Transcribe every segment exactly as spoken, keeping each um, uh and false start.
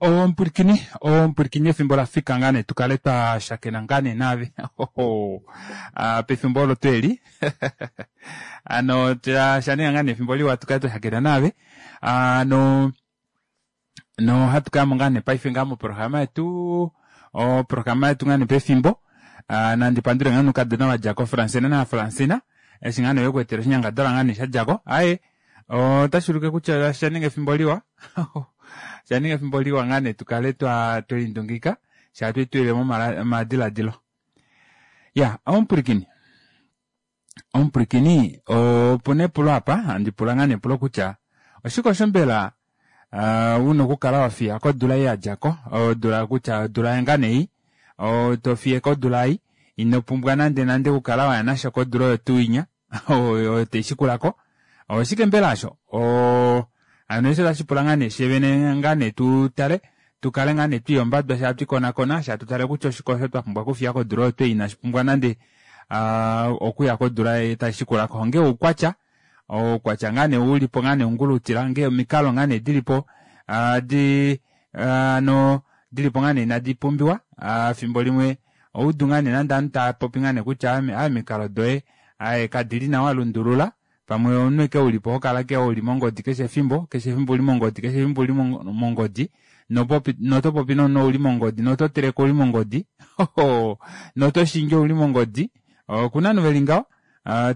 Ompwilikini ompwilikini efimbo lafika ngaa nee tukale twa shakena ngaa nee naave pefimbo olo tweli ano shaninga ngaa nee efimbo liwa tukale twa shakena naave ano nohatu kayamo ngaa nee paife ngaa moprograma yetu oprograma yetu ngaa nee pefimbo nandi pandule ngaa noukadona vadja ko Fransina na Fransina eshi ngaa nee vekweetela oshinyangadalwa ngaa nee shadjako aaye otashuulike kutya oshaninga efimbo liwa oshaninga efimbo liwa ngaa nee tukale twa twelindungika shaa twitulilemo omadilaadilo iya omupwilikini omupwilikini opuna epulo apa handi pula ngaa nee epulo kutya oshike osho mbela una okukala wafiya kodula ei yadjako odula kutya odula ngaa nee ei tofiyeko odula ei inopumbwa nande nande okukala waya nasho kodula oyo tuu inya oyo taishikulako oshike mbela osho oo hano eshi otashipula ngaa nee fyee ngaa nee tutale tukale ngaa nee twiiyombadwa fyee hatwiikonakona fyee hatu tale kutya oshike osho twapumbwa okufiya kodula oyo twei inashipumbwa nande okuya kodula taishikulako onghee oukwatya oukwatya ngaa nee ulipo ngaa nee ungulutila ngee omikalo ngaa nee dilipo di hano dilipo ngaa nee inadi pumbiwa efimbo limwe ohaudu ngaa nee nande ovanhu taapopi ngaa nee kutya aaye omikalo doye aaye kadili nawa lundulula pamwe omunhu ashike ulipo hokala ashike uli mongodi keshe efimbo keshe efimbo ouli mongodi keshe efimbo ouli mongodi notopopi nomunhu ouli mongodi nototeleke ouli mongodi notoshingi ouli mongodi okuna ovanhu veli ngaho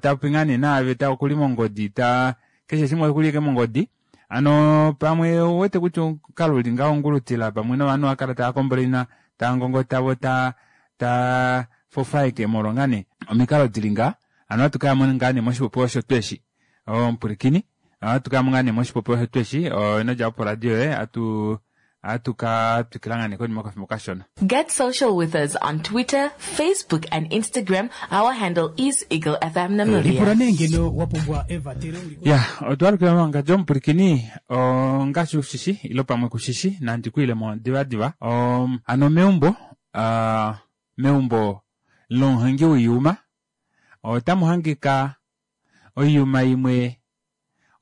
tapopi ngoo nee naave okuli mongodi taa keshe shimwe okuli ashike mongodi hano pamwe ouwete kutya omukalo uli ngaho ongulutila pamwe novanhu ohaakala taacomplaina taangongota voo taa taa fofaeke molwa ngaa nee omikalo dili ngaha hano ohatu kayamo ngaa nee moshipopiwa osho tuu eshi omupwilikini ohatu kayamo ngaa nee moshipopiwa osho tuu eshi inodjapo poradio yoye ohatu ohatu ka twikila ngaa nee konima yokafimbo kashona. Get social with us on Twitter, Facebook, and Instagram. Our handle is Eagle F M Lipula Namibia. Nee ngeno wa pumbwa evatelo uli Ya, otwalukila mangadi omupwilikini ongaashi ushishi ilo pamwe kushishi nandi kwiilemo divadiva um, hano meumbo uh, meumbo lomuhongi woiyuma otamu hangika oiyuma imwe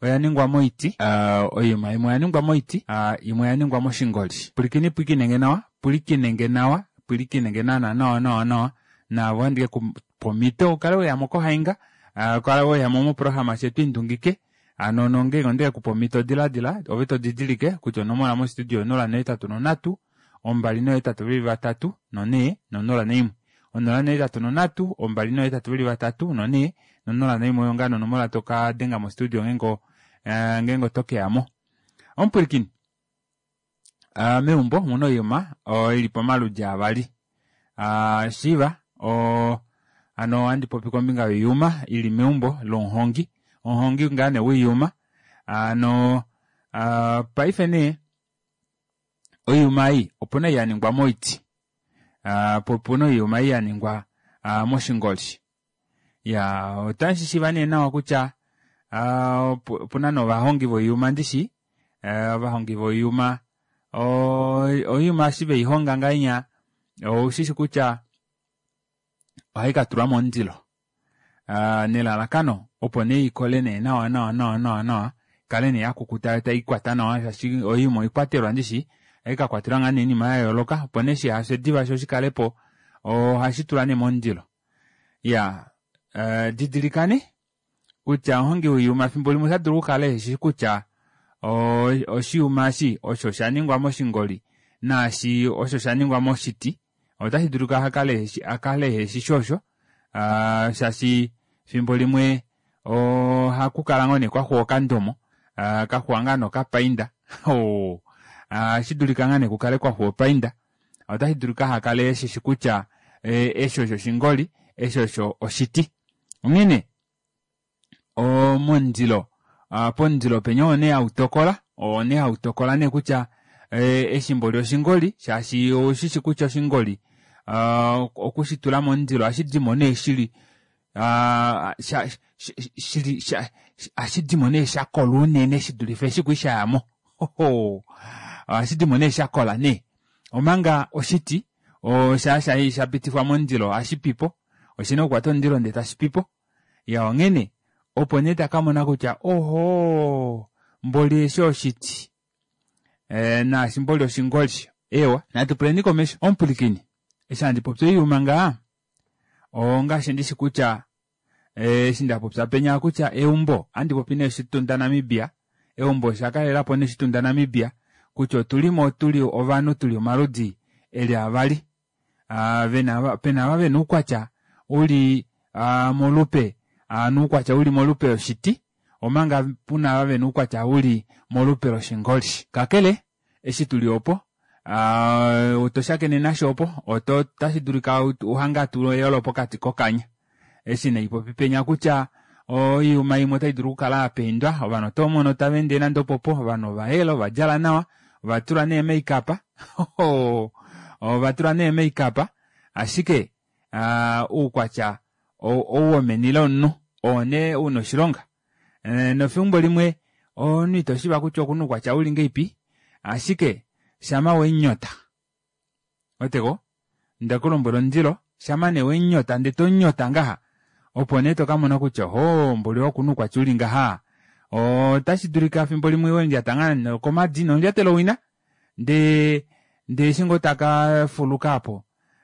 oya ningwa moiti uh, oiyuma imwe oya ningwa moiti uh, imwe oya ningwa moshingoli. Pwilikini pwilikinenge nawa pwilikinenge nawa pwilikinenge naana nawa nawa nawa naave ohandike kupa omhito ukale weyamo kohainga uh, kale weyamo moprograma fye twiindungike hano nongenge ondeke kupa omhito diladila ove todidilike kutya onomola mostudio onola nohetatu nonhatu ombali nohetatu veli vatatu nonhee nonola naimwe onola nohetatu nonhatu ombali nohetatu veli vatatu nonhee nonola naimwe oyo ngaa nonomola toka denga mostudio ngeenge ngeenge otokeyamo. Omupwilikini uh, meumbo omuna oiyuma ili pamaludi avali uh, shiiva oo hano ohandi popi kombinga yoiyuma ili meumbo lomuhongi omuhongi ngaa nee woiyuma hano uh, paife nee oiyuma ei opuna ei yaningwa moiti uh, po opuna oiyuma ei yaningwa uh, moshingoli. Ya otamushishiiva nee nawa kutya uh, opuna novahongi voiyuma ndishi uh, ovahongi voiyuma oiyuma eshi veihonga ngahenya oushishi kutya ohaikatulwa momundilo uh, nelalakano opo nee ikole nee nawa nawa nawa nawa nawa ikale nee yakukuta yo taikwata nawa shaashi oiyuma oikwatelwa ndishi ohaikakwatelwa ngaa nee oinima yayooloka opo nee shihafye diva sho shikalepo ohashi tulwa nee momundilo. Iya uh, didilikane kutya omuhongi woiyuma efimbo limwe otadulu okukala eheshi kutya oshiyuma eshi osho shaningwa moshingoli naashi osho shaningwa moshiti otashi dulika akale akale eheshi osho uh, shaashi efimbo limwe ohakukala ngoo nee kwaxuwa okandomo uh, kaxuwa ngaa nokapainda ohashi dulika ngaa nee kukale kwaxuwa opainda otashi dulika hakale eshishi kutya eshi osho oshingoli eshi osho oshiti. Onghene momundilo pomundilo penya oo nee hautokola oo nee hautokola nee kutya eshi mboli oshingoli shaashi oushishi kutya oshingoli okushitula momundilo ohashidimo nee shili shili ohashidimo nee shakola unene shidulife eshi kwali shayamo ohashidimo nee shakola nee omanga oshiti shaa shapitifwa momundilo ohashipipo oshina okukwata omundilo ndee tashipipo. Ya onghene opo nee takamona kutya ohoo mboli eshi oshiti e, naashi mboli oshingoli. Ewa, natu puleni komesho. Omupulikini, eshi handi popi oiyuma ngaa, ongaashi ndishi kutya eshi ndapopya penya kutya eumbo, andi popi nee oshitunda Namibia, eumbo osha kalelapo nee oshitunda Namibia, kutya otulimo tuli ovanhu tuli omaludi eli avali. Uh, vena, pena ava vena oukwatya uli uh, molupe uh, noukwatya uli molupe loshiti, omanga puna ava vena oukwatya uli molupe loshingoli. Kakele eshi tuli opo uh, oto shakene nasho opo oto tashi dulika uhanga tu eyolo pokati kokanya. Eshi naipopi penya kutya oiyuma imwe otai dulu okukala yapeindwa, ovanhu oto mono tava ende nande opopo, ovanhu ovayela, ovadjala nawa, ovatula nee make-up ovatula nee make-up, ashike uh, oukwatya ou womeni lomunhu oo nee una oshilonga. E, nofimbo limwe omunhu ito shiiva kutya okuna oukwatya uli ngeipi, ashike shama wenyota oteko ndekulombwela omundilo, shama nee wenyota ndee tonyota ngaha, opo nee tokamona kutya ho mboli okuna oukwatya uli ngaha. Otashi dulika fimbo limwe wendjata ngaa nokomadi nondjatelo wina, ndee ndee eshi ngoo taka fuluka apo,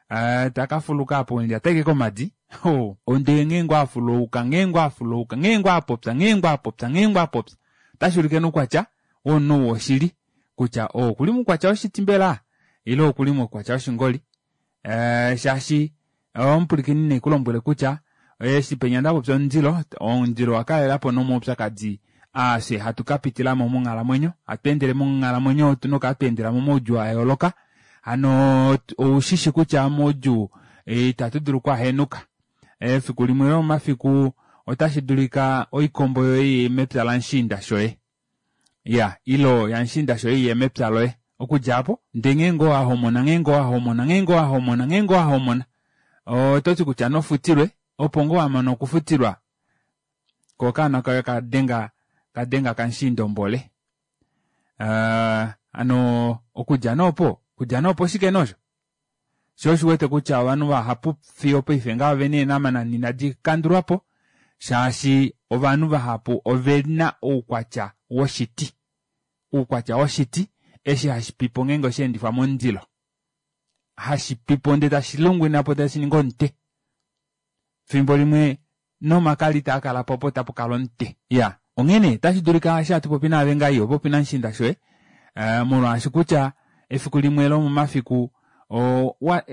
uh, taka fuluka apo wendjata eke komadi, ho ndee nghee ngoo afuluka, nghee ngoo afuluka, nghee ngoo apopya, nghee ngoo apopya, nghee ngoo apopya, otashi ulike noukwatya womunhu woshili kutya okuli moukwatya woshiti mbela ile okuli moukwatya woshingoli. Uh, shaashi omupulikini nekulombwele kutya eshi penya ndapopya omundilo, omundilo wakalelapo nomaupyakadi aafye hatu kapitilamo monghalamwenyo, hatu endele monghalamwenyo otuna okukala twa momaudjuu a yooloka. Hano oushishi kutya moudjuu itatu dulu okuahenuka. Efiku limwe lomomafiku otashi dulika oikombo yoye iye mepya lamushiinda shoye, ya ilo yamushiinda shoye iye mepya loye. Okudja apo ndee nghee ngoo wahomona, nghee ngoo wahomona, nghee ngoo wahomona, nghee ngoo wahomona, ototi kutya nofutilwe, opo ngoo wamana okufutilwa ko okaana kaye kadenga kadenga kamushiinda ombole. Uh, ano okudja noopo, okudja noopo oshike nosho sho oshiwete kutya ovanhu vahapu fiyo paife ngaha ovena eenamanana inadi kandulwapo, shaashi ovanhu vahapu ovena oukwatya woshiti, oukwatya woshiti eshi hashi pipo ngeenge osheendifwa momundilo, hashi pipo ndee tashi lungwinapo tashi ningi omute. Fimbo limwe nomakali itaa kalapo opo tapu kala omute. Ya onghene tashi dulika eshi hatu popi naave ngaa iho popi namushiinda shoye, uh, molwaashi kutya efiku limwe lomomafiku wa,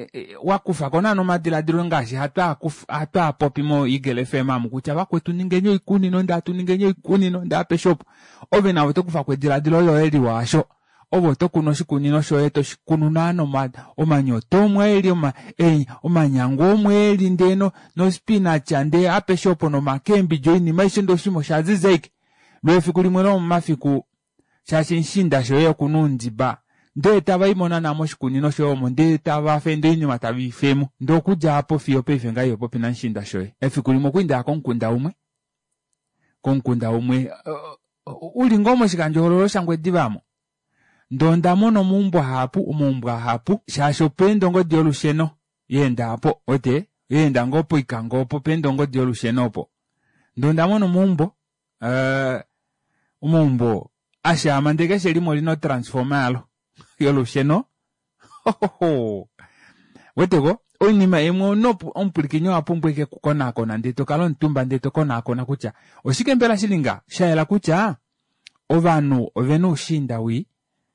wakufako naana omadiladilo ngaashi hatu apopi mo Eagle F M amu kutya vakwetu ningeni oikunino, ndee hatu ningeni oikunino, ndee apeshe opo ove navo tokufako ediladilo loye liwa asho. Ove oto kunu oshikunino shoye, toshikunu naana omanyoto omwe eli, omanyangu omwe eli, ndee nospinach, ndee apeshe opo nomakembidji, oinima aishe ndee oshinima osha ziza ashike. Lwefiku limwe lomomafiku shaashi mushiinda shoye okuna oundiba, ndee tava imo naana moshikunino shoye omo, ndee tava fe ndee oinima tave i femo. Ndee okudja apo fiyo paife ngaha iho popi namushiinda shoye. Efiku limwe okuli ndaya komukunda umwe, komukunda umwe uli ngoo moshikandjohoololo shaNgwediva amo. Ndee onda mona omaumbo ahapu, omaumbo ahapu, shaashi opeenda ongodi yolusheno yeenda apo, ote yeenda ngoo poikango opo peenda ongodi yolusheno opo. Ndee onda mona omaumbo, uh, omaumbo ashaama ndee keshe limwe olina otransforma yalo yolusheno. Weteko oinima imwe ono omupulikini owa pumbwa ike okukonaakona, ndee tokala omutumba ndee tokonaakona kutya oshike mbela shili nga shayela kutya ovanhu ovena oushiinda wii,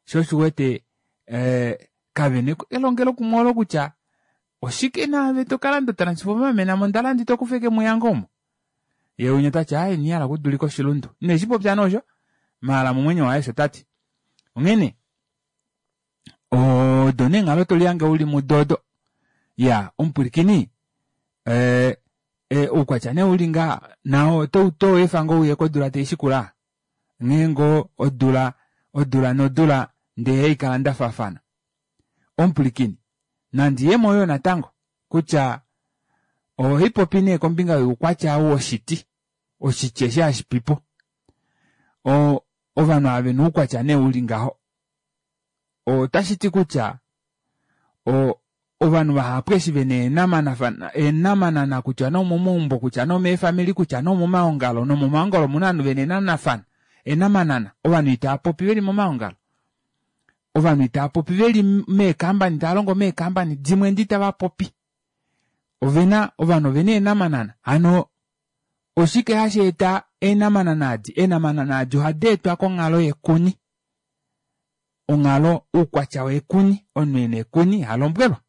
sho oshiwete eh, kavena elongelokumwe olo kutya oshike naave tokalanda otransforma mena mondala ndi tokufa eke muyango omo. Ye winya tati aye nihala okudulika oshilundu, ineshi popya noosho maala momwenyo waye osho tati. Onghene odo neenghalo tolihange uli mudodo. Ya omupulikini eh, eh, oukwatya nee uli nga nao oto toefa ngoo uye kodula taishikula, nghee ngoo odula odula nodula ndee haikala ndafaafana. Omupulikini nandiyemo yo natango kutya ohipopi nee kombinga youkwatya woshiti, oshiti eshi hashi pipo. O ovanhu ava vena oukwatya nee uli ngaho, otashi ti kutya o ovanhu vahapu eshi vena eenamanana kutya nomomaumbo, kutya nomeefamili, kutya nomomaongalo, nomomaongalo omuna ovanhu vena eenanafana, eenamanana, ovanhu itava popi veli momaongalo. Ovanhu itava popi veli meekambani, tava longo meekambani dimwe ndi tava popi. Ovena, ovanhu ovena eenamanana. Hano oshike hashi eta eenamanana adi? Eenamanana adi ohadi etwa konghalo yekuni. Onghalo oukwatya wekuni, omunhu ena ekuni ihalombwelwa.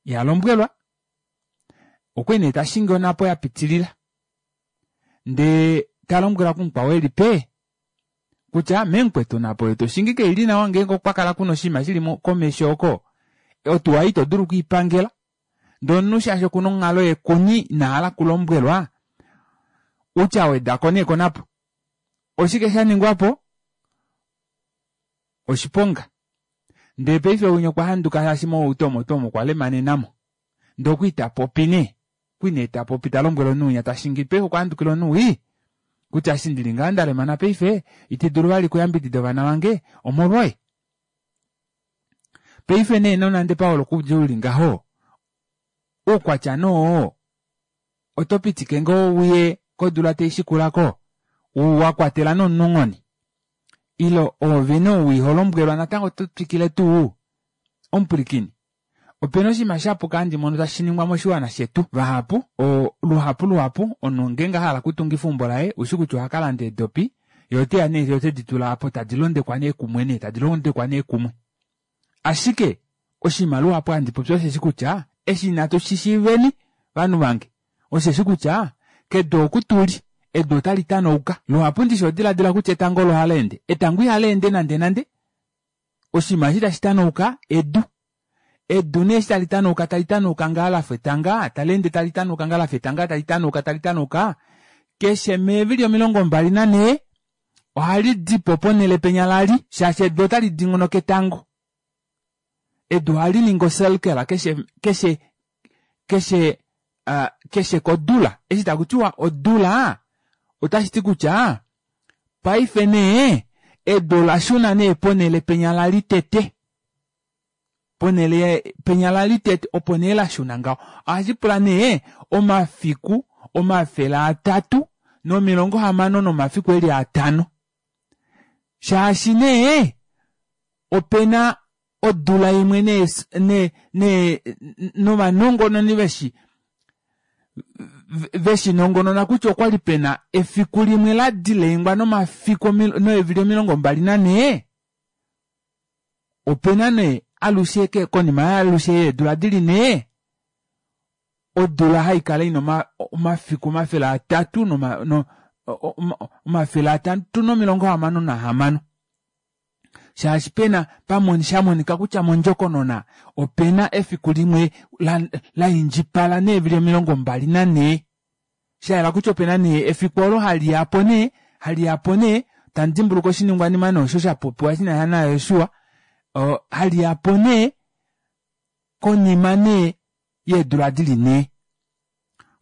Ihalombwelwa, okwali nee tashingi onhapo yapitilila ndee talombwelwa kumukwao eli pee kutya memukwetu onhapo oyo toshingi kaili nawa ngeenge okwa kala kuna oshinima shili komesho oko otuwa ito dulu okwiipangela ndee omunhu shaashi okuna onghalo yekuni inahala okulombwelwa utya awedako nee konapo oshike shaningwapo oshiponga ndee paife winya okwa handuka shaashi mohauto omo tuu omo okwa lemanenamo ndee okwali tapopi nee okwali nee tapopi talombwele omunhu winya tashingi paife okwa handukila omunhu wii kutya eshi ndili ngaha ndalemana paife iti dulu vali okuyambidida ovana vange omolwoye. Paife nee nonande Paolo okudja uli ngaho oukwatya noo oto pitike ngoo uye kodula taishikulako wakwatela nomunhu onghone ile oove nee ou iholombwelwa natango oto twikile tuu omupwilikini. Opena oshinima shapuka handi mono tashi ningwa moshiwana shetu vahapu o luhapu luhapu omunhu ngeenge ahala okutungifa eumbo laye ushi kutya ohakalanda eedopi yee oteya nee otedi tula aapo tadi londekwa nee kumwe nee tadi londekwa nee kumwe. Ashike oshinima luhapu handi popi osheshi kutya eshi inatu shishiiveni vanhu vange osheshi kutya kedu oku tuli edu otali tanauka. Luhapu ndishi odiladila kutya etango olo haleende, etango ihaleende nande nande oshinima eshi tashi tanauka edu. Edu nee eshi tali tanauka tali tanauka ngaa lafa etanga taleende tali tanauka ngaa lafa etanga tali tanauka tali tanauka keshe meevili omilongo mbali nanhee ohali dipo ponele penya lali shaashi edu otali dingonoka etango. Edu ohali ningi ocircle keshe keshe keshe uh, keshe kodula eshi takutiwa odula otashiti kutya paife nee edu olashuna nee ponele penya lali tete ponele penya lali tete opo nee lashuna ngaho. Ohashi pula nee omafiku omafele atatu nomilongo hamano nomafiku eli atano shaashi nee opena odula imwe nee nee nee novanongononi veshi veshinongonona kutya okwali pena efiku limwe la dileingwa nomafiku neevili omilongo mbali nanhee opena nee alushe konima yaalushe yeedula dili nhee odula haikala ina omafiku omafele atatu noma no omafele atatu nomilongo hamano nahamano shaashi pena pamoni shamonika kutya mondjokonona opena efiku limwe laindjipala neevili omilongo mbali nanhee shayela kutya opena nee efiku olo haliyapo nee haliyapo nee tandimbuluka oshiningwanima nee osho shapopiwa shinasha naJosua haliyapo nee konima nee yeedula dili nhee.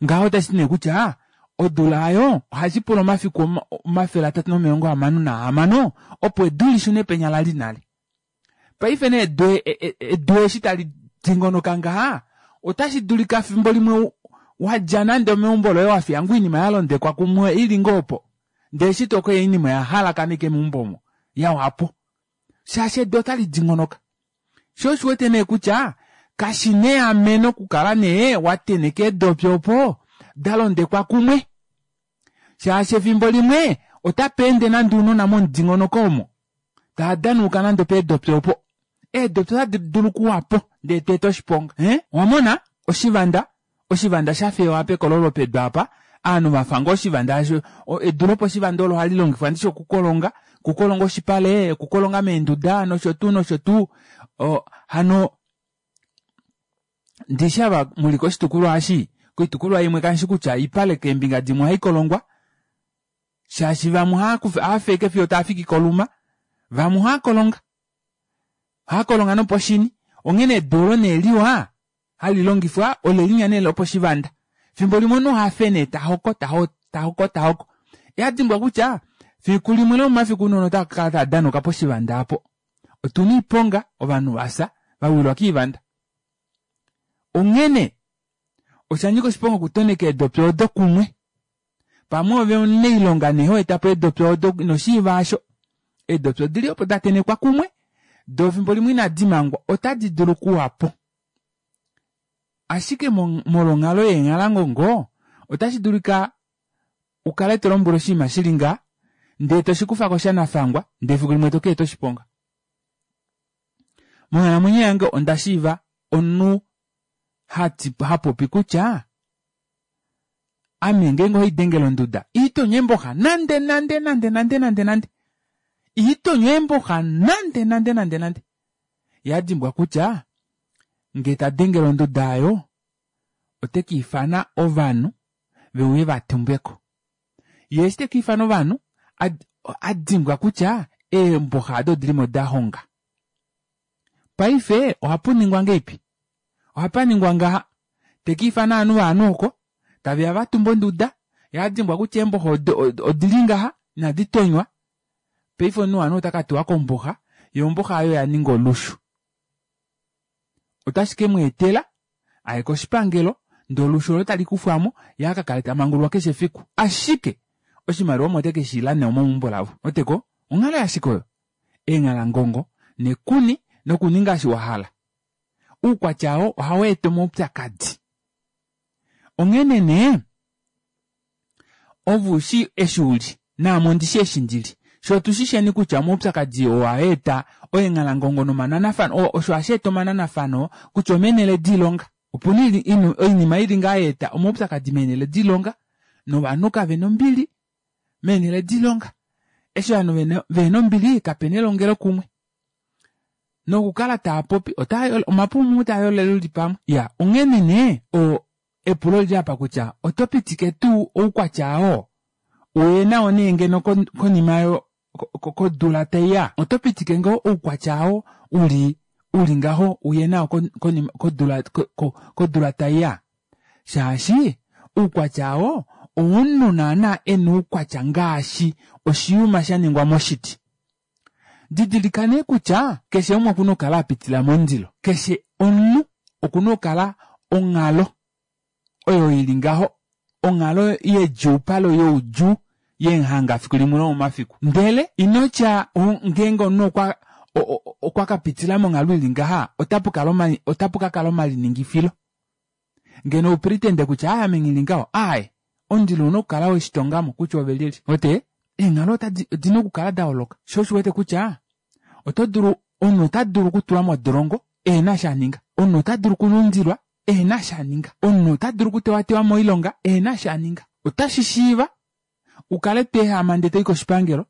Ngaho otashiti nee kutya odula aayo ohashi pula omafiku omafele atatu nomilongo hamano nahamano opo edu lishune penya lali nale. Paife nee edu edu eshi tali dingonoka ngaha otashi dulika fimbo limwe wadja nande omeumbo loye wafiya ngoo oinima yalondekwa kumwe ili ngoo opo ndee eshi tokoya oinima oya halakana ashike meumbo omo yawapo shaashi edu otali dingonoka. Sho oshiwete nee kutya kashina eameno okukala nee wateneka eedopi opo dalondekwa kumwe shaashi efimbo limwe otapa ende nande ounona momudingonoko omo tava danauka nande opeedopi opo eedopi otadi dulu okuwapo ndee tweeta oshiponga eh owamona oshivanda oshivanda shafewa pekololo pedu apa ovanhu vafa ngoo oshivanda asho edu loposhivanda olo ohali longifwa ndishi okukolonga okukolonga oshipale okukolonga meenduda nosho tuu nosho tuu hano ndishi ava muli koshitukulwa eshi koitukulwa imwe kanshi kutya oipale keembinga dimwe ohaikolongwa shaashi vamwe ohaafeke fiyo taafiki koluma vamwe ohaakolonga ohaakolonga noposhini onghene edu olo nee liwa hali longifwa olelinya nee loposhivanda fimbo limwe omunhu ohafe nee tahoko tahoko tahoko ihadimbwa kutya fiku limwe lomomafiku ounona otava kakala tava danauka poshivanda aapo. Otuna oiponga ovanhu vafya vawilwa koivanda. Onghene oshanyika oshiponga okutoneka eedopi odo kumwe pamwe ove omunailonga nee hoetapo eedopi odo inoshiiva aasho Eedopi odili opo datenekwa kumwe, doo fimbo limwe inadi mangwa otadi dulu okuwapo. Ashike molwonghalo yeenghalangongo otashi dulika ukale tolombwele oshinima shili nga ndee toshikufako shanafangwa ndee efiku limwe tokeeta oshiponga. Monghalamwenyo yange onda shiiva omunhu hati hapopi kutya ame ngeenge ohaidengele onduda iitonya eemboxa nande nande nande nande nande nande iitonya eemboxa nande nande nande nande yadimbwa kutya ngee tadengele onduda aayo otekiifana ovanhu veuye vatumbeko yee eshi tekiifana ovanhu adimbwa kutya eemboxa aado odilimo dahonga. Paife ohapuningwa ngahelipi? Ohapaningwa ngaha tekiifana ovanhu ovanhu oko taveya vatumbe onduda yee adimbwa kutya eemboxa odili ngaha inadi tonywa paife omunhu wovanhu otakatuwa komboxa yoo omboxa aayo oyaninga olushu. Otashi kemweetela aye koshipangelo ndee olushu olo tali kufwamo yee akakale tamangululwa keshe efiku ashike oshimaliwa omo tekeshiila nee omo meumbo lavo. Ouweteko onghalo yashike oyo eenghalangongo nekuni nokuninga eshi wahala oukwatya oo ohaweeta omaupyakadi. Onghene nee ove ushi eshi uli naame ondishi eshi ndili fyee otushisheni kutya omaupyakadi oo ohaeta eenghalangongo nomananafano osho hasheeta omananafano kutya omeenele doilonga opuna oinima ili ngaha hayeeta omaupyakadi meenele doilonga novanhu kavena ombili meenele doilonga. Eshi ovanhu vehena ombili kapena elongelokumwe nokukala taapopi omapumu taayolele uli pamwe. Iyaa onghene nee oo epulo olili aapa kutya oto pitike tuu oukwatya oo uye nao nee ngeno konima kodula taiya? Oto pitike ngoo oukwatya oo uli uli ngaho uye nao konima kodula kodula taiya? Shaashi oukwatya oo owomunhu naana ena oukwatya ngaashi oshiyuma shaningwa moshiti. Didilika nee kutya keshe umwe okuna okukala apitila momundilo. Keshe omunhu okuna okukala onghalo oyo ili ngaho onghalo yedjuupalo youdjuu yemuhanga efiku limwe lomomafiku. Ndele inotya ngeenge omunhu okwa okwa kapitila monghalo ili ngaha otapukala otapukakala omaliningifilo ngeno upretende kutya aaye ame nghili ngaho aaye omundilo ouna okukala weshitongamo kutya ove lyelye. Uwete eenghalo odina okukala dayooloka shoo osho uwete kutya oto dulu omunhu ota dulu okutulwa modolongo ehena eshi aninga. Omunhu ota dulu okulundilwa ehena eshi aninga. Omunhu ota dulu okutewatewa moilonga ehena eshi aninga. Otashi shiiva ukale tweehama ndee toyi koshipangelo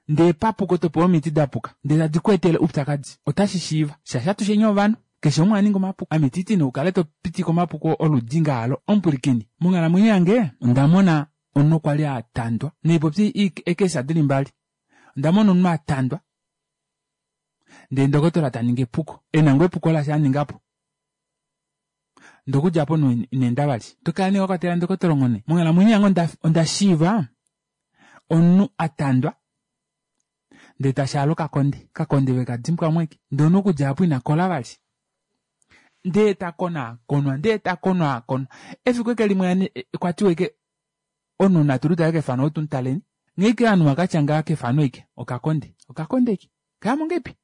ndee papuko topewa omiti dapuka ndee tadi kweetele oupyakadi. Otashi shiiva shaashi atusheni ovanhu keshe umwe ohaningi omapuko. Ame ititi nee ukale topitika omapuko oludi ngaalo. Omupwilikini monghalamwenyo yange ondamona omunhu kwali atandwa naipopye eekesa dili mbali. Ondamona omunhu atandwa ndee ndokotola taningi epuko ena ngoo epuko lasha aningapo ndee okudja aapo omunhu ineenda vali. Tokala nee wakwatela ndokotola onghone. Monghalamwenyo yange onda shiiva omunhu atandwa ndee tashaala okakonde okakonde vekadimbwamo ashike ndee omunhu okudja aapo inakola vali ndee takonaakonwa ndee takonaakonwa efiku ashike limwe okwatiwa ashike omunhu natulutale kefano oo tumutaleni nghee ashike ovanhu vakatya ngaha kefano ashike okakonde okakonde ashike okayamo ngahelipi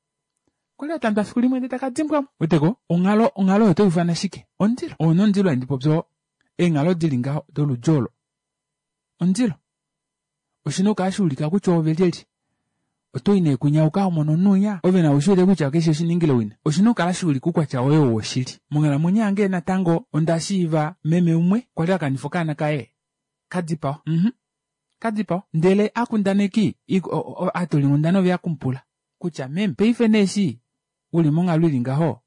okwali atandwa efiku limwe ndee takadimbwamo. Ouweteko onghalo onghalo oyo otoifana shike? Omundilo oo nomundilo handi popi oo eenghalo dili ngaho doludi olo omundilo. Oshina okukala shaulika kutya oove lyelye. Otoyi nee kunya ukahomono omunhu winya ove nawe ushiwete kutya keshi oshiningile wina. Oshina okukala shaulika oukwatya woye ou woshili. Monghalamwenyo yange natango onda shiiva meme umwe kwali akanifa okaana kaye kadipawa mhm kadipawa ndele akundaneki aatolinghundana oveya okumupula kutya meme paife nee eshi uli monghalo ili ngaho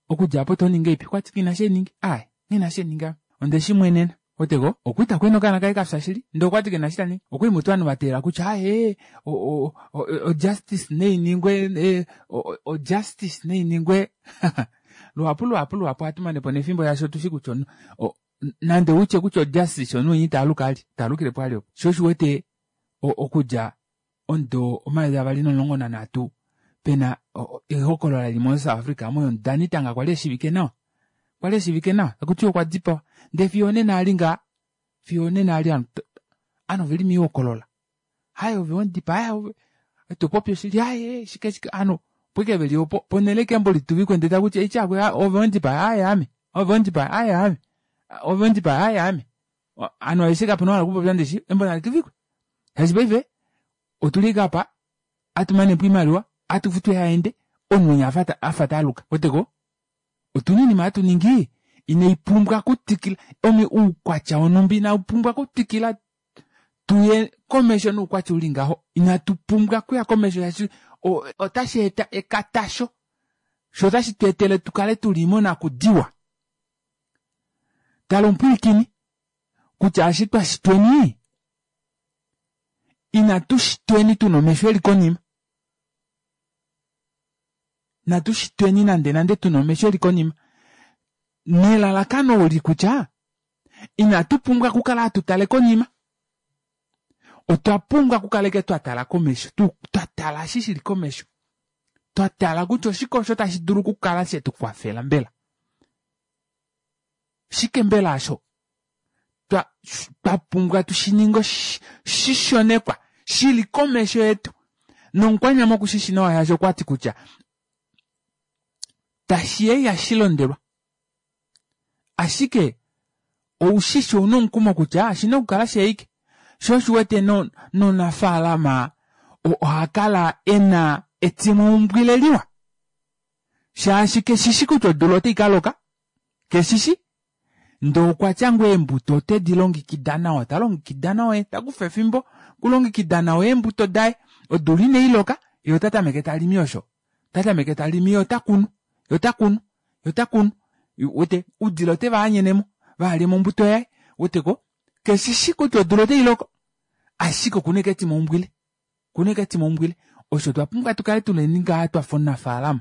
okudja aapo otoningi ngahelipi? Okwati nghina eshi hainingi aaye nghina eshi hainingi ame ondeshimwenena. Ouweteko okwali takwena okaana kaye kafya shili ndee okwati kena eshi taningi. Okwali mutu ovanhu vateelela kutya aaye o justice nainingwe o justice nainingwe luhapu luhapu luhapu ohatu manepo nefimbo shaashi otushi kutya nande utye kutya o justice omunhu winya itaaluka vali taalukilepo vali opo. Shoo osho uwete okudja omudo omayovi avali nomulongo nanhatu pena ehokolola lili mo south Africa omo yomudanitanga kwali eshivike nawa kwali eshivike nawa takutiwa okwa dipawa ndee fiyo onena ali ngaa fiyo onena ali ovanhu oveli moihokolola aaye ove wemudipaa aaye Topopi oshili aaye shike shike ovanhu opo ashike veli opo ponele ashike embo lituvikwe ndee takuti eshi ove wendipaya aaye aame ove wendipaya aaye aame ove wendipaya aaye aame ovanhu aveshe kapena ou ahala okupopya ndishi embo nalituvikwe shaashi paife otuli ashike aapa atumanepo oimaliwa atufutu eehaende omunhu winya afa taaluka ouweteko otuna oinima hatuningi inaipumbwa okutwikila oukwatya wonumba inaupumbwa okutwikila tuye komesho noukwatya uli ngaho inatu pumbwa okuya komesho shaashi otasheeta ekatasho shoo otashi tweetele tukale tuli monakudiwa tala omupwilikini kutya eshi twashitweni inatu shitweni tuna omesho eli konima inatu shitweni nande nande tuna omesho eli konima nelalakano oli kutya inatu pumbwa okukala hatutale konima otwa pumbwa okukala ashike twatala komesho twatala eshi shili komesho twatala kutya oshike osho tashi dulu okukala shetukwafela mbela oshike mbela aasho twapumbwa tushininge shishonekwa shili komesho yetu nomukwanyama okushishi nawa shaashi okwati kutya tashiya ihashilondelwa ashike oushishi ouna omukumo kutya oshina okukala sheike shoo osho uwete nomunafalama ohakala ena etimaumbwile liwa shaashi keshishi kutya odula otaikaloka keshishi ndee okwatya ngoo eembuto otedilongekida nawa talongekida nawa takufa efimbo okulongekida nawa eembuto daye odula inailoka yee otatameke talimi osho otatameke talimi yee otakunu yee otakunu yee otakunu uwete oudila otevaanyenemo vahalyemo ombuto yaye ouweteko keshishi kutya odula otailoko ashike okuna ashike etimaumbwile okuna ashike etimaumbwile osho twapumbwa tukale tuleni ngaha twafa omunafalama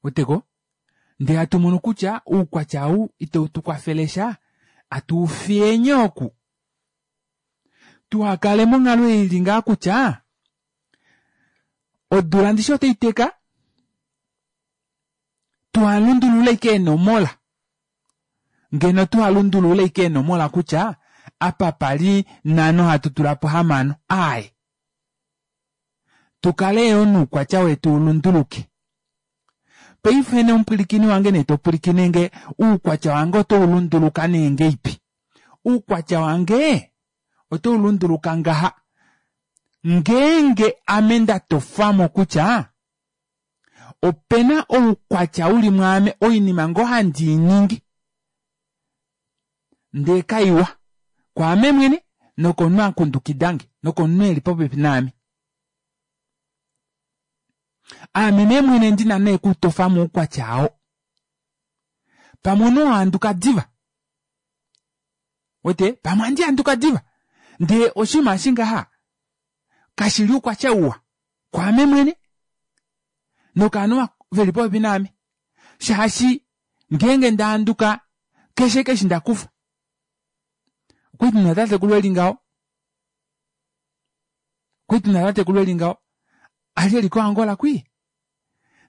ouweteko ndee hatumono kutya oukwatya ou itautukwafele sha atuufiyeni oku tuhakale monghalo ei ili ngaha kutya odula ndishi otaiteka tuhalundulule ashike eenomola ngeno tuhalundulule ashike eenomola kutya apa pali nhano hatu tulapo hamano aaye tukale yoo noukwatya wetu ulunduluke paife nee omupwilikini wange nee topwilikinenge oukwatya wange otaulunduluka nee ngahelipi oukwatya wange otaulunduluka ngaha ngeenge ame ndatofwamo kutya opena oukwatya uli mwaame oinima ngoo handiiningi ndee kaiwa kwaame mwene nokomunhu akundukidange nokomunhu eli popepi naame aame nee mwene ndina nee okutofamo oukwatya oo pamwe omunhu ohahanduka diva uwete pamwe ohandi handuka diva ndee oshinima eshi ngaha kashili oukwatya uwa kwaame mwene nokovanhu veli popepi naame shaashi ngeenge ndahanduka keshe eshi ndakufa okwali tuna tatekulu eli ngaho okwali tuna tatekulu eli ngaho ali eli ko angola kwii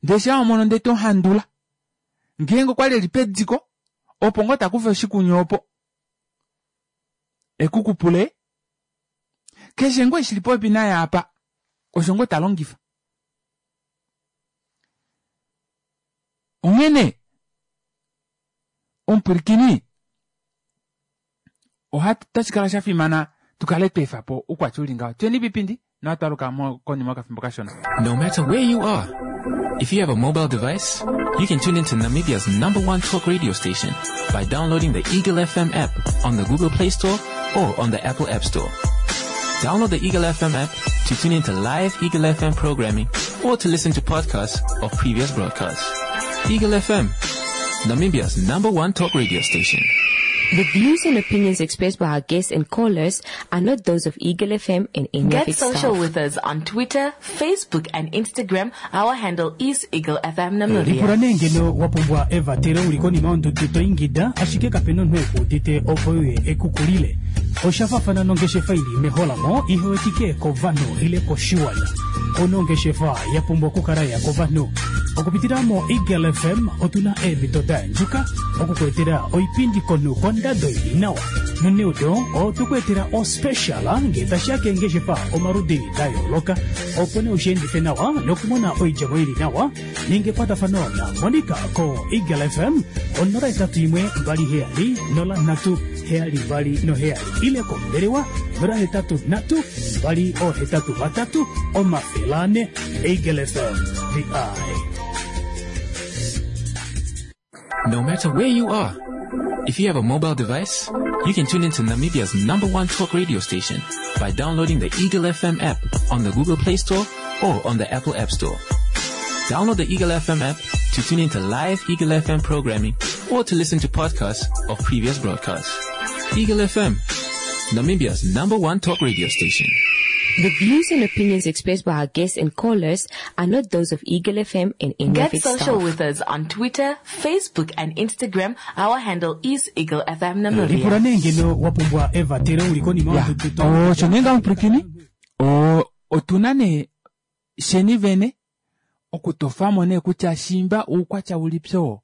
ndee shaa wamono ndee tomuhandula ngeenge okwali eli pediko opo ngoo takufa oshikunyu opo ekukupule keshe ngoo eshi shili popepi naye aapa osho ngoo talongifa onghene omupwilikini otashikala shafimana tukale tweefapo oukwatya uli ngaho tuyeni pipindi nohatwaluka konima yokafimbo kashona No matter where you are, if you have a mobile device, you can tune into Namibia's number one talk radio station by downloading the Eagle FM app on the Google Play Store or on the Apple App Store. Download the Eagle FM app to tune into live Eagle FM programming or to listen to podcasts of previous broadcasts. Eagle FM, Namibia's number one talk radio station. The views and opinions expressed by our guests and callers are not those of Eagle FM and any of Get its social staff. with us on Twitter, Facebook, and Instagram. Our handle is Eagle FM lipula Namibia. nee ngeno wa pumbwa evatelo uli konima yondudu to ingida ashike kapena omunhu ekuudite opo uye ekukulile oshafafana nongeshefa ili meholamo ihewetike kovanhu ile koshiwana onongeshefa ya pumbwa okukala ya kovanhu Okupitila mo Eagle F M otuna eemhito da andjuka okukuetela oipindi komunhu kondado ili nawa. Noneudo otukuetela ospecial ngee tashiya keengeshefa omaludi da yooloka, opo nee ushiendife nawa nokumona oidjemo ili nawa. Ninga ekwatafano na Monica ko Eagle F M onola hetatu imwe mbali heyali nola nhatu heyali mbali noheyali ile kombelewa nola hetatu nhatu mbali ohetatu vatatu omafele ane. Eagle F M, the eye. No matter where you are, if you have a mobile device, you can tune into Namibia's number one talk radio station by downloading the Eagle F M app on the Google Play Store or on the Apple App Store. Download the Eagle F M app to tune into live Eagle F M programming or to listen to podcasts of previous broadcasts. Eagle F M, Namibia's number one talk radio station. The views and opinions expressed by our guests and callers are not those of Eagle F M and any of Get its social staff. With us on Twitter, Facebook, and Instagram. Our handle is Eagle F M Lipula Namibia. Nee ngeno wa pumbwa evatelo uli konima Ya yondudu to- osho nee ngaho mupwilikini O- otuna nee sheni vene okutofamo nee kutya shimba uukwatya ulipi oo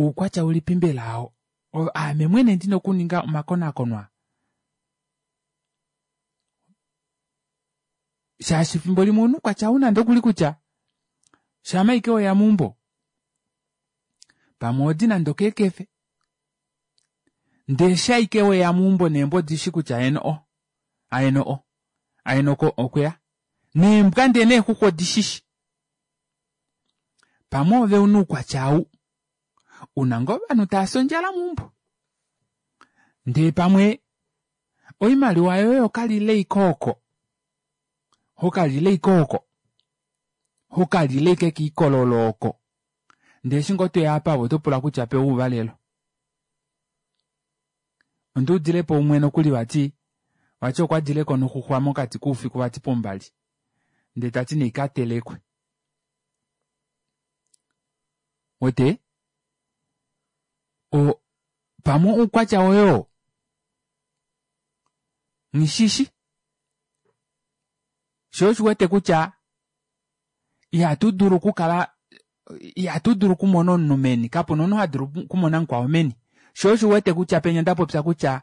uukwatya ulipi mbela oo O- aame mwene ndina okuninga omakonakono shaashi fimbo limwe omunhu kwatya una ndokuli kutya shama ike oya meumbo pamwe odi nande okeekefe ndee shaike weya meumbo neembwa odishi kutya eno o aeno o aeno oko okweya neembwa ndee neexuxwa odishishi pamwe ove una uukwatya ou una ngoo ovanhu taasi ondjala meumbo ndee pamwe oimaliwa yoye okalile ike oko hokalile ike oko hokalile ike kiikololo oko ndee eshi ngoo toya apa ove otopula kutya pewa ouvalelo onduudilepo umwe nokuli vati vati okwadileko noxuxwa mokati koufiku vati pombali ndee tati neikatelekwe wete o pamwe oukwatya woye oo nghishishi sho oshiwete kutya ihatu dulu okukala ihatu dulu okumona omunhu meni kapuna omunhu ha dulu okumona mukwao meni sho oshiwete kutya penya ndapopya kutya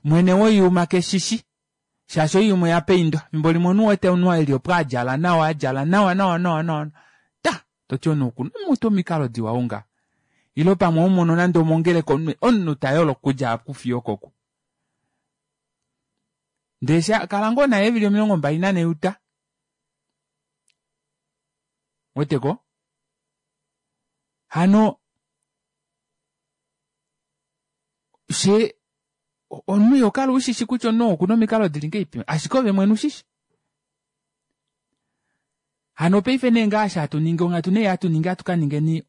mwene woiyuma keshishi shaashi oiyuma oya paindwa fimbo limwe omunhu wete omunhu eli opo adjala nawa adjala nawa nawa nawa nawa ta toti omunhu okuna mutu omikalo diwa unga ilo pamwe omono nande omongeleka omunhu omunhu tayolo okudja oku fiyo okoku ndee sha kala ngoo naye eevili omilongo mbali nanhe uta weteko hano she omunhu ihokala ushishi kutya omunhu okuna omikalo dili ngahelipi ashike ove mwene ushishi hano paife nee ngaashi hatu ningi onghatu nee hatu ningi hatu kaningeni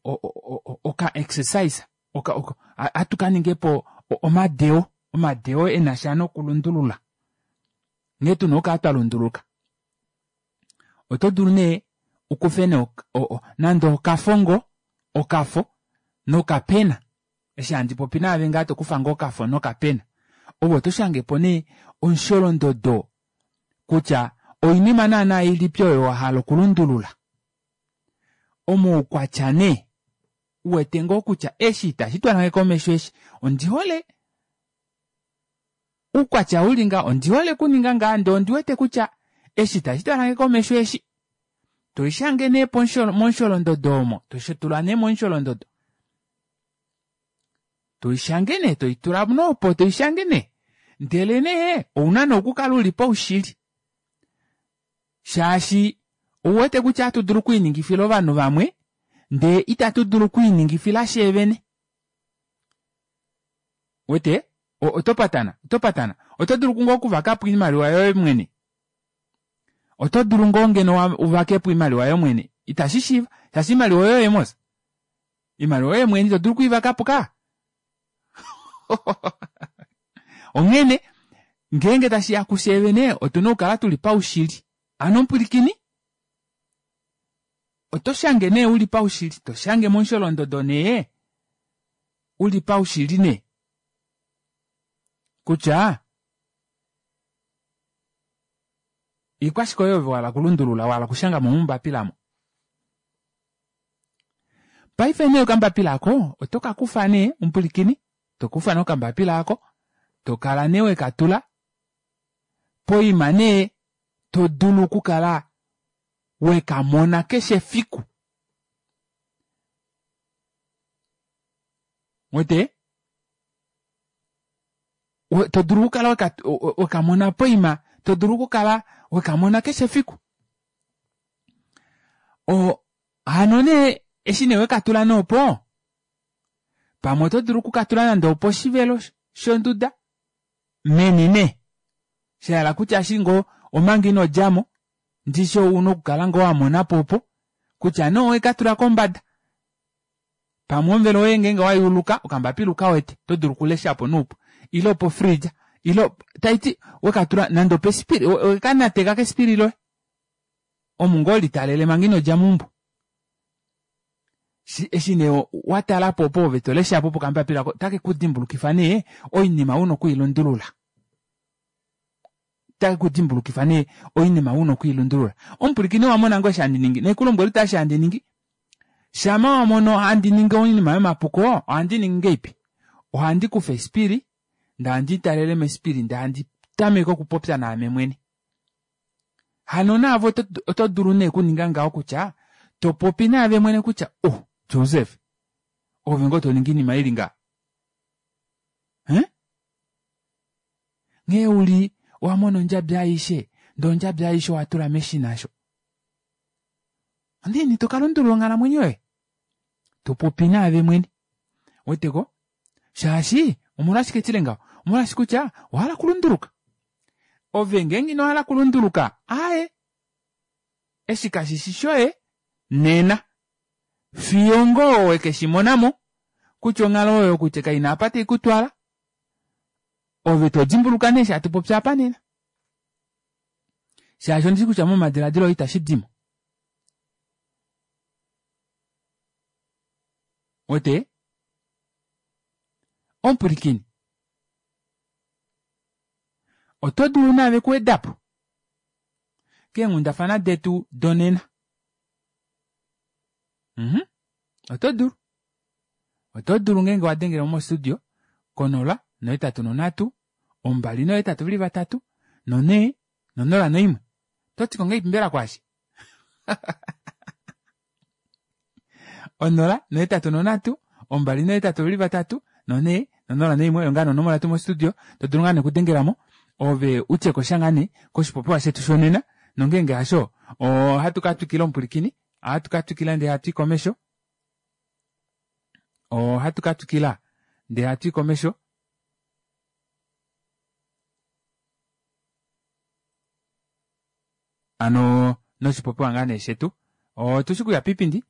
oka exercise oka, oka, hatu kaningepo omadeo omadeo enasha nokulundulula nghee tuna okukala twa lunduluka oto dulu nee ukufe nee nande okafongo okafo nokapena eshi handi popi naave ngaa tokufa ngoo okafo nokapena ove oto shangepo nee omusholondodo kutya oinima naana ilipi oyo wahala okulundulula omoukwatya nee uwete ngoo kutya eshi itashi twalange komesho eshi ondihole uukwatya uli nga ondihole okuninga ngaa ndee ondiwete kutya eshi itashi twalange komesho eshi toishange nee momusholondodo omo toshitula nee momusholondodo toishange nee toitula nopo toishange nee ndele nee ouna nee okukala uli paushili shaashi ouwete kutya hatu dulu okwiiningifila ovanhu vamwe ndee itatu dulu okwiiningifila sheevene wete oto patana oto patana oto dulu ngoo okuvakapo oimaliwa yoye mwene oto dulu ngoo ngeno uvakepo oimaliwa yoye mwene itashi shiiva shaashi oimaliwa yoye mos oimaliwa yoye mwene ito dulu okuivakapo ka onghene ngeenge tashiya kusheevene otuna okukala tuli paushili ano mupwilikini oto shange nee uli paushili to shange momusholondodo nee uli paushili nee kutya ikwashike oyo ove wahala okulundulula wahala okushanga mo mombapila mo Paife nee okambapila ako oto ka kufa nee omupulikini, to kufa nee okambapila ako, to kala nee weka tula poima nee to dulu okukala weka mona keshe efiku. Wete? To dulu okukala weka mona poima, to dulu okukala weka mona keshe efiku. O hano nee eshi nee wekatula nee opo, pamwe oto dulu okukatula nande oposhivelo shonduda meni nee. Shahala kutya eshi ngoo omanga ino djamo, ndishi ouna okukala ngoo wamonapo opo, kutya nee owekatula kombada. Pamwe omuvelo woye ngeenge wayuuluka, okambapila ukawete, oto dulu okuleshapo noupu. Ile opo fridge, ile taiti wekatula nande opesipili, wekanateka kesipili loye. Omu ngoo litalele manga ino dja meumbo. Eshi nee watalapo opo ove toleshapo pokambapila oko, otake kudimbulukifa nee oinima una okwiilundulula. Otake kudimbulukifa nee oinima una okwiilundulula. Omupulikini wamona ngoo eshi handi ningi, naikulombwela kutya eshi handi ningi. Shama wamono handi ningi oinima yomapuko, ohandi ningi ngeipi? Ohandi kufa esipili, ndee handi talele mesipili, ndee handi tameke okupopya naame mwene. Hano naave oto dulu nee okuninga ngaho kutya topopi naave mwene kutya oh Joseph, ove ngoo toningi oinima ili nga? Hein? Nghee uli owamona ondjabi aishe, ndee ondjabi aishe owatula meshina sho. Ondiini tokalundulula onghalamwenyo yoye? Topopi naave mwene. Weteko? Shaashi omolwashike tile ngaho? Omolwashike kutya owahala okulunduluka. Ove ngeenge inohala okulunduluka, aaye, eshi kashishi shoye nena. Fiyo ngoo wekeshimonamo kutya onghalo oyo kutya kaina apa taikutwala, ove todimbuluka nee eshi hatu popi apa nena. Shaashi ondishi kutya momadiladilo itashi dimo. Wete? Omupulikini. Oto dulu naave kuwedapo keenghundafana detu donena. Mhm. Oto dulu. Oto dulu ngeenge wa dengele mo studio konola nohetatu nonhatu ombali nohetatu veli vatatu nonhee nonola noimwe. Oto ti ko ngahelipi mbela kwaashi? Onola nohetatu nonhatu ombali nohetatu veli vatatu nonhee nonola noimwe oyo ngaa nonomola yetu mostudio to dulu ngaa nekudengelamo ove utye kosha ngaa nee koshipopiwa shetu shonena nongeenge hasho ohatu ka twikila omupulikini, ohatu ka twikila ndee hatu i komesho, ohatu ka twikila ndee hatu i komesho. Ano noshipopiwa ngaa nee shetu otushi kuya piipindi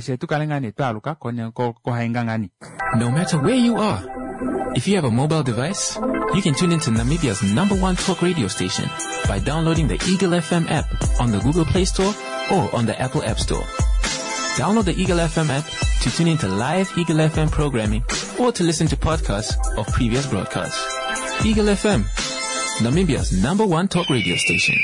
she tukale ngaa nee twaaluka kohainga ngaa nee. No matter where you are, if you have a mobile device, you can tune into Namibia's number one talk radio station by downloading the Eagle F M app on the Google Play Store or on the Apple App Store. Download the Eagle F M app to tune into live Eagle F M programming or to listen to podcasts of previous broadcasts. Eagle F M, Namibia's number one talk radio station.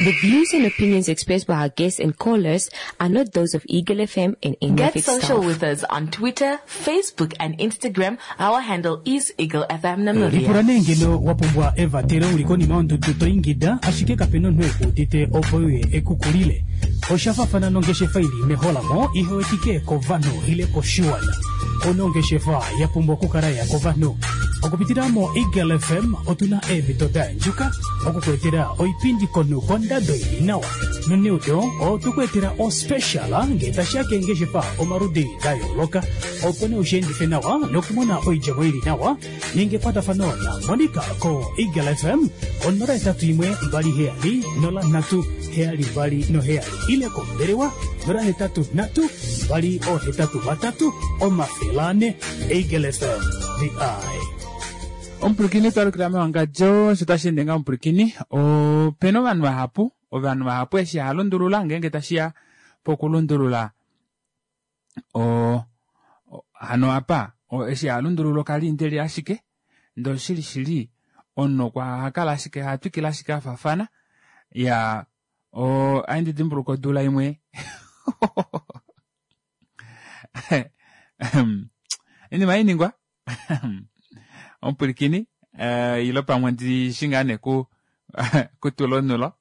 The views and opinions expressed by our guests and callers are not those of Eagle F M and any Get of its social staff. with us on Twitter, Facebook and Instagram. Our handle is Eagle F M Namibia. Lipula nee ngeno wa pumbwa evatelo uli konima yondudu to ingida, ashike kape na omunhu ekuudite opo uye ekukulile. Osha faafana nongeshefa ili meholamo ihe wetike kovanhu ile koshiwana. Onongeshefa ya pumbwa okukala ya kovanhu. Okupitila mo Eagle F M otuna eemhito da yandjuka okukuetela oipindi komunhu kondado ili nawa. Noneudo otukuetela ospecial ngee tashiya keengeshefa omaludi da yooloka, opo nee ushiendife nawa nokumona oidjemo ili nawa. Ninga ekwatafano na Monica ko Eagle F M onola hetatu imwe mbali heyali nola nhatu heyali mbali noheyali ile kombelewa nola hetatu nhatu mbali ohetatu vatatu omafele ane. Eagle F M, the eye. Omupulikini twalukila mewangadjo, sho tashi ende ngaa omupulikini, opena ovanhu vahapu, ovanhu vahapu eshi halundulula ngeenge tashiya pokulundulula o, o, hano apa, o, eshi halundulula okalindeli ashike, ndee oshili shili omunhu okwa hakala ashike, hatwikile ashike afafana. Ya, o, ohandi dimbuluka odula imwe. Oinima hainingwa omupwilikini ile pamwe ndishi ngaa nee ku kutula onulo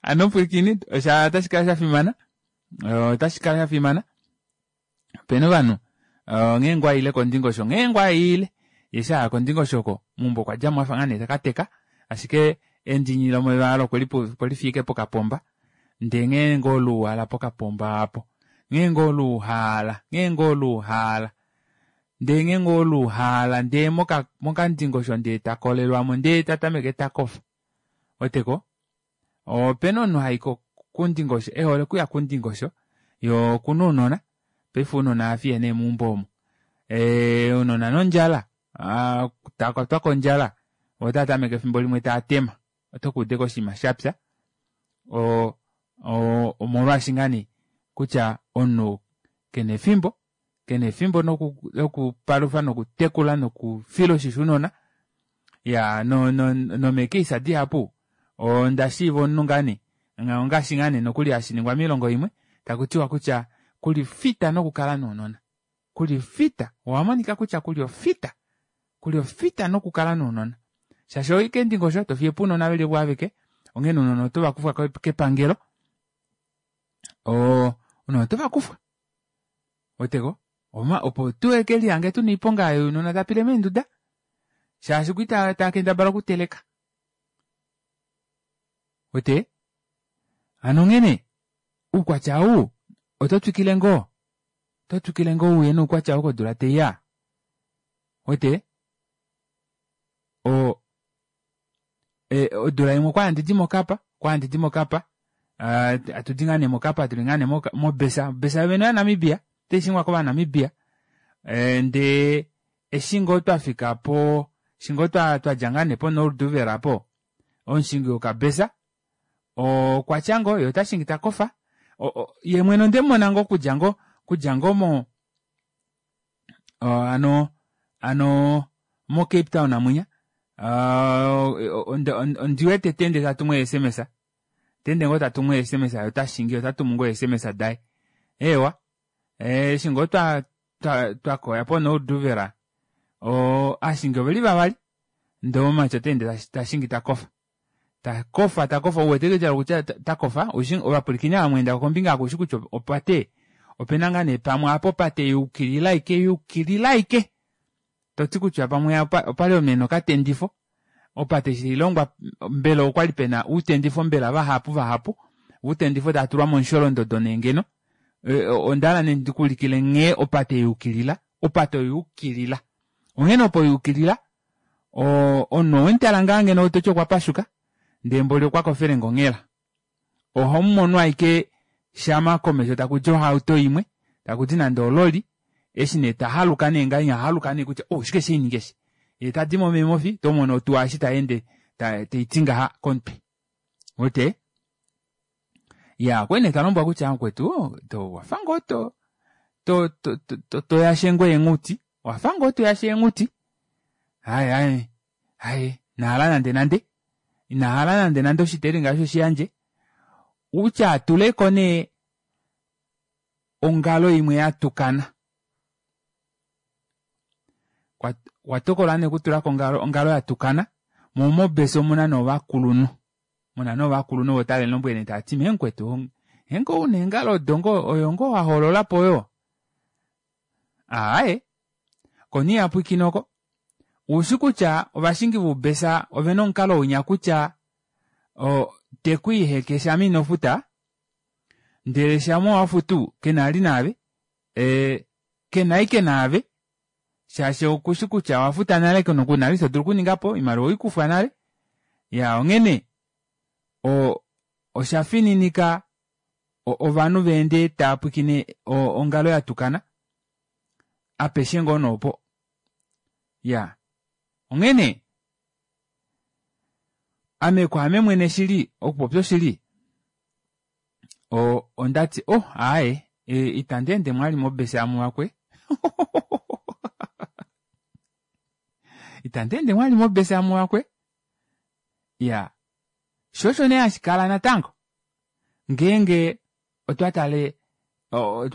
hano omupwilikini otashi kala shafimana otashi kala shafimana opena ovanhu nghee ngoo aile kondingosho nghee ngoo aile yee eshi aya kondingosho oko meumbo okwa djamo afa ngaa nee takateka ashike endini lomeva olo okwelifiya ashike pokapomba ndee nghee ngoo luuhala pokapomba aapo nghee ngoo luuhala nghee ngoo luuhala ndee nghee ngoo luuhala ndee mokandingosho ndee takolelwamo ndee tatameke takofa ouweteko opena omunhu hayi kondingosho ehole okuya kondingosho yee okuna ounona paife ounona ohafiye nee meumbo omo ee ounona nondjala tavakwatwa kondjala voo otavatameke efimbo limwe taatema otokuuda ashike oshinima shapya oo omolwaashi ngaa nee kutya omunhu kena efimbo kena efimbo lokupalufa nokutekula nokufila oshisho ounona iyaa nomeecase dihapu ondashiiva omunhu ngaa nee ongaashi ngaa nee nokuli hashiningwa moilongo imwe takutiwa kutya kulifita nokukala nounona kulifita owamonika kutya kuli ofita kuli ofita nokukala nounona shaashi ohoyi keendingosho tofiyepo ounona veli ovo aveke onghene ounona otovakufwa kepangelo oo ounona otovakufwa ouweteko opo tuhekelihange tuna oiponga younona taapile meenduda shaashi okwali taakendabala okuteleka uwete hano onghene oukwatya ou oto twikile ngoo oto twikile ngoo uye noukwatya ou kodula taiya ouwete oo odula imwe okwali handidi mokapa okwali handidi mokapa hatudi ngoo nee mokapa tuli ngoo nee mobesa obesa yoovene oya namibia otaishingwa kova namibia ndee eshi ngoo twafika poo eshi ngoo twadja ngoo nee po noordoewer aapo omushingi wokabesa okwatya ngoo yee otashingi takofa yeemwene ondemumona ngoo okudja ngoo okudja ngoo mo hano hano mo cape town mwinya ondiwete taende tatumu ee sms otaende ngoo tatumu ee sms yee otashingi otatumu ngoo ee sms daye eewa eshi ngoo twakoya po noordoewer ovashingi oveli vavali ndee omumati otaende tashingi takofa takofa takofa uwete kutya takofa ovapwilikini ava mweendako kombinga aako oushi kutya opate opena ngoo nee pamwe aapo opate yayukilila ashike yayukilila ashike toti kutya pamwe opali pena okatendifo opate eshi tailongwa mbela okwali pena outendifo mbela vahapu vahapu outendifo taatulwa momusholondodo nee ngeno ondahala nee ndikuulikile nghee opate yayukilila opate oyayukilila onghene opo yayukilila omunhu owemutala ngaa ngeno toti okwapashuka ndee mboli okwakofele onghela ohomumono ashike shama komesho takudi ohauto imwe takudi nande ololi eshi nee tahaluka nee ngahenya ohahaluka nee kutya oh oshike shainingwa eshi yee tadimo meemofi tomono otuwa eshi tayeende taiti ngaha komutwe uwete iyaa okwali nee talombwelwa kutya mukwetu owafa ngoo to to to toyashe ngoo eenghuti owafa ngoo toyashe eenghuti aaye aaye aaye inahala nande nande inahala nande nande oshiteringa aasho shiyandje utya atuleko nee ongalo imwe yatukana okwa tokola nee okutulako ongalo yatukana moo mobesa omuna nee ovakulunhu muna nee ovakulunhu ovo tavemulombwele nee taati mee mukwetu ngeenge ouna eengalo odo ngoo oyo ngoo wahoololapo oyo aaye koo nee ihapwiikine oko ushi kutya ovashingi voubesa ovena omukalo winya kutya tekwiiheke shama inofuta ndele shama wafutu kena vali naave kena ashike naave shaashi okushi kutya owafuta nale kuna vali eshi todulu okuningapo oimaliwa oweikufwa nale iyaa onghene oshafininika ovanhu vaende taapwiikine ongalo yatukana apeshe ngoo nee opo iyaa onghene ame kwaame mwene shili okupopya oshili ondati oh aaye ita ndeendemo vali mobesa yamuvakwe ita ndeendemo vali mobesa yamuvakwe iyaa shoo osho nee hashikala natango ngeenge Otwa tale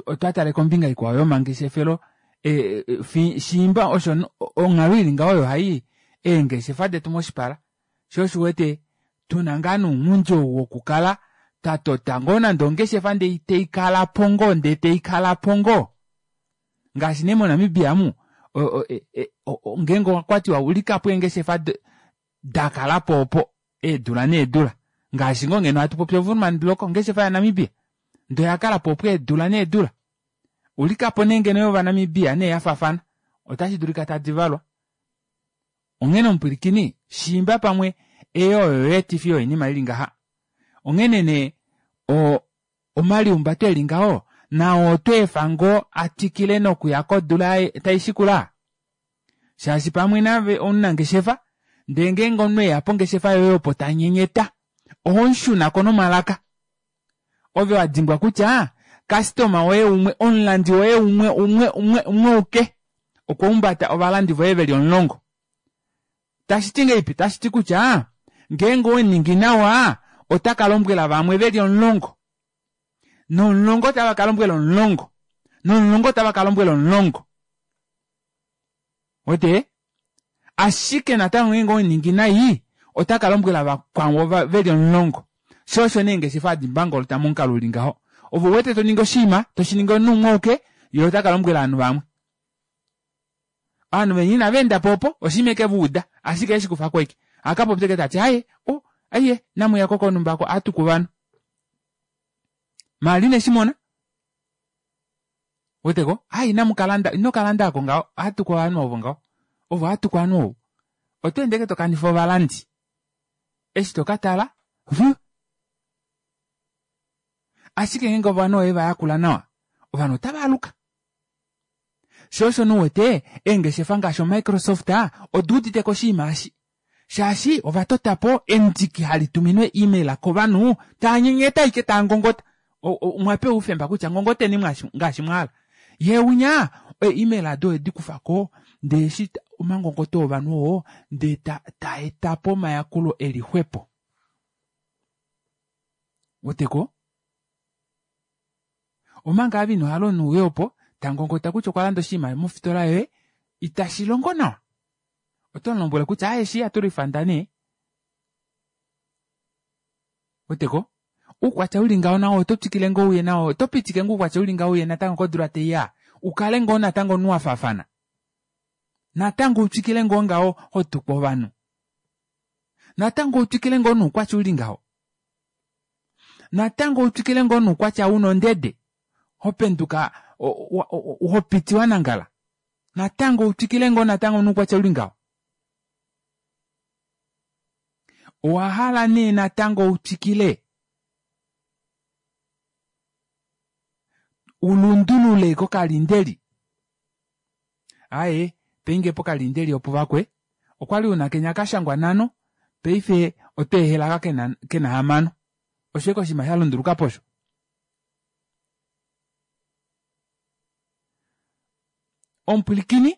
otwa tale kombinga ikwao yomangeshefelo e, e, shiimba osho onghalo ili ngaho oyo hai eengeshefa detu moshipala sho osho wete tuna ngaa nounghundi ou wokukala twatota ngoo nande ongeshefa ndee teikala po ngoo ndee teikala po ngoo ngaashi nee moNamibia mu ngeenge okwatiwa ulikapo eengeshefa dakalapo opo eedula needula ngaashi ngoo ngeno hatu popi oVoerman Block ongeshefa yaNamibia ndee oyakalapo opo eedula needula ulikapo nee ngeno yovanamibia nee yafaafana otashi dulika tadi valwa onghene omupwilikini shiimba pamwe eyo oyo yeetifi yoinima ili ngaha onghene nee omaliumbato eli ngaho nao otweefa ngoo atwikile nokuya kodula taishikula shaashi pamwe nave omunangeshefa ndee ngeenge omunhu eya pongeshefa yoye opo tanyenyeta ohomushunako nomalaka ove wadimbwa kutya kastoma woye umwe omulandi woye umwe umwe umwe umwe uke okwa umbata ovalandi voye veli omulongo tashiti ngeipi tashiti kutya ngeenge oweningi nawa ota kalombwela vamwe veli omulongo nomulongo otava kalombwela omulongo nomulongo otava kalombwela omulongo wete ashike natango ngeenge oweningi nai ota kalombwela vakwao veli omulongo sho osho nee ngeshefa hadi mbangolota momukalo uli ngaho ovo wete toningi oshinima toshiningi omunhu umwe uke ye ota kalombwela ovanhu vamwe ovanhu veni inava endapo opo oshinima eke va uda ashike eshi kufako eke akapopya eke tati aye o aiye namuyako konumba ako atuku ovanhu maali ineshimona weteko ai namukalanda ino kalanda ako ngaho atuku ovanhu ovo ngaho ovo atuku ovanhu ovo oto ende eke tokanifa ovalandi eshi tokatala vu ashike ngeenge ovanhu oye vayakula nawa ovanhu otava aluka sho osho nouwete eengeshefa ngaashi oMicrosoft oduudite koshinima eshi shaashi ova totapo endiki hali tuminwe email kovanhu taanyenyeta ike taangongota omwapewa oufemba kutya ngongoteni ngaashi mwahala ye unya email ado odi kufako ndee eshi omangongoto ovanhu oo ndee taetapo omayakulo eli xwepo weteko omanga ave inohala omunhu uye opo tangongota kutya okwa landa oshinima mofitola yoye itashi longo nawa oto mulombwele kutya aye shi aturifanda nee weteko uukwatya uli ngaho nawo oto twikile ngoo uye nawo oto pitike ngoo uukwatya uli ngaho uye natango kodula teiya ukale ngoo natango omunhu wafaafana natango utwikile ngoo ngaho hotukwa ovanhu natango utwikile ngoo noukwatya uli ngaho natango utwikile ngoo noukwatya una ondede hopenduka hopiti wanangala natango utwikile ngoo natango noukwatya uli ngaho owahala nee natango utwikile ulundulule kokalindeli aye peinge pokalindeli opo vakwe okwali una kenya kashangwa nhano paife oto ehela kena, kena hamano osho eke oshinima shalunduluka posho omupwilikini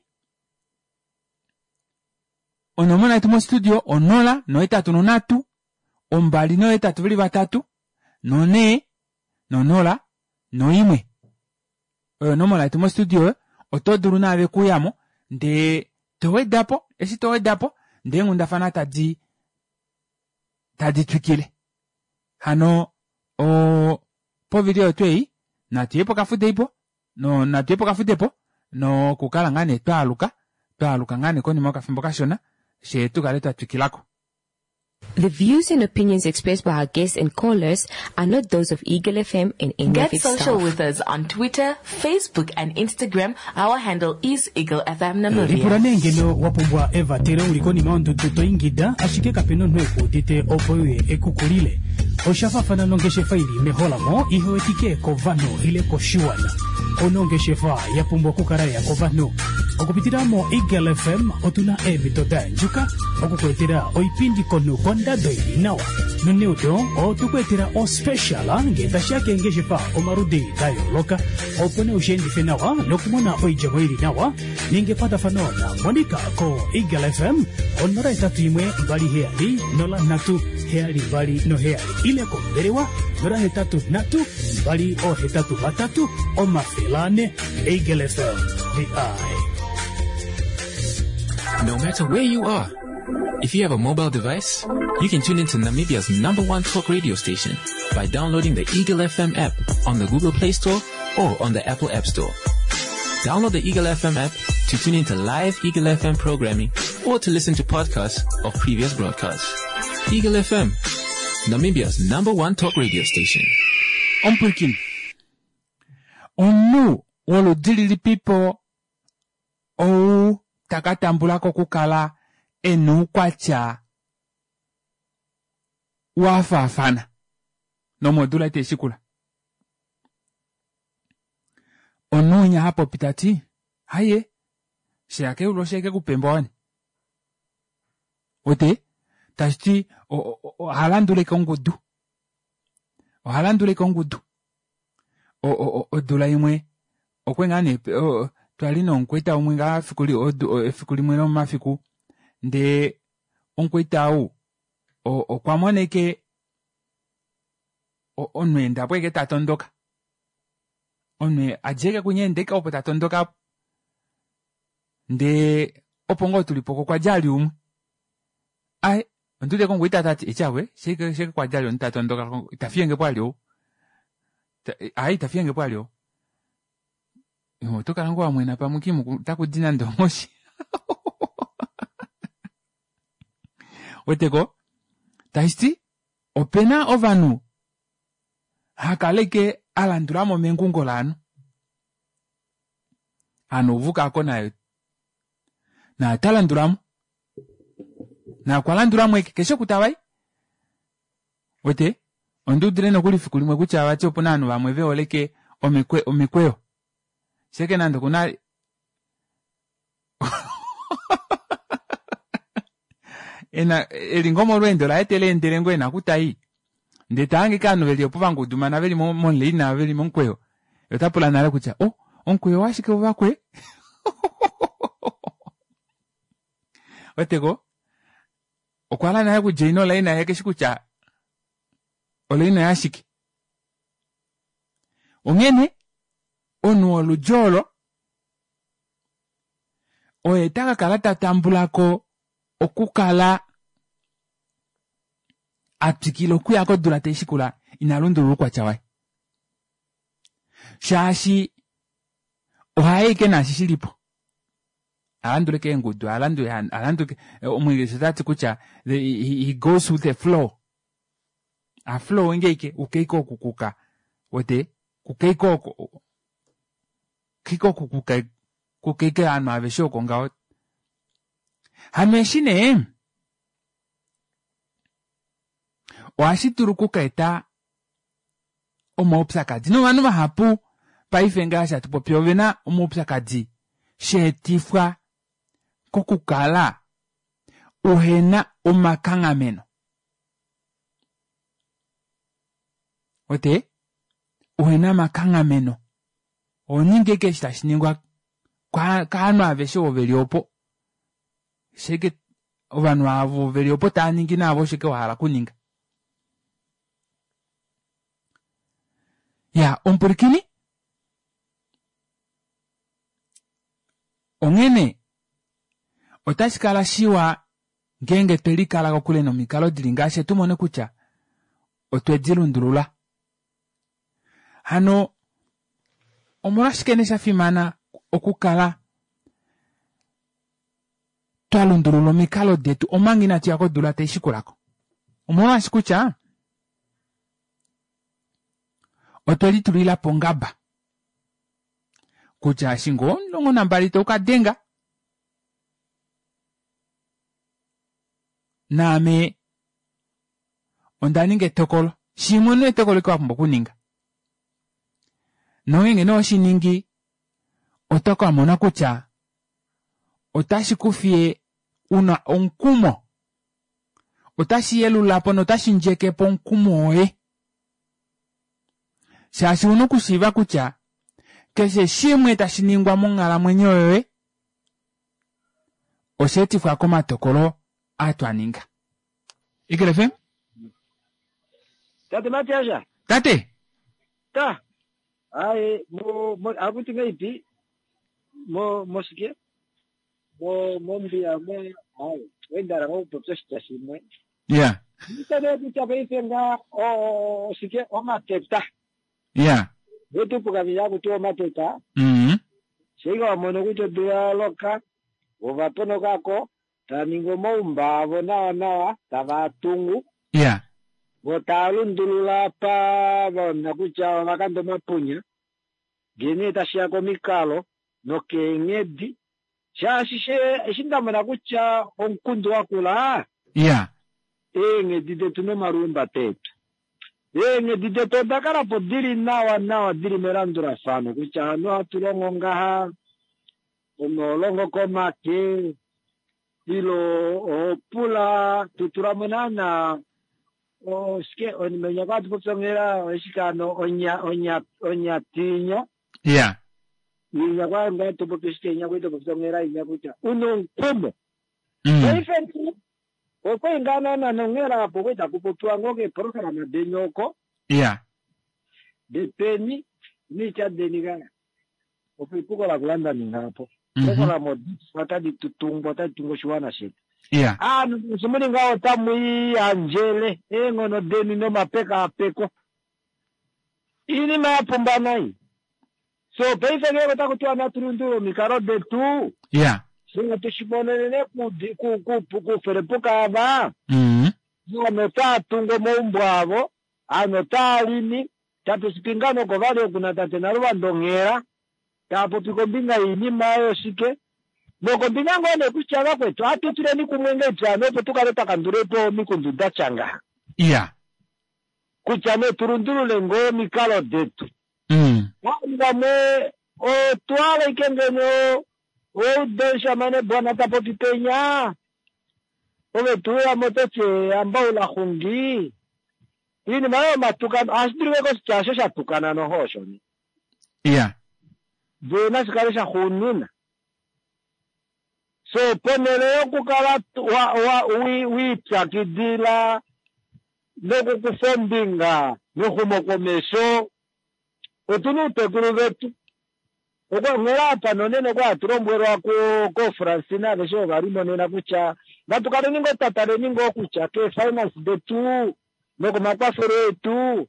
onomola yetu mostudio onola nohetatu nonhatu ombali nohetatu veli vatatu nonhee nonola noimwe oyo onomola yetu mostudio oto dulu naave kuyamo ndee towedapo eshi towedapo ndee eenghundafana tadi tadi twikile hano o povili oyo tuu ei natuye pokafudeipo no natuye pokafudepo nokukala ngaa nee twaaluka twaaluka ngaa nee konima yokafimbo kashona fyee tukale twatwikilako. The views and opinions expressed by our guests and callers are not those of Eagle F M and any of Get its social staff. With us on Twitter, Facebook, and Instagram. Our handle is Eagle F M Lipula Namibia. Nee ngeno wa pumbwa evatelo uli konima yondudu to ingida ashike kapena omunhu ekuudite opo uye ekukulile osha faafana nongeshefa ili meholamo ihewetike kovanhu ile koshiwana ono ongeshefa ya pumbwa okukala ya kovanhu okupitila mo Eagle F M otuna eemhito da andjuka okukuetela oipindi komunhu kondado ili nawa noneudo otukuetela ospecial ngee tashiya keengeshefa omaludi da yooloka opo nee ushiendife nawa nokumona oidjemo ili nawa ninga ekwatafano na Monica ko Eagle F M onola hetatu imwe mbali heyali nola nhatu heyali mbali noheyali ile kombelewa nola hetatu nhatu mbali ohetatu vatatu omafele ane. Eagle F M, the eye. No matter where you are, if you have a mobile device, you can tune into Namibia's number one talk radio station by downloading the Eagle F M app on the Google Play Store or on the Apple App Store. Download the Eagle F M app to tune into live Eagle F M programming or to listen to podcasts of previous broadcasts. Eagle F M, Namibia's number one talk radio station. Omupwilikini, omunhu woludi lilipipo ou taka tambula ko okukala e na oukwatya wa faafana nomodula itai shikula? Omunhu winya ha popi ta ti haye sheya keulu osheeke kupemba wani ote tashi ti oha landulike ongudu, oha landulike ongudu. Odula imwe okwe ngaa nee twali nomukwaita umwe ngaa efiku limwe lomomafiku, ndee omukwaita ou okwa moneke omunhu eendapo eke ta tondoka, omunhu adja eke kunya enda eke opo ta tondoka, ndee opo ngoo tulipo okwa dja ali umwe aye onduudeko omukwaita tati etyakwe sheke kwadja ali omunhu ta tondoka ita fiyengepo ali ou aye ita fiyengepo ali ou oto kala ngoo wamwena pamwe kimu takudi nande onghoshi weteko tashiti opena ovanhu hakaleke alandulamo mengungo laanhu hano uvukako naye naye ota landulamo naye okwa landulamo eke keshe oku tavai wete onduudile nokuli efiku limwe kutya vati opuna ovanhu vamwe veholeke omikweyo sheke nande okuna ena eli ngoo molweendo laye teleendele ngoo ena okutai ndee tahange ovanhu veli opo vangudumana veli momulaina veli momukweyo ota pula nale kutya oh omukweyo washike uvakwe weteko okwa hala nale okudja olaina ye keshi kutya olaina yashike. Onghene omunhu woludji olo oye taka kala ta tambulako okukala a twikila okuya kodula tai shikula ina lundulula oukwatya waye shaashi ohaye ike naashi shilipo alandule keengudu alandule alandule omwingilisha otati kutya he goes with the flow a flow ngeike ukeike okukuka wete kukeike oko keike okukuka kukeike ovanhu aveshe oko ngaho hano eshi nee ohashi dulu okukaeta omaupyakadi novanhu vahapu paife ngaashi hatu popi ovena omaupyakadi sheetifwa kokukala uhena omakanghameno ote uhena omakanghameno oninge eke eshi tashi ningwa kaanhu aveshe ovo veli opo sheke ovanhu avo veli opo tava ningi naavo sheke wahala okuninga. Ya omupulikini onghene otashi kala shiwa ngeenge twelikala kokule nomikalo dili ngaashi tumone kutya otwe di lundulula. Hano omolwashike nee sha fimana okukala twa lundulula omikalo detu omanga inatu ya kodula tai shikulako? Omolwashi kutya otwe litulila po ongaba kutya eshi ngoo omulongo nambali toukadenga naame onda ninga etokolo shimwe nee etokolo eke wapumbwa okuninga nongeenge nee oshiningi oto kamona kutya otashi kufiye una omukumo otashi yelulapo notashi ndjekepo omukumo woye shaashi una okushiiva kutya keshe shimwe tashi ningwa monghalamwenyo yoye osheetifwa komatokolo Atwaninga Eagle F M. Tate Matiasha. Tate. Ta. Ai mo mo akuti ngaipi mo moshike mo mombiya mo ai wendara ngo popya oshitya shimwe. Yeah. Nitade kutya paife nga oshike omateta. Yeah. Vetupuka kuti omateta. Mhm. Sheiga wamono kuti odula yaloka ovaponokako tava ningi omaumba avo nawa nawa tava tungu. Yeah. Vo tava lundulula apa vaona kutya ovakanda omapunya ngene tashiya komikalo nokeenghedi shaashi eshi ndamona kutya omukundu wakula Yeah. eenghedi detu nomalumbate etu eenghedi detu oda kalapo dili nawa nawa dili melandulafano kutya hano ohatu longo ngaha onolongo komake ilo ohopula tutulamo naana oshike onimenya kwatu popyongela oshikano onya onya onyatinyo. Yeah. Inya kwa nga topopi shike inya kwetu popyongela inya kutya unomukumo. Mm. Paife okweingana nanongela apo kweta kupopiwa ngoke programa denyoko. Yeah. Depeni nicha denikaya. Opo ipuko la kulanda ningapo. Mm -hmm. Programa otadi tutungwa otadi tungwa oshiwana shetu. Yeah. Ah, simuli ngawo tamwiyanjele eng'ono deni nomapekapeko inima yapumba nai. So paife ngeke takutiwa natulundule omikalo detu. Yeah. Singa tushimonenene kuferepuka ava. Mm -hmm. Ano taatunga omaumbo avo ano taalimi tatusipingano kovali okuna tate Naluvando nghela taapopi kombinga yiinima oyo shike nokombinga ngoo nekutya vakwetu atutuleni kumwe ngeipyano opo tukale twakandulepo omikundu datya ngaha. Yeah. Kutya ne tulundulule ngoo omikalo detu. Mm. Vamwe otwaleke ngeno oudenshamane bwana tapopi penya ove tuuyamo totye ambaula xungi iinima oyo matukano ohashi dulike koshitya osho shatukana noho osho ni. Yeah. Ndee nashikale shaxuunina. So ponhele yokukala wiipyakidila nokukufa ombinga mexumokomesho otuna outekulu vetu. Onghela apa nonene okwa hatulombwelwa koFrancina aveshe ovalimonena kutya natukaleni ngoo twataleni ngoo kutya keefinance detu nokomakwafelo etu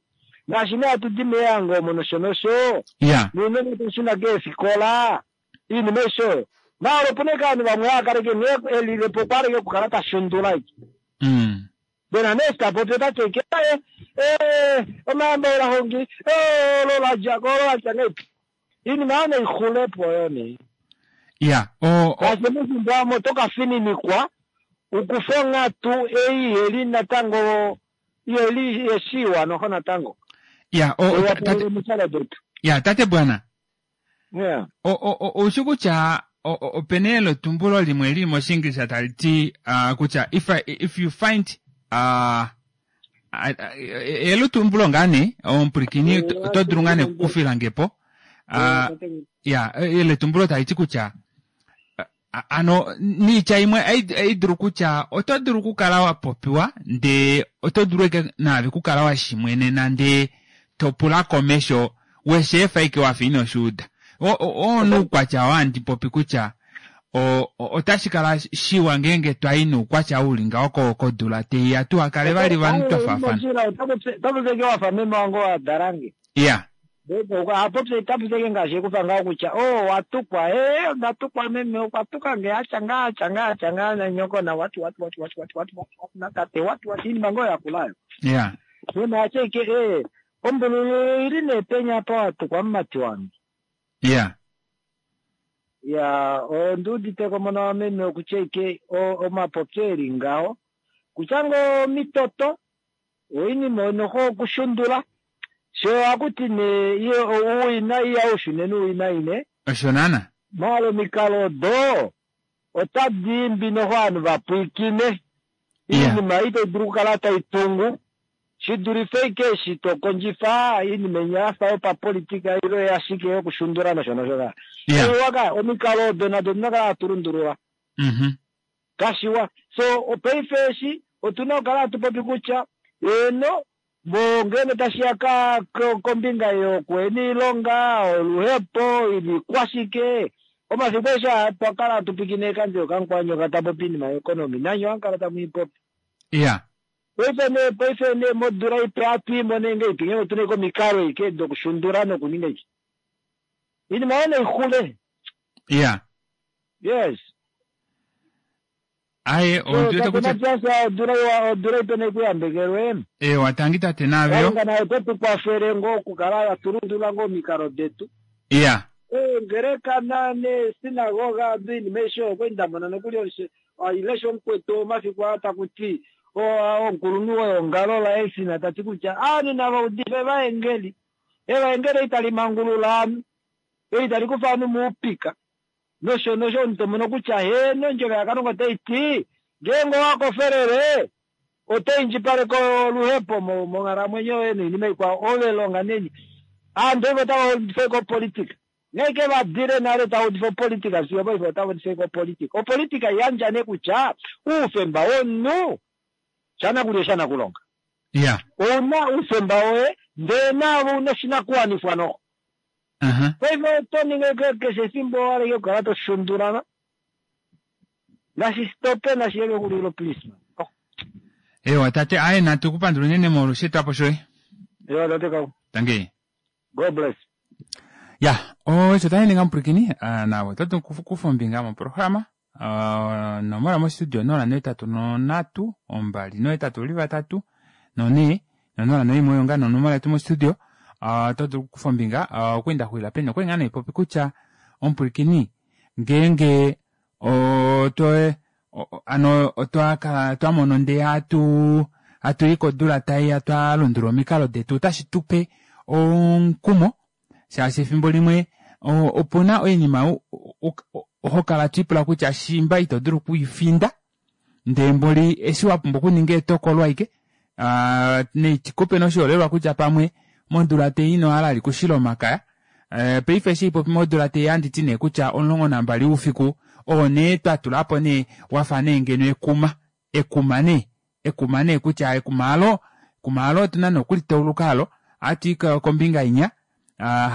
ngaashi nee hatu di meyango omo nosho nosho. Yeah. Nuunene tushuna keefikola iinima aishe maala opuna ike ovanhu vamwe haakaleke nghee elilepo okwaleke okukala tashundula ike. Mm. Bena nee tapopi otateke eh omayambaula hongi olo ladjako olo latya ngaipi iinima oyo naixulepo oyo nee. Yeah. O Ngaashi mefimbo amo tokafininikwa ukufe onghatu ei iheli natango iheli yeshiwa noho natango. Yeah, o tate yeah, tate bwana. Yeah. O o oushi kutya opena elotumbulo limwe lili moshiingilisha tali ti uh, kutya if I, if you find uh, elotumbulo ngaa nee omupulikini oto dulu ngaa nee okukufilangepo. Uh, ya eletumbulo tali ti kutya ano niitya imwe aidulu kutya oto dulu okukala wa popiwa ndee oto dulu eke naave kukala wa shimwenena ndee topula komesho wesheefa ike wafa ino shuuda. Onuukwatya wandi popi kutya otashi kala shiwa ngeenge twayi nuukwatya uli ngawo kodula teiya tuhakale vali vanhu twafaafana. Otapupyeke wafa meme wange wadalange. Yeah. Apopye tapupyeke ngaashi ekufa ngaho kutya o watukwa e ndatukwa meme okwatuka nge atya ngaa atya ngaa atya ngaa nanyoko na watu watu watu watu watu watu watu natate watu watu iinima ngoo yakulayo. Yeah. Meme atya ike e ombululu ili neepenya apa watukwa mumati wange. Yeah. Ya onduuditeko mona wameme okutya ike omapopyo eli ngaho kutya ngoo omitoto oinima noho okushundula sho akuti ne iye owina iya ushune nuwina ine osho naana maala omikalo odo otadi imbi noho ovanhu vapwiikine iinima itayi dulu okukala tai tungu shidulife ike eshi tokondjifa iinima inya yafa yopapolitika ilo yashike yokushundula nosho nosho ka. Yeah. Waka omikalo odo nado odina kala hatu lundulula. Mhm. Kashiwa. So paife eshi otuna okukala hatu popi kutya eno ngeno tashiya kombinga yokuhena iilonga, oluhepo, iikwashike, omafiku eshe twakala hatu pikine kandje kamukwanyoka tapopi iinima yeconomy nanye ohamukala tamuipopi. Iya. Paife nee paife nee modula ipe hatuimone ngeipi ngenge otuna ike omikalo ike dokushundula nokuninga iki. Iinima oyo naixule. Iya. Yes. Aye, So tate Matias, odula iwa odula ipe naikuyambekelwe. Ewa, tangi tate navyo. Kalunga naye ote tu kwafele ngoo okukala hatulundulula ngoo omikalo detu. Iya. Eengeleka neesinagoga oinima aishe oyo okwali ndamona nokuli ailesha omukwetu omafiku aa taku ti omukulunhu weongalo laEsina tati kutya ovanhu nava udife evaengeli. Evaengeli ei tali mangulula ovanhu, ei tali kufa ovanhu moupika nosho nosho omunhu tomono kutya heeno ondjovo yaKalunga otai ti ngeenge owakofelele oto indjipaleke oluhepo monghalamwenyo yoye noinima ikwao ove longa neni. Aantu paife otava udifa ashike opolitika. Nghee vadile nale tava udifa opolitika fiyo paife otava udifa ashike opolitika. Opolitika yandja nee kutya oufemba womunhu shanakulya oshanakulonga. Iya. Ouna oufemba woye ndee naave ouna oshinakuwanifwa noxo. Uh-huh. Paife oto ningi keshe efimbo owa hala okukala to shundulana. Nashi stope nashi ye kexulilo please. Oh. Ewa tate, aye natu kupandula unene molwosheetwapo shoye. Ewa tate kau. Tangi. God bless. Ya, osho tashi ninga mupwilikini nawe oto dulu okukufa ombinga moprograma onomola mostudio nola nohetatu nonhatu ombali nohetatu uli vatatu nonhee nonola noimwe oyo ngaa nonomola yetu mostudio. Oto dulu okukufa ombinga okwali ndaxulila peni okwali ngaa naipopi kutya omupwilikini ngeenge otwe ano otwa kala twamona ndee hatu hatuyi kodula taiya twalundulula omikalo detu otashi tupe omukumo shaashi efimbo limwe opuna oinima hokala twiipula kutya shimba ito dulu okuifinda ndee mboli eshi wapumbwa okuninga etokolo ashike naitikupe noshiholelwa kutya pamwe modula tei inohala likushila omakaya paife eshi haipopi modula tei ohanditi nee kutya omulongo nambali woufiku oo nee twatulapo nee wafa nee ngeno ekuma ekuma nee ekuma nee kutya ekuma aalo ekuma aalo otuna nee okulitauluka aalo ohatui kombinga inya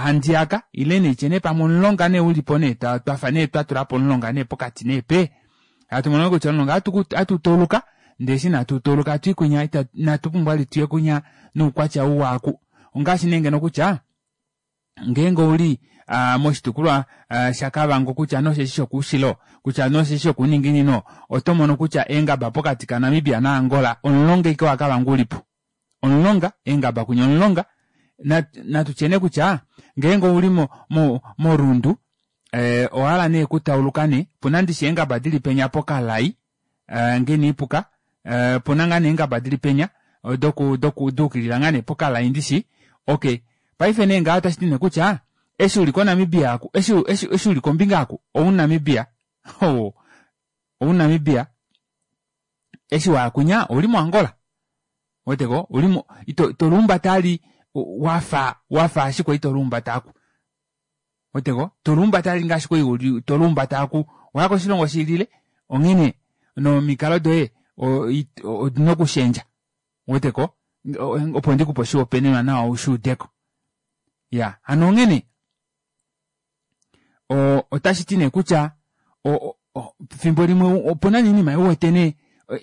handiyaka ile naitye nee pamwe omulonga nee ulipo nee twafa nee twatulapo omulonga nee pokati nee pee hatumono kutya omulonga ohatu tauluka ndee eshi nee hatutauluka hatui kwinya inatu pumbwa vali tuye kwinya noukwatya ou waaku ongaashi nee ngeno kutya ngeenge ouli moshitukulwa shaKavango kutya nosheshi shokoushilo kutya nosheshi shokouninginino oto mono kutya eengaba pokati kaNamibia naAngola omulonga ashike waKavango ulipo omulonga eengaba kwinya omulonga natutye nee kutya ngeenge ouli mo moRundu owahala nee okutauluka nee opuna ndishi eengaba dili penya pokalai ngee inaipuka opuna ngaa nee eengaba dili penya doku doku daukilila ngaa nee pokalai ndishi okey paife nee ngaho otashiti nee kutya eshi uli koNamibia aku eshi eshi uli kombinga aku ouNamibia ouNamibia eshi waya kwinya ouli moAngola ouweteko ulimo ito itoluumbata vali wafa wafa ashike itoluumbata aku ouweteko toluumbata vali ngaashi kwali uli toluumbata aku owaya koshilongo shilile onghene nomikalo doye odina okushendja ouweteko opo ndikupe oshihopaenenwa nawa ushuudeko iya hano onghene otashiti nee kutya fimbo limwe opuna nee oinima uwete nee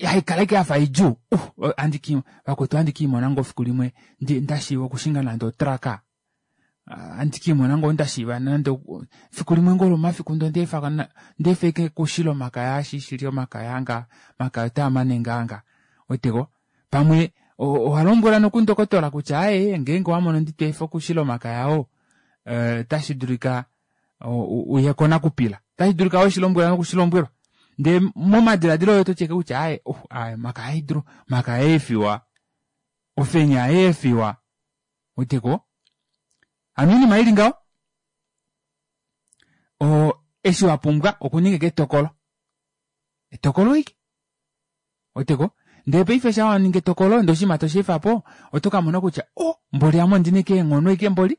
haikala ashike yafa idjuu uh vakwetu ohandi kiimona ngoo fiku limwe ndashiiva okushinga nande otraka ohandi kiimona ngoo ndashiiva nande fiku limwe ngoo lomomafiku ndee ondeefa ondeefa ashike okushila omakaya eshi shili omakaya anga omakaya otaamane ngaa nga ouweteko pamwe owalombwelwa nokundokotola kutya aaye ngeenge owamono nditweefa okushila omakaya oo otashi dulika uye konakupila otashi dulika weshilombwelwa nokushilombwelwa ndee momadiladilo oye ototi ashike kutya aaye aaye omakaya haidulu omakaya aefiwa ofenya ayeefiwa ouweteko hano oinima ili ngaho oo eshi wapumbwa okuninga ashike etokolo etokolo ashike ouweteko ndee paife shaa waningi etokolo ndee oshinima tosheefapo oto kamona kutya oh mboli ame ondina ashike eenghono ashike mboli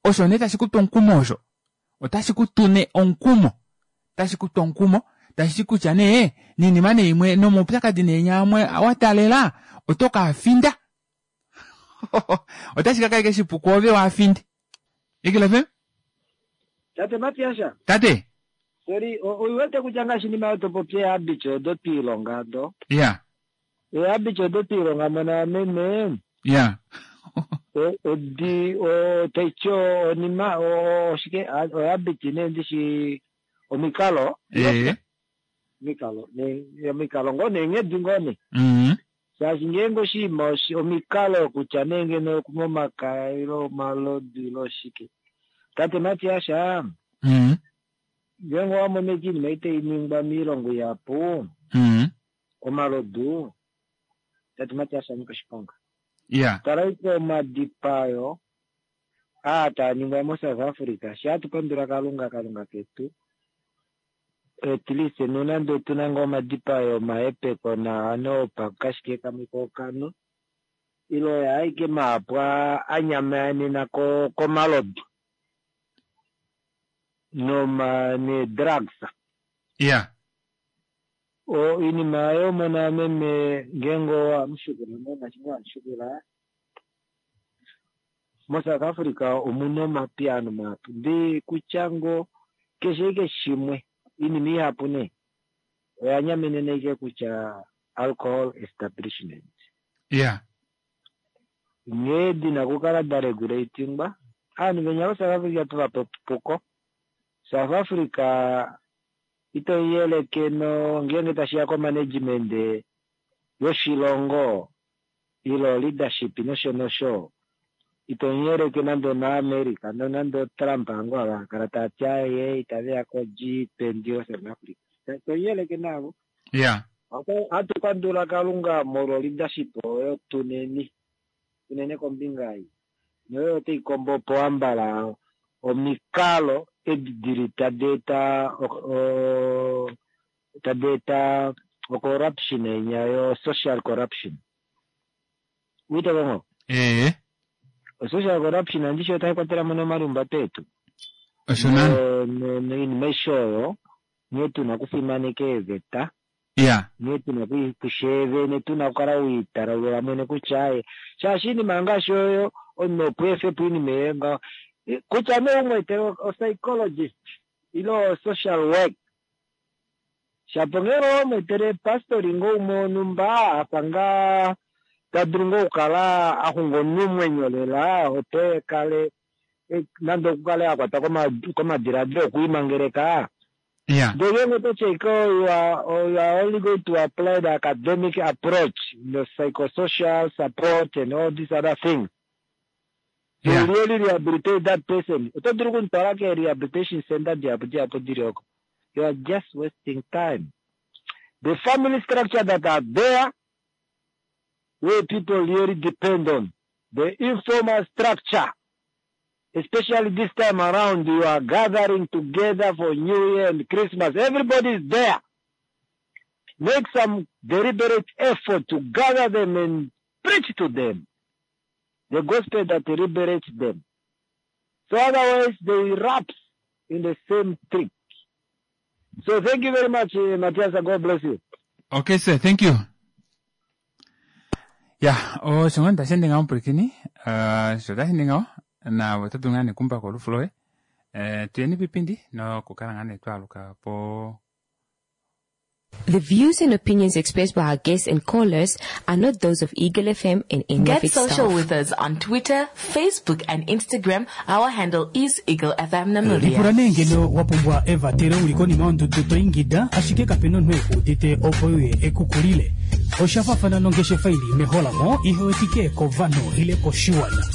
osho nee tashi kutu omukumo osho otashi kutu nee omukumo otashi kutu omukumo Tashi kutya nee ninima nee imwe nomaupyakadi nee nyamwe wa taalela oto ka finda. Otashi ka kala shipu kwoove waafinde. Eagle F M? Tate Matiasha. Tate. Sorry, oiwete kutya ngaashi nima yotopopi ehabits odo twiilonga do. Yeah. Ehabits odo twiilonga mona meme. Yeah. Odi o taityo onima oshike ohabit nee ndishi omikalo. Eh. Omikalo ne omikalo ngoo neenghedi ngoo ne. Mhm. Shaashi ngeenge oshinima omikalo kutya nee ngeno okunwa omakaya ile omalodu ile oshike. Tate Matiasha. Mhm. Ngeenge owa mono iinima itayi ningwa miilongo ihapu. Mhm. Omalodu. Tate Matiasha nyika oshiponga. Yeah. Tala ike omadipayo aa taa ningwa moSouth Africa. Shi hatu pandula Kalunga, Kalunga ketu. At least nonande otuna ngoo omadipayo omahepeko naano opakashike kamwe kokano ile oya aike mahapu anyamanena komalodu noma ne drugs. Yeah. O iinima oyo mona meme ngeenge owamushukula ngaashi wamushukula moSouth Africa omuna omapiyaano mahapu ndee kutya ngoo keshe ike shimwe iinima ihapu nee oya nyamenena ike kutya alcohol establishment. Yeah. Nghee dina okukala da regulatingwa aanhu venya voSouth Africa tuvape epuko. South Africa ito yeleke no ngeenge tashiya komanagement yoshilongo ilo leadership nosho nosho ito yeleke nande naAmerica nonande Trump ango avakala tati aye itaveya ko G twenty yoSouth Africa ito yeleke navo. Yeah. Hatu pandula Kalunga molwa leadership oyo tuneni tunene kombinga ei noyo otai kombo po ambala omikalo edi dili tadi eta tadi eta corruption enya yo social corruption. Uite kongo? Eh. Social corruption andisho otai kwatela mo nomalumbato etu. Osho nani? Noinima aishe oyo nghee tuna okufimaneka eeveta. Yeah. Nghee tuna kusheevene tuna okukala wiitalulula mwene kutya aye shaashi iinima ngaashi oyo omunhu opo efe po iinima eyo ngaho kutya nee umweetele o-psychologist ile o-social work shapo ngele owamweetele pastori ngoo umwe wonhumba afa ngaa ta dulu ngoo okukala a xunga omunhu omwenyo lela opo ekale nande okukale a kwatwa komadiladilo okwiimangeleka. Yeah. Ndele ngeenge ototi ashike you are, you are only going to apply the academic approach, the psychosocial support and all these other things. Yeah. To really rehabilitate that person. Oto dulu okumutwala ke rehabilitation center dihapu dihapu dili oko. You are just wasting time. The family structure that are there, where people really depend on, the informal structure, especially this time around, you are gathering together for New Year and Christmas. Everybody is there. Make some deliberate effort to gather them and preach to them the gospel that liberates them. So otherwise, they relapse in the same trick. So thank you very much, uh, Matthias. God bless you. Okay, sir. Thank you. Yeah, osho ngoo tashi ende ngaho mupwilikini. Uh, sho tashi ende ngaho nawe oto dulu ngaa nekumbako olufu loye. Eh, tuyeni pipindi nokukala ngaa nee twaaluka po. The views and opinions expressed by our guests and callers are not those of Eagle F M and any Get of its social staff. with us on Twitter, Facebook and Instagram. Our handle is Eagle F M Namibia. Lipula nee ngeno wa pumbwa evatelo uli konima yondudu to ingida ashike kapena omunhu ekuudite opo uye ekukulile. Osha faafana nongeshefa ili meholamo ihewetike kovanhu ile koshiwana.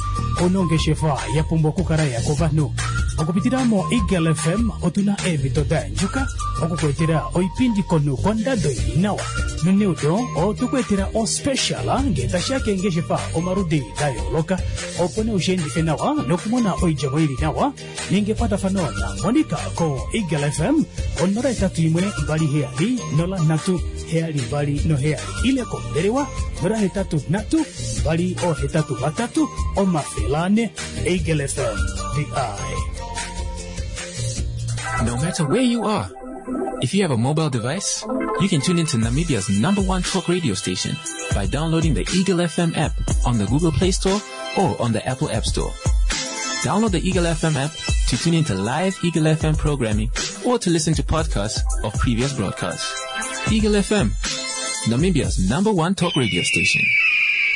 Onongeshefa ya pumbwa okukala ya kovanhu. Okupitila mo Eagle F M otuna eemhito da yandjuka okukuetela oipindi komunhu kondado ili nawa. Noneudo otukuetela ospecial ngee tashiya keengeshefa omaludi da yooloka opo nee ushiendife nawa nokumona oidjemo ili nawa ninga ekwatafano na Monica ko Eagle F M onola etatu imwe mbali heyali nola nhatu heyali mbali noheyali ile kombelewa nola hetatu nhatu mbali ohetatu vatatu omafele ane. Eagle F M, the eye. No matter where you are, If you have a mobile device, you can tune into Namibia's number one talk radio station by downloading the Eagle F M app on the Google Play Store or on the Apple App Store. Download the Eagle F M app to tune into live Eagle F M programming or to listen to podcasts of previous broadcasts. Eagle F M, Namibia's number one talk radio station.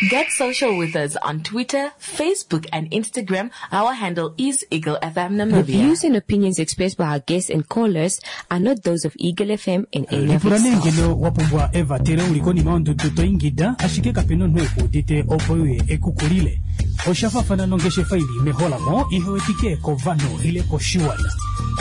Get social with us on Twitter, Facebook and Instagram. Our handle is Eagle F M Namibia. The views and opinions expressed by our guests and callers are not those of Eagle F M and any of Lipula its nee staff. ngeno wa pumbwa evatelo uli konima yondudu to ingida, ashike kapena omunhu ekuudite opo uye ekukulile. Osha faafana nongeshefa ili meholamo ihewetike kovanhu ile koshiwana.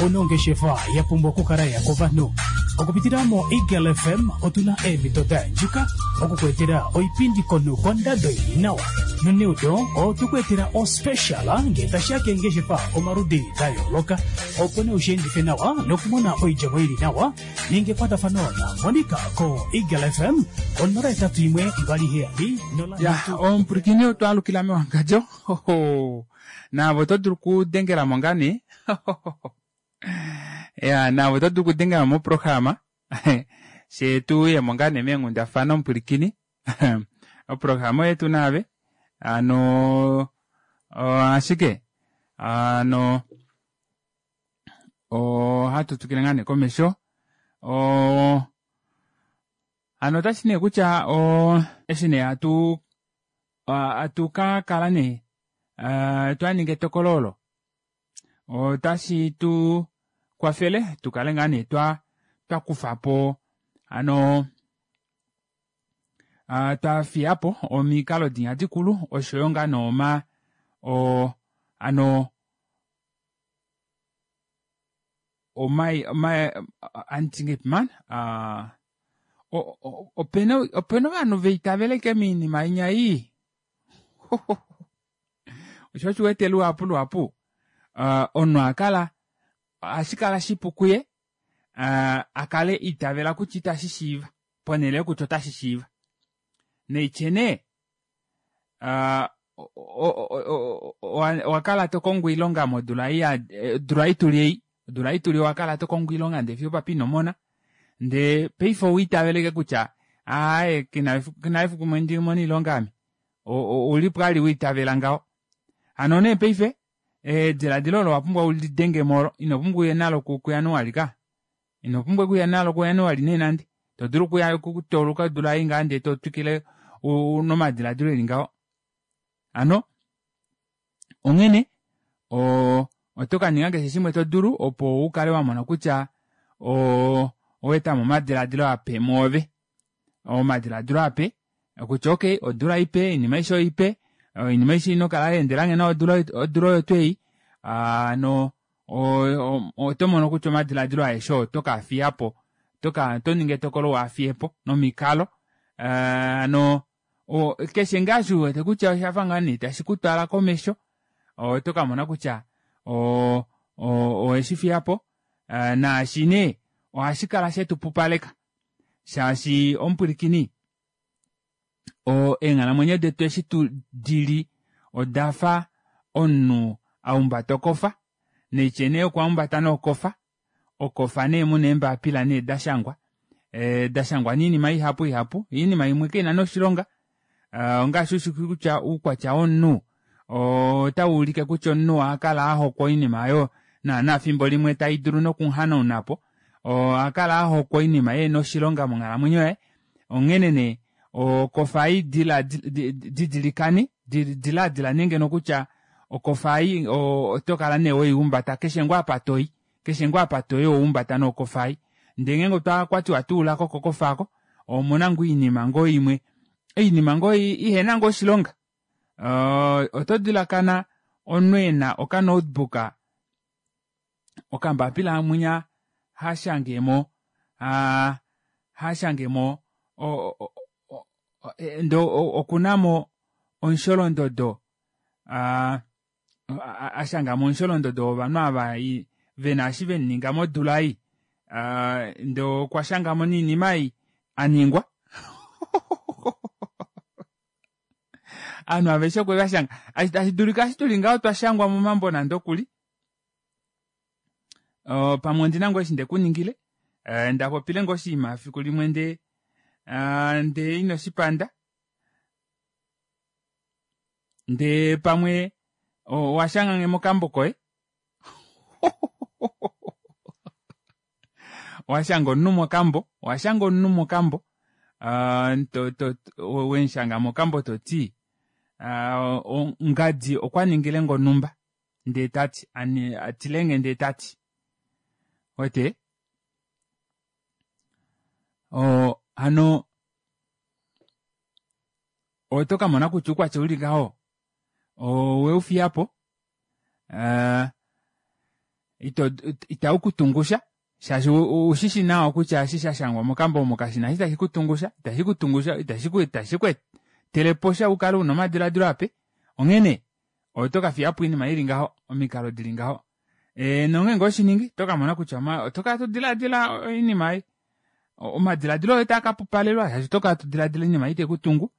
Ono ongeshefa ya pumbwa okukala ya kovanhu. Okupitila mo Eagle F M otuna eemhito da yandjuka okukuetela oipindi komunhu kondado ili nawa. Noneudo otukuetela ospecial ngee tashiya keengeshefa omaludi da yooloka, opo nee ushiendife nawa nokumona oidjemo ili nawa. Ninga ekwatafano na Monica ko Eagle F M onola etatu imwe mbali heyali nola Ya, nhatu. omupwilikini otwaalukila mewangadjo. Hoho. Naavo oto dulu okudengela mo ngaa nee. Ya, naavo oto dulu okudengela mo moprograma. She tu uye mo ngaa nee meenghundafana omupwilikini. Oprograma yetu naave. Ano, o, ashike, ano, ohatu twikile ngaa nee komesho. O, ano otashi nee kutya, o, eshi nee hatu, hatu ka kala nee, a, twa ninga etokolo olo. Otashi tu kwafele tu kale ngaa nee twa, twa kufa po, ano, a, twa fiya po omikalo dinya dikulu, oshoyo ngaa nooma, o, ano, omai, omai, antinge man, a, o, o, opena, opena ovanhu veitaveleke miinima inya ii. Osho shi wete luhapu luhapu, a, omunhu a kala, ohashi kala shipu kuye, a, a kale itavela kutya itashi shiiva, ponhele yokutya otashi shiiva. Neitye nee, a, o, o, o, o, o, owa kala to kongo oilonga modula ei ya, odula ei tuli ei, odula ei tuli owa kala to kongo oilonga ndee fiyo papi ino mona. Ndee paife owa itaveleke kutya, aaye, kina efu-, kina efiku mwe ndi mona oilonga ame. O, o, ouli po ali wa itavela ngaho. Hano nee paife, ediladilo olo owa pumbwa ulidenge molo, ino pumbwa uye nalo ku-, kuJanuali ka. Ino pumbwa kuya nalo kuJanuali nee nande. To dulu kuya kutoluka odula ei ngaa ndee to twikile u-, nomadiladilo eli ngaho. Ano, onghene, o-, oto ka ninga keshe shimwe to dulu opo u kale wa mona kutya, o-, owa eta mo omadiladilo ape mwoove. Omadiladilo ape, kutya okay, odula ipe, oinima aishe oipe, oinima aishe ino kala ya endela ngeno odula, odula oyo tuu ei. Ano, o-, o-, oto mono kutya omadiladilo aeshe oto ka fiya po. Oto ka, oto ningi etokolo wa fiye po nomikalo. Ano, o-, keshe ngaa shi wete kutya osha fa ngaa nee tashi ku twala komesho, oto ka mona kutya, o-, o-, oweshi fiya po. Naashi nee, ohashi kala shetu pupaleka. Shaashi omupwilikini, o-, eenghalamwenyo detu eshi tu dili, oda fa omunhu a humbata okofa. Neitye nee okwa humbata nokofa. Okofa nee muna eembapila nee da shangwa. E, da shangwa niinima ihapu ihapu. Iinima imwe kaina noshilonga. E, ongaashi ushi kutya uukwatya womunhu, otau ulike kutya omunhu oha kala a hokwa oinima oyo, naana fimbo limwe tai dulu nokuhanauna po. Oha kala a hokwa oinima ye noshilonga monghalamwenyo yaye. Onghene nee, okofa ei dila-, di-, di-, didilikane, di-, diladila nenge nokutya okofa ei, o-, oto kala nee weihumbata keshe ngoo apa toi, keshe ngoo apa toi ouhumbata nokofa ei. Ndee ngeenge otwa kwatiwa tuula ko kokofa ako, omuna ngoo oinima ngoo imwe, oinima ngoo i-, ihena ngoo oshilonga. O-, oto dilakana omunhu e na okanotebook, okambapila hamwinya ha shangemo, ha, ha shangemo, o, o, o, o, e, ndo, o, okuna mo omusholondodo, a, a, a shanga mo omusholondodo wovanhu ava i, ve na eshi ve ninga modula ei. A, ndo okwa shanga mo niinima ei a ningwa. Ovanhu aveshe okwe va shanga. Ashi, tashi dulika ashi tuli ngaho twa shangwa momambo nande okuli. O, pamwe ondi na ngoo eshi nde ku ningile. Eh, nda popile ngoo oshinima fiku limwe ndee ah, ndee ino shipanda ndee pamwe owa shanga nge mokambo koye owa shanga omunhu mokambo owa shanga omunhu mokambo ah, to- to- to- wemushanga mokambo toti ah, o- ngadi okwa ningile ngo onumba ndee tati ani- atilenge ndee tati wete o hano oto kamona kutya oukwatya uli ngaho oweufiyapo eh, ito itau kutungusha shaashi ushishi nawa kutya eshi shashangwa mokambo omo kashina eshi tashi kutungusha itashi kutungusha itashi ku itashi ku etelepo sha ukale una omadiladilo ape onghene oto kafiyapo oinima ili ngaho omikalo dili ngaho e, nongeenge oshiningi oto kamona kutya oma- oto kala todilaadila oinima ei O- omadiladilo oye taa kapupalelwa shaashi oto kala todilaadila oinima ite kutungu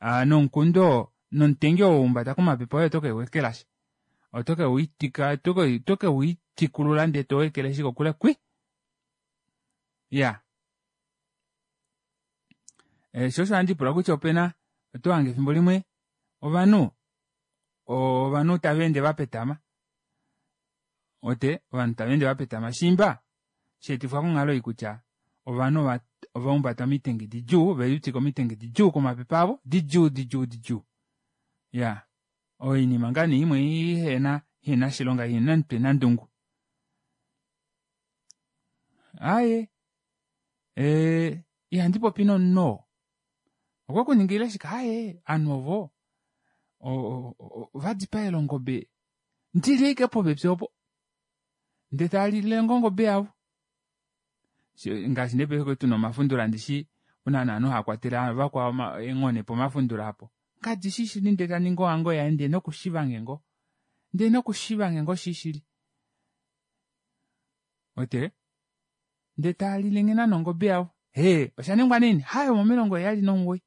ah, nomukundo oo nomutengi oo waumbata komapepe oye oto keuwekelasha oto keuitika oto ke- oto keuitikulula ndee towekeleshi kokule kwi iya e, sho osho handi lipula kutya opena oto hange efimbo limwe ovanhu ovanhu tava ende vapetama ote ovanhu tava ende vapetama shimba sheetifwa konghalo ei kutya ovanhu ova- ovaumbata omitengi didjuu ovelitika omitengi didjuu komapepe avo didjuu didjuu didjuu iya oinima ngaa nee imwe ihena ihena shilonga ihena omutwe nandungu aaye ee, ihandi popi nomunhu oo okwekuningile shike aaye ovanhu ovo o- o- o- ovadipaela ongobe ndili ashike popepi opo ndee talile ngo ongobe yavo She- ngaashi nee paife tuna omafundula ndishi una naanhu haakwatele vakwao oma- eenghone pomafundula apo ngadi shishili ndee taningi ohango yaye ndee nokushivange ngoo ndee nokushivange ngoo shishili ote ndee taalile nge nana ongobe yavo hee oshaningwa naini haye omomilongo heyali nomugoyi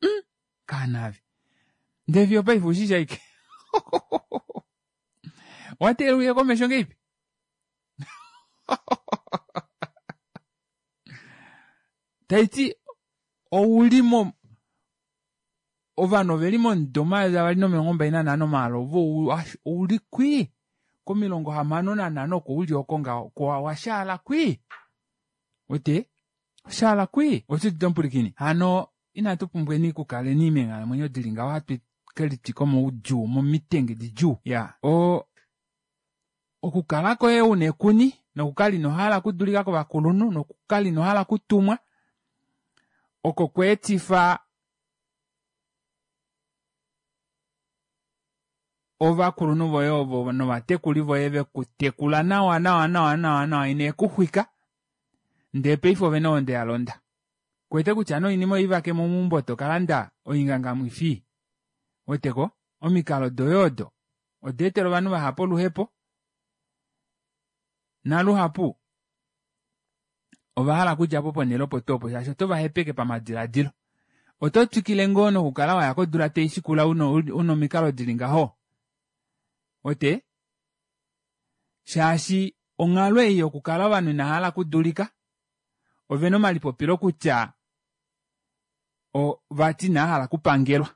mm, kaanave ndee fiyo paife ushishi aike owateelela uye komesho ngeipi taiti ouli mo ovanhu oveli momudo omayovi avali nomilongo mbali nanhano maala ove ou- ouli kwii komilongo hamano nanhano oko uli oko ngaho ko washaala kwii wete washaala kwii oshiudite omupulikini hano inatu pumbweni okukaleni meenghalamwenyo dili ngaho hatu kelitwika moudjuu momitenge didjuu ya o okukala koye una ekuni nokukala inohala okudulika kovakulunhu nokukala inohala okutumwa oko kweetifa ovakulunhu voye ovo novatekuli voye vekutekula nawa nawa nawa nawa nawa ine kuxwika ndee paife ovena ohonde ya londa kwete kutya noinima oivake mo meumbo tokalanda oingangamwifi weteko omikalo doye odo oda etela ovanhu vahapu oluhepo naluhapu ovahala okudjapo ponele opo tuu opo shaashi oto vahepeke pamadilaadilo oto twikile ngoo nokukala waya kodula taishikula una una omikalo dili ngaho wete shaashi onghalo ei yokukala ovanhu inahala okudulika ovena omalipopilo kutya o vati inahala okupangelwa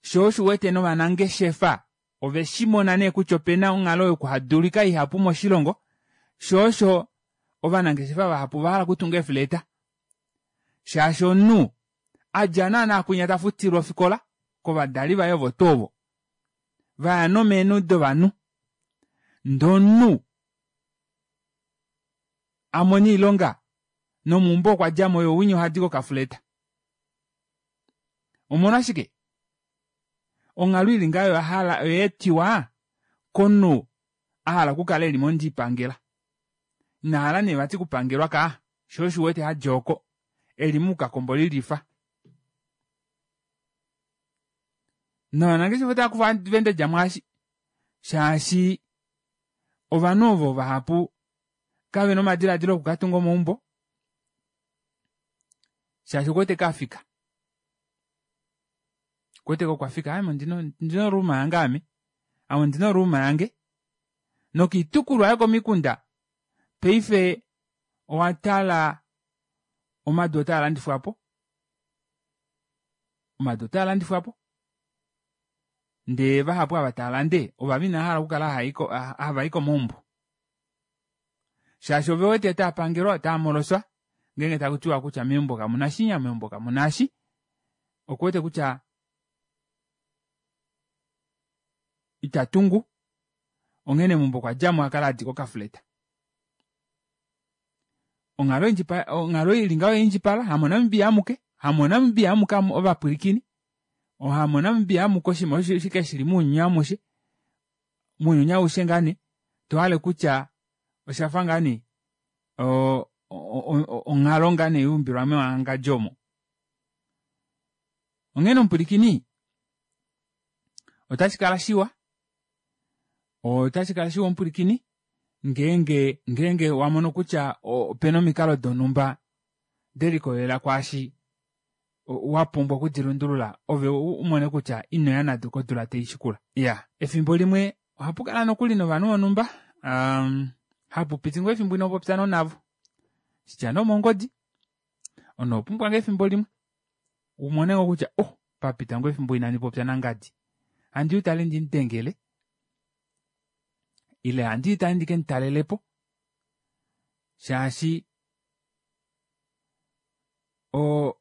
shoo osho uwete novanangeshefa oveshimona nee kutya opena onghalo yokuhadulika ihapu moshilongo shoo osho ovanangeshefa vahapu ovahala okutunga eefleta shaashi omunhu adja naana kwinya tafutilwa ofikola kovadali vaye ovo tuu ovo vaya nomeenhu dovanhu ndee omunhu amona oilonga nomeumbo okwa djamo ye winya ohadi kokafuleta omolwashike onghalo ili ngaho oyahala oyaetiwa komunhu ahala okukala eli mondipangela inahala nee vati okupangelwa kaa shoo osho uwete hadja oko eli moukakombolilifa novanangeshefa otava kufa advantage mwaashi shaashi ovanhu ovo vahapu kavena omadilaadilo okukatunga omaumbo shaashi okuwete kafika okuwete kokwafika ame ondina ondina oruuma yange ame ame ondina oruuma yange nokiitukulwa yokomikunda paife Owa tala omadu otaa landifwa po, omadu otaa landifwapo ndee vahapu ava taalande ovava inavahala okukala havai komaumbo shaashi ovewete otaapangelwa otaamoloswa ngeenge takutiwa kutya meumbo kamuna shinya meumbo kamuna eshi okuwete kutya itatungu onghene meumbo okwadjamo akale adika okafleta. Onghalo onghalo ili ngaho oyaindjipala hamonamibia amuke hamonamibia amuke ovapwilikini hamonamibia amuke oshinima osho shike shili mounyuni amushe mounyuni aushe ngaa nee tohale kutya oshafa ngaa nee onghalo ngaa nee yaumbilwa mewangadjo omo. Onghene omupwilikini otashikala shiwa otashikala shiwa omupwilikini ngeenge ngeenge wamono kutya opena omikalo donumba delikolelela kwaashi wapumbwa okudilundulula ove umone kutya inoya nado kodula taishikula. Iya efimbo limwe ohapukala nokuli novanhu vonhumba um, hapupiti ngoo efimbo inopopya navo shitya nee omongodi omunhu owapumbwa ngoo efimbo limwe umone ngoo kutya oh papita ngoo efimbo inandi popya nangadi handi utale ndimudengele ile handi tale ndikemutalelepo shaashi o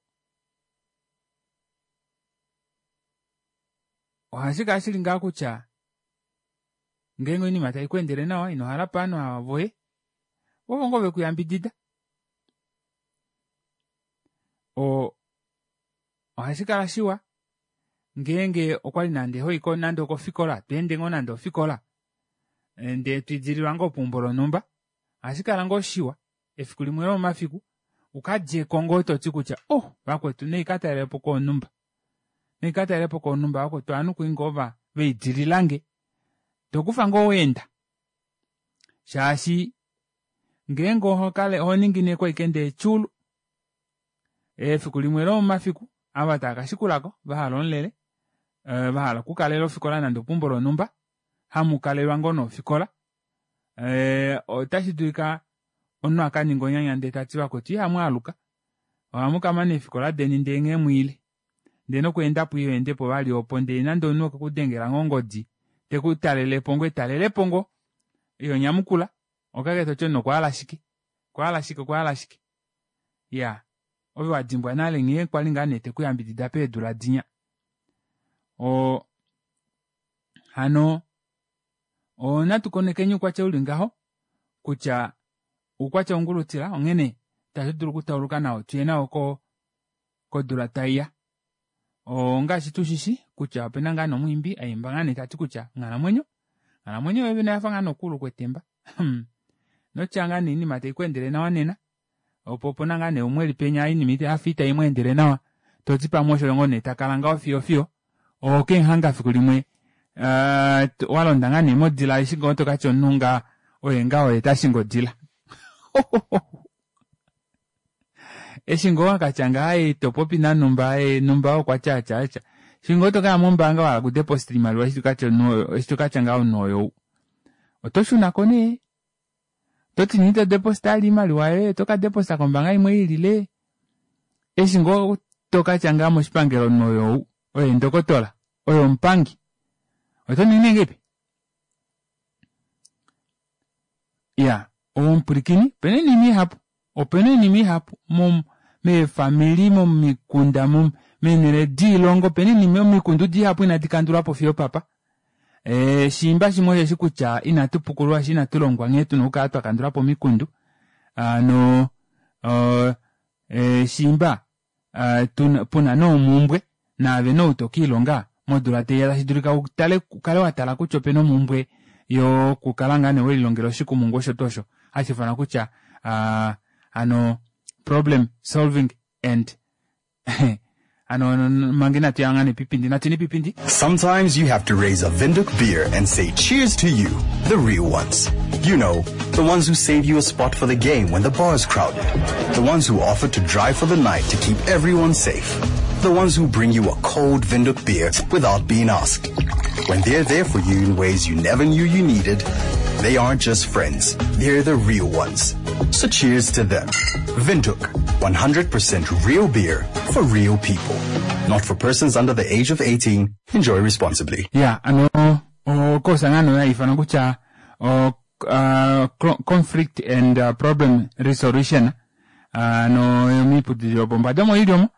ohashikala shili ngaa kutya ngeenge oinima taikweendele nawa inohala ovanhu ava voye vovo ngoo vekuyambidida o ohashikala shiwa ngeenge okwali nande hoiko nande okofikola tweende ngoo nande ofikola ndee twiidililwa ngoo peumbo lonhumba ohashikala ngoo shiwa efiku limwe lomomafiku ukadjeko ngoo toti kutya oh vakwetu naikatalelepo koonhumba naikatalelepo koonhumba vakwetu ovanhu kwali ngoo vaidililange tokufa ngoo weenda shaashi ngeenge ohokale ohoningineko ashike ndee tyuulu efiku limwe lomomafiku ava taakashikulako vahala omulele vahala okukalela ofikola nande opeumbo lonhumba hamukalelwa ngoo nofikola otashi dulika omunhu akaninga onyanya ndee tati vakwetu ihamwaaluka ohamukamana eefikola deni ndee nghee mwiile ndee nokweendapo ihoendepo vali opo ndee nande omunhu okwekudengela ngoo ongodi tekutalelepo ngoo etalelepo ngoo ihonyamukula ohokala toti omunhu okwahala shike okwahala shike okwahala shike iyaa ove wadimbwa nale nghee kwali ngaa nee tekuyambidida peedula dinya oo hano natu konekeni oukwatya uli ngaho kutya oukwatya ongulutila onghene itatu dulu okutauluka nawo tuye nawo ko kodula taiya. Ongaashi tushishi kutya opena ngaa nomwiimbi aimba ngaa nee tati kutya onghalamwenyo onghalamwenyo yoyene oyafa ngaa nokuulu kwetemba notya ngaa nee oinima taikweendele nawa nena opo opena ngaa nee umwe eli penya oinima yafa itaimweendele nawa toti pamwe osho ngoo nee takala ngaho fiyo fiyo okemuhanga fiku limwe walonda ngaa nee modila eshi ngoo tokatya omunhu ngaa oye ngaa oye tashingi odila eshi ngoo wakatya ngaa topopi nanumba numba okwatya atya atya eshi ngoo tokaya mombaanga wahala okudeposit oimaliwa eshi tokatya ngaa omunhu oyou otoshunako nee toti nee ito deposit vali oimaliwa yoye otoka deposit kombaanga imwe iilile eshi ngoo tokatya ngaa moshipangelo omunhu oyou oye ndokotola oye omupangi otoningi nee ngahelipi iya omupwilikini opena oinima ihapu opena oinima ihapu meefamili momikunda meenele diilongo opena oinima omikundu dihapu inadi kandulwapo fiyo opapa ee shiimba shimwe osheshi kutya inatu pukululwa shee inatulongwa nghee tuna okukala twakandulapo omikundu hano shiimba puna nee omumbwe naave nee ou tokiilonga modula taiya tashi utale ukale watala kutya opena omumbwe yokukala ngaa nee welilongela oshikumungu osho tuu osho hashiifanwa kutya hano problem solving and hano manga inatuya ngaa nee pipindi natuyeni pipindi. Sometimes you have to raise a Windhoek beer and say cheers to you, the real ones. You know, the ones who save you a spot for the game when the bar's crowded. The ones who offer to drive for the night to keep everyone safe. The ones who bring you a cold Windhoek beer without being asked. When they're there for you in ways you never knew you needed, they aren't just friends. They're the real ones. So cheers to them. Windhoek, one hundred percent real beer for real people. Not for persons under the age of eighteen. Enjoy responsibly. Ya, ano, okosa ngano ya ifana kutya, o, uh, conflict and uh, problem resolution. Uh, no, miiputudhilo yopombada omo yili omo.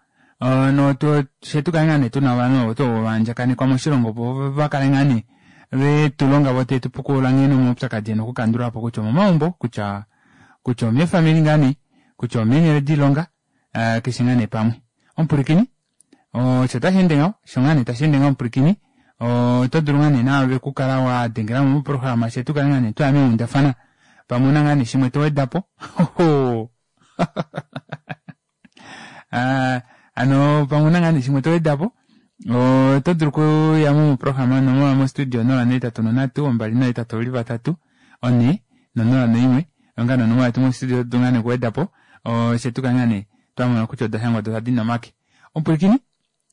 Uh, no, to, shetu kale ngaa nee tuna ovanhu ovo to vandjakanekwa moshilongo opo va kale ngaa nee ve tu longa vo te tu pukulula nghene omaupyakadi ena okukandulwa po kutya omomaumbo, kutya, kutya omeefamili ngaa nee, kutya omeenhele diilonga, uh, keshe ngaa nee pamwe. Omupulikini, osho tashi ende ngaho, osho ngaa nee tashi ende ngaho omupulikini, oto dulu ngaa nee naave okukala wa dengela mo moprograma shetu kale ngaa nee twaya meundafana pamwe una ngaa nee shimwe to weda po. Uh, ano pamwe una ngaa nee shimwe to weda po, oto dulu okuya mo moprograma nomola mo studio nola neetatu nonhatu, ombali noetatu oli vatatu, one, nonola noimwe, onga nonomola yetu mo studio oto dulu ngaa nee okuweda po, shetu kale ngaa nee twamona kutya oda shangwa doda dina omake. Omupulikini,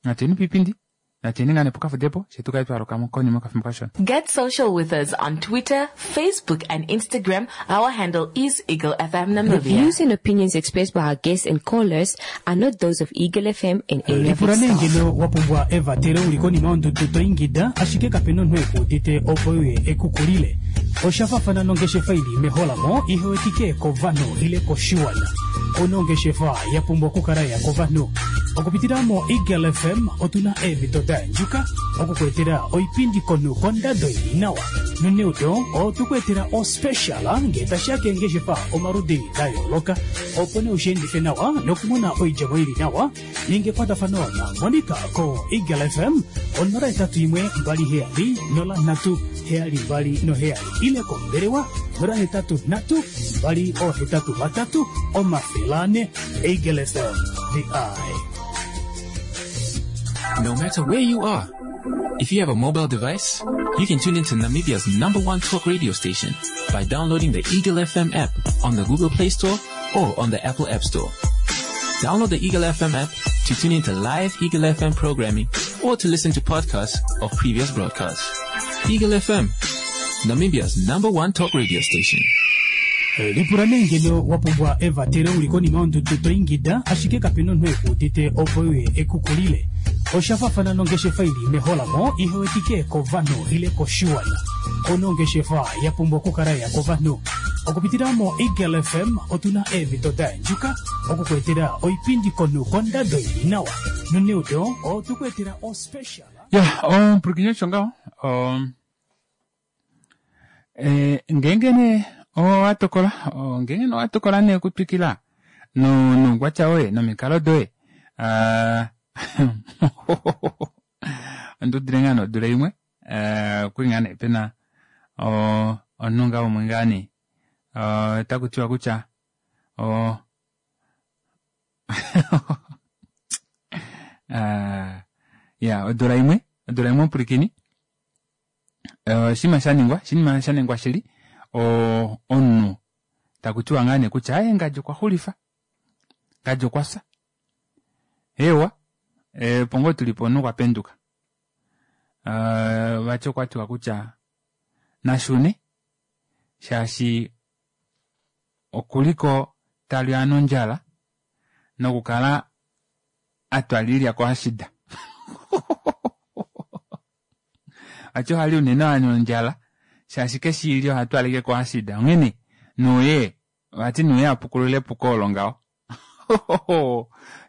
natuyeni piipindi, natuyeni ngaa nee pokafudepo, shetu kale twaluka konima yokafimbo kashona. Get social with us on Twitter, Facebook and Instagram. Our handle is Eagle F M The Namibia. views and opinions expressed by our guests and callers are not those of Eagle F M and any of Lipula its nee staff. ngeno wa pumbwa evatelo uli konima yondudu to ingida, ashike kapena omunhu ekuudite opo uye ekukulile. Osha faafana nongeshefa ili meholamo ihe wetike kovanhu ile koshiwana. Ono ongeshefa ya pumbwa okukala ya kovanhu. Okupitila mo Eagle F M otuna eemhito da yandjuka okukuetela oipindi komunhu kondado ili nawa. Noneudo otukuetela ospecial ngee tashiya keengeshefa omaludi da yooloka, opo nee ushiendife nawa nokumona oidjemo ili nawa. Ninga ekwatafano na Monica ko Eagle F M onola etatu imwe mbali heyali nola nhatu heyali mbali noheyali ile kombelewa nola hetatu nhatu mbali ohetatu vatatu omafele ane. Eagle F M, the eye. No matter where you are, if you have a mobile device, you can tune into Namibia's number one talk radio station by downloading the Eagle F M app on the Google Play Store or on the Apple App Store. Download the Eagle F M app to tune into live Eagle F M programming or to listen to podcasts of previous broadcasts. Eagle F M, Namibia's number one talk radio station. Lipula nee ngeno wa pumbwa evatelo uli konima yondudu to ingida, ashike kapena omunhu ekuudite opo uye ekukulile. Osha faafana nongeshefa ili meholamo ihe wetike kovanhu ile koshiwana. Ono ongeshefa ya pumbwa okukala ya kovanhu. Okupitila mo Eagle F M otuna eemhito da yandjuka okukuetela oipindi komunhu kondado ili nawa. Noneudo otukuetela ospecial. Ya, omupulikini osho ngaho. Um, eh, ngeenge nee owa tokola, o, ngeenge nee owa tokola nee okutwikila no, noukwatya woye nomikalo doye, ah, ondi udile ngaa nee odula imwe, eh, okuli ngaa nee pena, o, omunhu ngaa umwe ngaa nee, o, otaku tiwa kutya, o, ah, ya, odula imwe, odula imwe omupulikini, oshinima sha ningwa, oshinima sha ningwa shili, o, omunhu taku tiwa ngaa nee kutya, aye, ngadji okwa xulifa, ngadji okwa fya. Ewa, e, opo ngoo tuli po omunhu okwa penduka. E, vati okwa tiwa kutya nashune, shaashi okuliko talya nondjala nokukala atwalilya ko ashida. Vati ohali unene nondjala, shaashi keshi ilya oha twaleke ko ashida. Onghene, nuye, vati nuye apukulule epuko olo ngaho.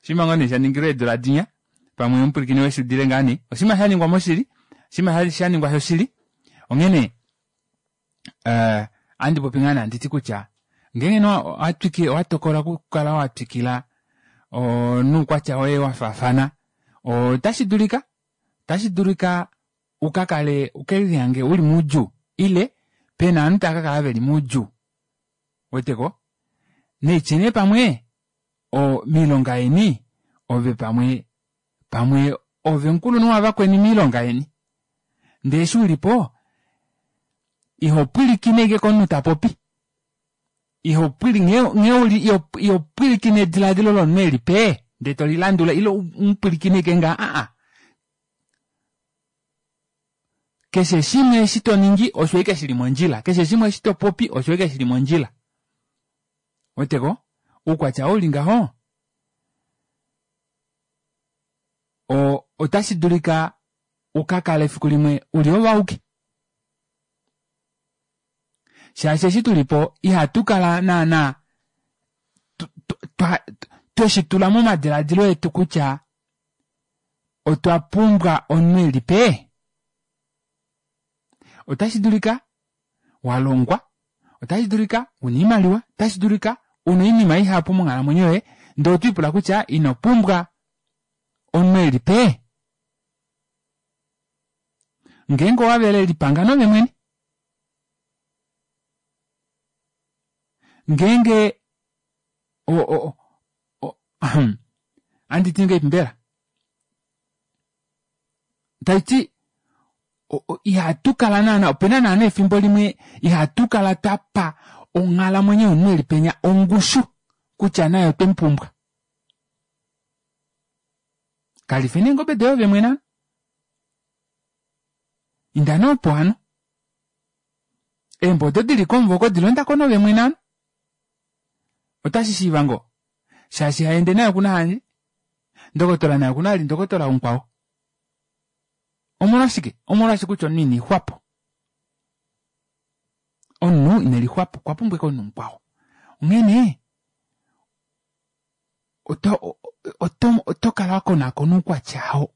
Oshinima ngoo nee sha ningilwe eedula dinya, pamwe omupulikini weshudile ngaa nee. Oshinima sha ningwa moshili, oshinima sha ningwa shoshili. Onghene, eh, andi popi ngaa nee anditi kutya, ngeenge nee owa twiki-, owa tokola okukala wa twikila, o, noukwatya woye wa faafana, otashi dulika, otashi dulika uka kale, uke lihange uli moudjuu, ile pena ovanhu tava ka kala veli moudjuu. Weteko? Neitye nee pamwe, o, miilonga yeni, ove pamwe, pamwe ove omukulunhu wavakweni miilonga yeni. Ndele eshi ulipo, iho pwilikine ashike komunhu ta popi. Iho pwili-, nghee, nghee uli, iho, iho pwilikine ediladilo lomunhu eli pe, ndele to lilandula, ile u pwilikine ashike nga, ah, ah. Keshe shimwe eshi to ningi, osho ashike shili mondjila. Keshe shimwe eshi to popi, osho ashike shili mondjila. Weteko oukwatya oo uli ngaho o otashi dulika ukakale efiku limwe uli ovauke shaashi eshi tulipo ihatu kala naana tweshitula momadilaadilo etu kutya otwa pumbwa omunhu elipe. Otashi dulika walongwa, otashi dulika una oimaliwa, otashi dulika una oinima ihapu monghalamwenyo yoye ndee otwiipula kutya ino pumbwa omunhu elipe. Ngeenge owavele lipanga noove mwene. Ngeenge o o o ohanditi ngahelipi mbela taiti ihatu kala naana opena naana efimbo limwe ihatu kala twapa onghalamwenyo yomunhu eli penya ongushu kutya naye otwemupumbwa. Kalife neengobe doye ove mwene hano. Inda nee opo hano. Eembwa odo dili komuvo oko dilondako nove mwene hano. Otashi shiiva ngoo shaashi haende naye okuna handje ndokotola naye okuna vali ndokotola mukwao. Omolwashike? Omolwaashi kutya omunhu ine lixwapo. Omunhu ine lixwapo okwa pumbwa ashike omunhu mukwao. Onghene oto oto oto kala wakonaakona oukwatya oo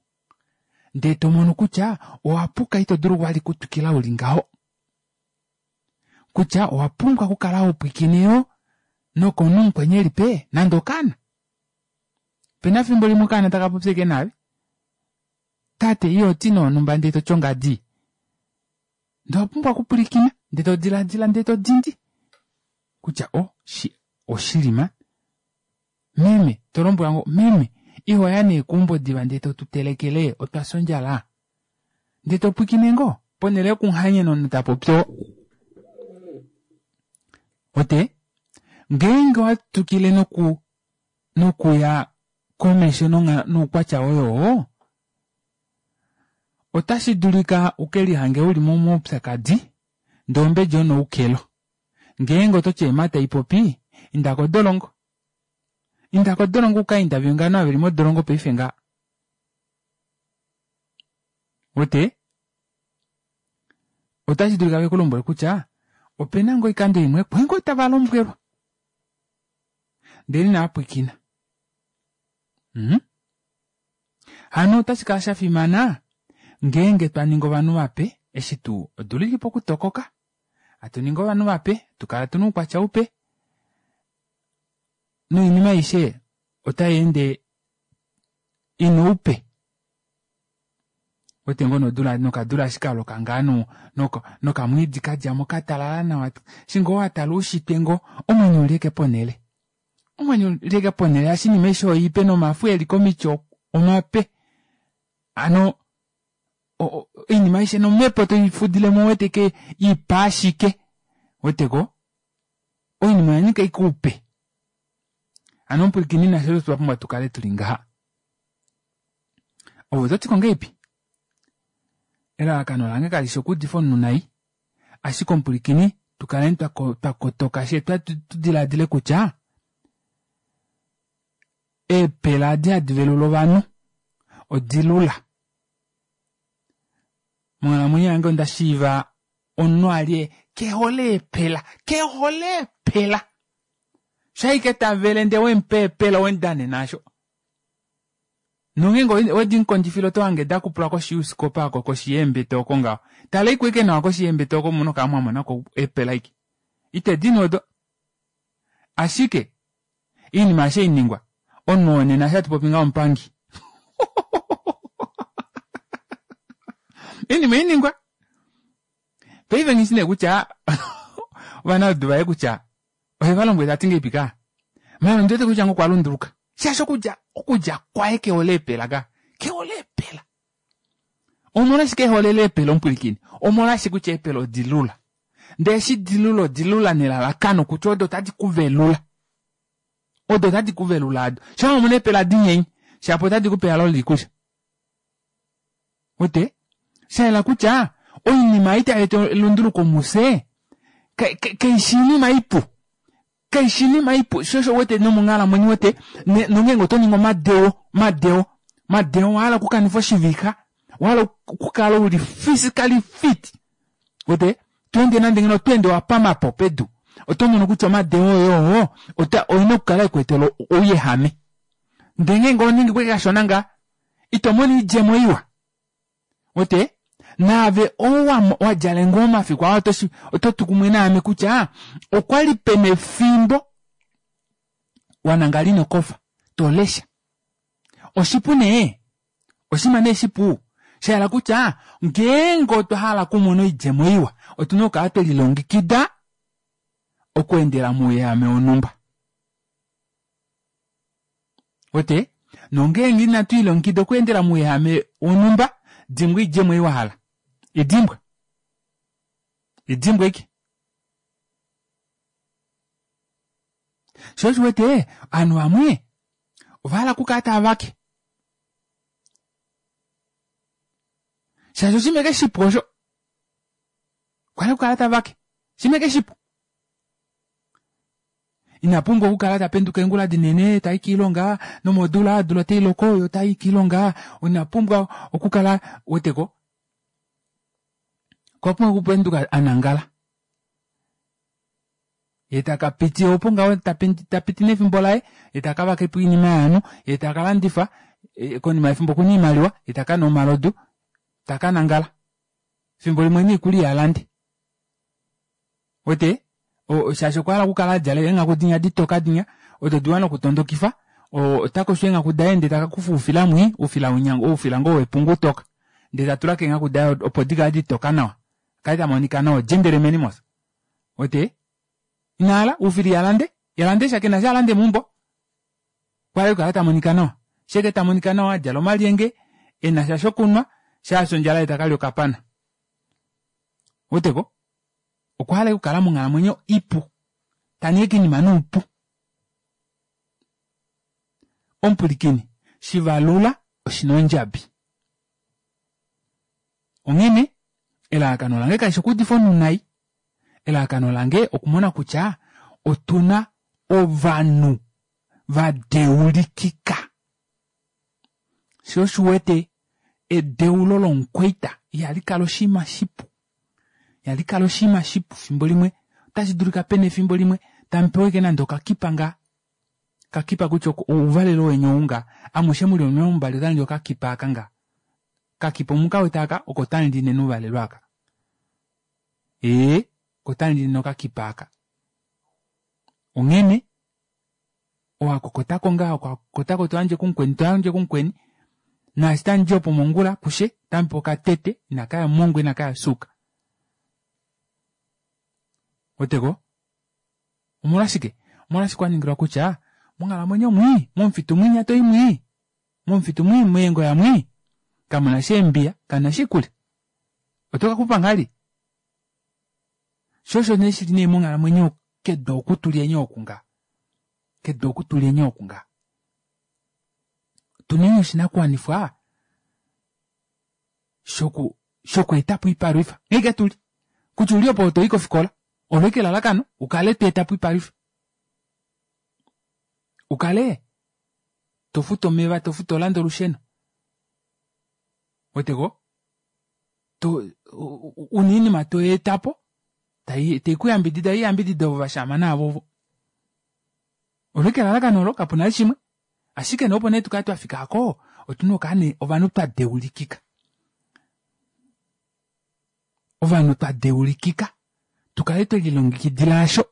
ndee tomono kutya owapuka ito dulu vali okutwikila uli ngaho. Kutya owa pumbwa okukala hopwiikine yoo nokomunhu mukweni elipe nande okaana. Opena efimbo limwe okaana taka popi ashike naave tate ihoti nee onumba ndee toti ongadi ndee owapumbwa okupwilikina ndee todilaadila ndee todindi kutya oh oshili maan meme tolombwelwa ngoo meme ihoya nee keumbo diva ndee totutelekele otwafya ondjala ndee topwiikine ngoo ponele yokuhanyena omunhu tapopi oo. Ote ngeenge owatwikile noku nokuya komesho noukwatya woye oo otashi dulika ukelihange uli momaupyakadi ndee ombedi onoukelo. Ngeenge ototi eemata haipopi inda kodolongo. Inda kodolongo uka interview ovanhu ava veli modolongo paife ngaha. Uwete? Otashi dulika vekulombwele kutya opena ngoo oikando imwe kwali ngoo tava lombwelwa ndele inavapwiikina. Mm hano otashi kala shafimana ngeenge twaningi ovanhu vape eshi tuu odula ili pokutokoka hatu ningi ovanhu vape tukala tuna oukwatya upe noinima aishe otayeende ina oupe. Uwete ngoo nodula nokadula eshi kaloka ngaa nokamwiidi kadjamo katalala nawa eshi ngoo watala oushitwe ngoo omwenyo uli ashike ponele. Omwenyo uli ashike ponele shaashi oinima aishe oipe nomafo eli komiti omape. Hano oinima aishe nomepo toifudilemo ouwete ashike ipe ashike ouweteko oinima oyanyika ashike oupe. Hano omupwilikini nafye osho twapumbwa tukale tuli ngaha. Ove ototiko ngahelipi? Elalakano lange kalishi okuudifa omunhu nai ashike omupwilikini tukaleni twakotoka fyee tudilaadile kutya eepela edi hadi velula ovanhu odilula. Monghalamwenyo yange onda shiiva omunhu ali kehole eepela kehole eepela shaike tavele ndee wemupa eepela owemudanena aasho. Nongeenge wedimukondjifile otohange dakupulwa koshi youskopa oko koshi yeembete oko ngaho. Taleiko ashike nawa koshi yeembete oko muno kala mwamonako eepela ashike. Itedinu odo. Ashike oinima eshi hainingwa omunhu oo nena eshi hatu popi ngaha omupangi. Oinima ohainingwa. Paife nghishi nee kutya ovanaudu vaye kutya oheva lombwele tati ngahelipi kaa. Maala ondiwete kutya ngoo okwa lunduluka. Shaashi okudja okudja kwaye kehole eepela ka. Kehole eepela. Omolwashike eholele eepela omupwilikini? Omolwaashi kutya eepela odilula. Ndee eshi dilula odilula nelalakano kutya odo otadi kuvelula. Odo otadi kuvelula ado. Shaa wamona eepela dinyenye shapo otadi kupe ehalo loikulya. Wete? Shayela kutya oinima ei tai eta elunduluko mufye kaishi oinima ipu. Kaishi inima ipu sho osho wete nomonghalamwenyo wete nongeenge oto ningi omadeo omadeo omadeo owahala okukanifa oshivixa owahala okukala uli physically fit wete tweende nande ngeno otweende wapamapo pedu oto mono kutya omadeo oye oo ota oina okukala ekweetela ouyehame ndee ngeenge ohoningi ashike kashona ngaa ito mono oidjemo iwa wete naave ou wadjale ngoo omafiku aa ototu kumwe naame kutya okwali pena efimbo wanangala inokofa tolesha oshipu nee oshinima nee shipu shahala kutya ngeenge otwa hala okumona oidjemo iwa otuna okukala twelilongekida okweendela mouyehame wonhumba wete nongeenge inatu lilongekida okweendela mouyehame wonhumba dimbwa oidjemo ei wahala idimbwa idimbwa ashike shoo osho uwete ovanhu vamwe ovahala okukala tavake shaashi oshinima ashike shipu osho okwahala okukala tavake oshinima ashike shipu ina pumbwa okukala tapenduka eengula dinene tai koilonga nomodula odula otailoko yee otayi koilonga ina pumbwa okukala uweteko okwa pumbwa okupenduka anangala yee takapiti opo ngaho tapiti nefimbo laye yee takavakepo oinima yovanhu yee takalandifa konima yefimbo okuna oimaliwa yee takanwa omalodu takanangala efimbo limwe noikulya ihalande uwete shaashi okwahala okukala adjala eenghaku dinya ditoka dinya odo diwa nokutondokifa otakosho eenghaku daye ndee takakufa oufila mwii oufila winya oufila ngoo wepungu utoka ndee tatula keenghaku daye opo dikale ditoka nawa akale tamonika nawa ogentleman mos uwete inahala oufila ihalande ihalandesha kena eshi alande meumbo okwahala ashike okukala tamonika nawa shaike tamonika nawa adjala omalyenge enasha shokunwa shaafya ondjala yee takalya okapana ouweteko okwahala ashike okukala monghalamwenyo ipu taningi ashike oinima noupu omupwilikini shivalula oshina ondjabi onghene elalakano lange kalishi okuudifa omunhu nai elalakano lange okumona kutya otuna ovanhu vadeulikika shoo osho uwete edeulo lomukwaita ihali kala oshinima shipu ihali kala oshinima shipu efimbo limwe otashi dulika pena efimbo limwe tamupewa ashike nande okakipa ngaa okakipa kutya ouvalelo weni ounga amushe muli omulongo mbali otamuli okakipa aaka nga okakipa omukawete aaka oko tamuli nena ouvalelo aaka ee oko tamuli nena okakipa aaka onghene owakokotako ngaa wakokotako toyandje kumukweni toyandje kumukweni naashi tamudi opo mongula kushe otamupewa okatete inakaya omongwa inakaya osuuka ouweteko omolwashike omolwaashi kwaningilwa kutya monghalamwenyo mwii momufitu mwinya toyi mwii momufitu mwii meengoya mwii kamunasha eembiya kamunasha oikulya otokaxupa ngahelipi shoo osho nee shili nee monghalamwenyo kedu oku tulyeni oku nga kedu oku tulyeni oku nga otuneni oshinakuwanifwa shoku shokweetapo oipalwifa nghee tuli kutya uli opo toyi kofikola olo ashike elalakano ukale tweetapo oipalwifa ukale tofutu omeva tofutu tolande olusheno ouweteko to una oinima toyeetapo teikuyambidida yo iyambidide ovo vashaama naave ovo olo ashike elalakano olo kapuna vali shimwe ashike nee opo nee tukale twafika aako otuna okukala nee ovanhu twa deulikika ovanhu twa deulikika tukale twelilongekidila aasho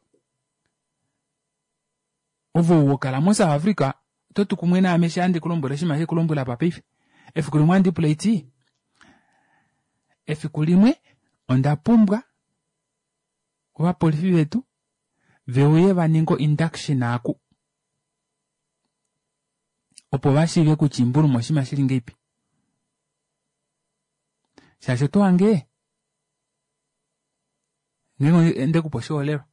ove ou hokala mo south Africa ototu kumwe naame eshi handi kulombwele oshinima shekulombwela apa paife efiku limwe ohandi pula haiti efiku limwe onda pumbwa ovapolifi vetu veuye vaninge o induction aaku opo vashiive kutya oimbuluma oshinima shili ngahelipi shaashi oto hange ngeenge ondekupa oshiholelwa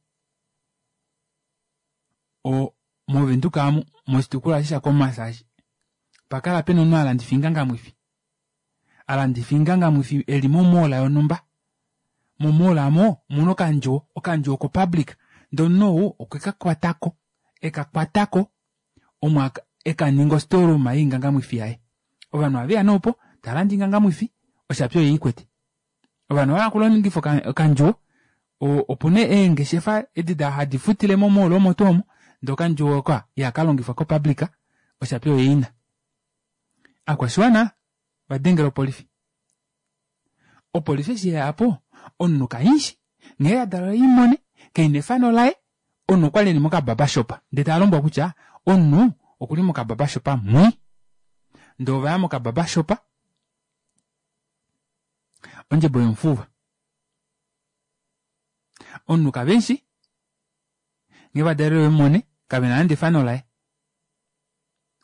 o movenduka amu moshitukulwa eshi shaKhomas eshi opakala pena omunhu halandifa oingangamwifi alandifa oingangamwifi eli mo mall yonhumba mo mall aamo omuna okandjuwo okandjuwo ko public Ndee omunhu ou okwe ka kwatako, eka kwatako omo eka ninga ostoreroom yoingangamwifi yaye. Ovanhu ohaveya nee opo tavalande oingangamwifi oshapi oyo eikwete. Ovanhu ovahala okulongifa okandjuwo opuna eengeshefa edi hadi futile mo mall omo tuu omo ndee okandjuwo oko ihakalongifwa ko public oshapi oyo eina. Aakwashiwana ovadengela opolifi. Opolifi eshi yeyapo omunhu kaimushi nghee yadalwa imone kaina efano laye omunhu okwali eli moka barbershop ndee talombwelwa kutya omunhu okuli moka barbershop mwii ndee ovaya moka barbershop ondjebo yomufuva omunhu kavemushi nghee vadalelwe vemumone kavena nande efano laye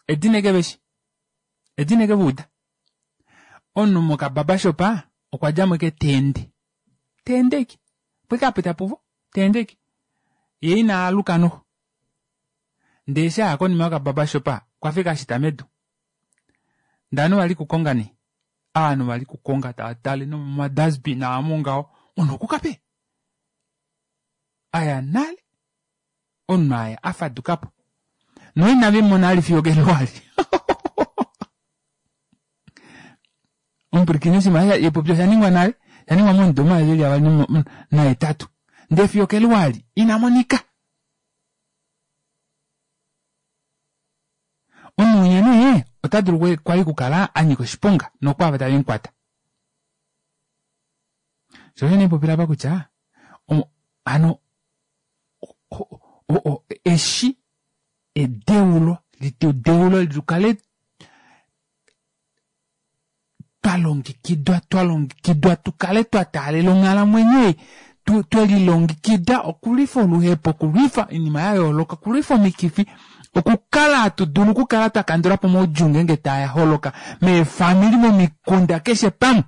edina eke veshi edina eke vauda omunhu moka barbershop okwadjamo ashike teende teende ashike opo ashike apita puvo teende ashike yee inaaluka noxo ndee eshi aya konima yoka barbershop okwafa ashike ashita medu ndee ovanhu vali kukonga nee ovanhu vali kukonga tavatale nomoma dustbin aamo ngaho omunhu okukape aya nale omunhu aya afadukapo noina vemumona vali fiyo okeluwa eli omupwilikini oshinima eshi oshaningwa nale oshaningwa momudo omayovi eli avali nahetatu ndee fiyo okeluwa eli inamonika. Omunhu winya nee otadulu kwali okukala anyika oshiponga nokwaava tavemukwata. Shoo osho nee haipopile apa kutya hano eshi edeulo litudeule tukale twalongekidwa twalongekidwa tukale twa taalela onghalamwenyo ei twelilongekida okulwifa oluhepo okulwifa oinima yayooloka okulwifa omikifi okukala hatu dulu okukala twakandulapo omaudjuu ngeenge taaholoka meefamili momikunda keshe pamwe.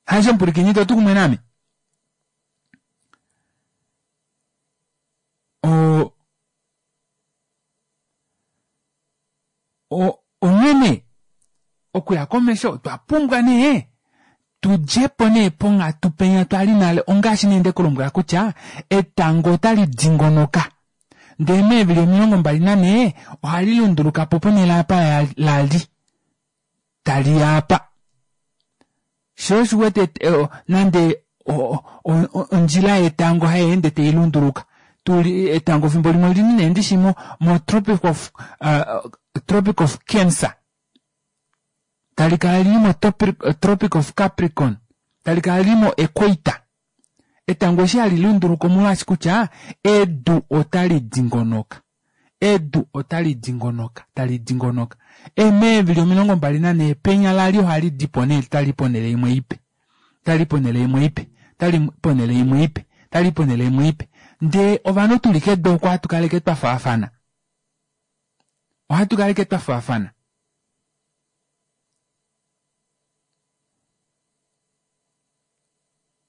Haisho omupwilikini ito tu kumwe naame? O onghene okuya komesho otwa pumbwa nee tudjepo nee ponghatu penya twali nale ongaashi nee ndekulombwela kutya etango otali dingonoka ndee meevili omilongo mbali nanhee ohali lundulukapo ponele apa lali taliya apa. Shoo osho uwete nande ondjila yetango hayeende tailunduluka tuli etango fimbo limwe olili nee ndishi mo tropic of uh, tropic of Cancer talikala lili mo tropic of Capricorn talikala lili mo equator. Etango eshi hali lunduluka omolwaashi kutya edu otali dingonoka edu otali dingonoka tali dingonoka meevili omilongo mbali nanhee penya lali ohali dipo nee tali ponele imwe ipe tali ponele imwe ipe tali ponele imwe ipe tali ponele imwe ipe ndee ovanhu tuli kedu oko ohatu kala ashike twafaafana ohatu kala ashike twafaafana.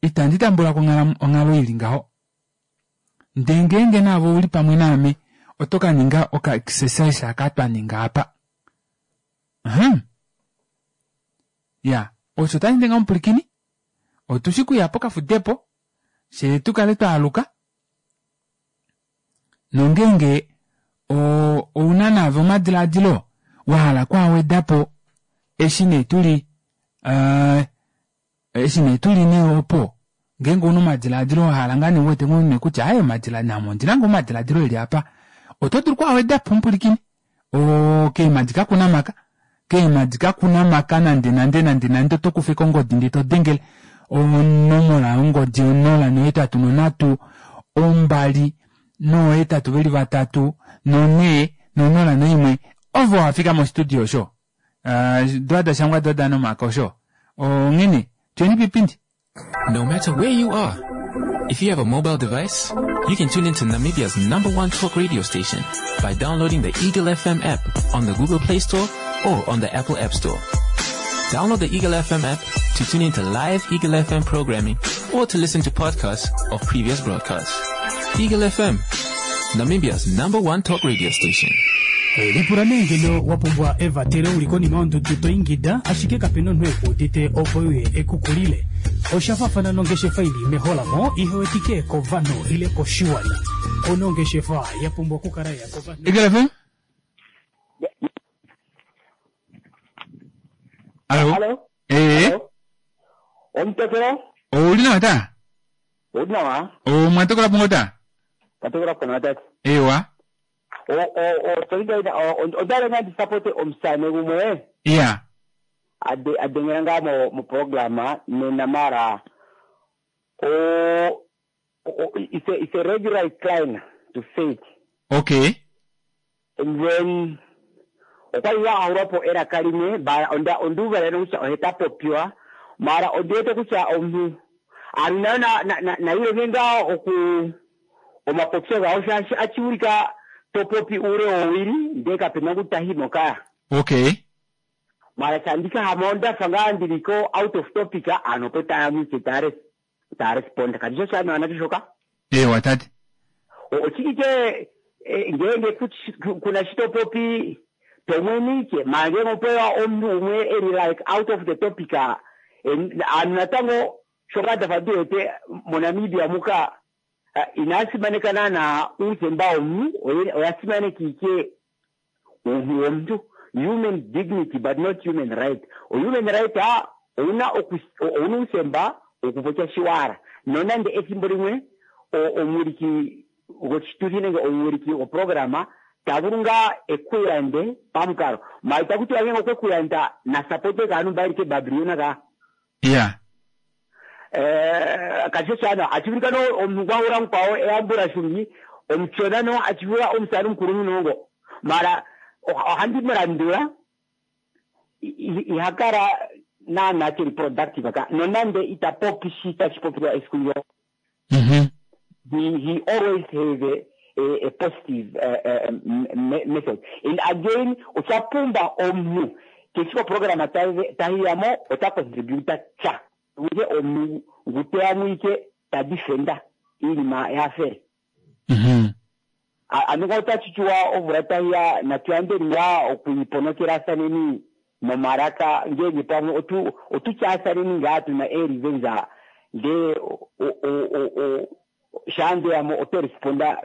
Itandi tambulako onghalo ili ngaho ndee ngeenge naave ouli pamwe naame oto kaninga oka exercise aka twaninga apa. Uhmm iya osho tashindi ngaho omupwilikini otushi kuya pokafudepo fyee tukale twaaluka nongeenge ouna naave omadilaadilo wahala okwaawedapo eshi nee tuli eshi nee tuli nee opo ngeenge ouna omadilaadilo wahala ngoo nee uwete ngoo kutya aaye name ondina ngoo omadilaadilo eli apa oto dulu okwaawedapo omupwilikini oo keemadi kakuna maka keemadi kakuna maka nande nande nande nande oto kufa ashike ongodi ndee todengele onomola yongodi onola nohetatu nonhatu ombali nohetatu veli vatatu nonhee nonola noimwe ove wafika mo studio osho doo dashangwa doo dana omaka osho onghene tuyeni piipindi. No matter where you are, if you have a mobile device, you can tune into Namibia's number one talk radio station by downloading the Eagle F M app on the Google Play Store or on the Apple App Store. Download the Eagle F M app to tune into live Eagle F M programming or to listen to podcasts of previous broadcasts. Eagle F M, Namibia's number one talk radio station. Lipula nee ngeno wa pumbwa evatelo uli konima yondudu to ingida ashike kapena omunhu ekuudite opo uye ekukulile. Osha faafana nongeshefa ili meholamo ihewetike kovanhu ile koshiwana. Onongeshefa ya pumbwa okukala ya kovanhu. Eagle F M? Allo? Hallo? Eh, Omutokelo? ouli nawa ta? Uli nawa? Omwa tokola pongo ta? Katokela kona tati. Ewa. O o o tolida onda nga ndisapote omusane gumwe Iya. ade adengera nga mo mu programa nena mara o o it's a, it's a regular decline to faith Okay. and then okwali ya ahurapo era kalimwe bara onda onduva rero kutya oheta popiwa mara ondiwete kutya omuntu ari nayo na na na, na ile ngenga oku omapopyo gawo shaashi achiwulika topopi ule owili ndee kapena kutahimo kaya Okay. mara chandika hama ondafa nga ndiliko out of topic ano po tayamwike tare taresponda kati sho shanawa nacho shoka Ewa tate. ochikike ngenge kuna shitopopi tomwenike mange ngopewa omuntu umwe eri like out of the topic anu natango shoka dafa diwete moNamibia muka inasimanekana na uuthemba womuntu oya simanekike uuntu womuntu human dignity but not human right. Human right a ouna ouna uuthemba okupopya shiwara nonande ethimbo limwe omuwiliki goshituthi nenge omuwiliki goprograma tavulu nga ekuyande pamukalo maita kuti wange okwekuyanda na sapote kaanu mbailike babriona ka Iya. eh kasho shana achivulikano omuntu gwahura mukwawo eyambura shungi omuchona no achivula omusani omukulu munongo mara ohandi mulandula ihakala naana keli productive ka nonande itapopi shi tachipopiwa esiku lyo Mhm. he he always has a, a, a positive uh, uh, message. And again, ochapumba omu kechiko program tahiyamo ota contributa cha uye omu nguteamwike ta defender iinima yafere. Mhm. Anuka otachichiwa ovula tahiya natuyandeni nga okuiponokerasaneni nomaraka ngenge pamwe otu otuchasaneni nga tuna erivenza nde o o o o shandeyamo otoresponda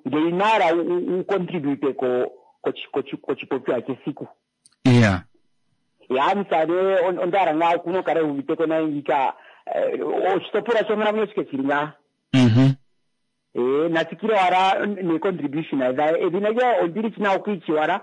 ngeinara ucontribute ko kochipopiwa chesiku. Iya. Ya musane ondara nga kunokara uviteko naingika oshitopolwa shonkalamwenyo shike shili nga. Mhm. Eh natsikile wala ne contribution adha edhina lyo ondili china okuichiwala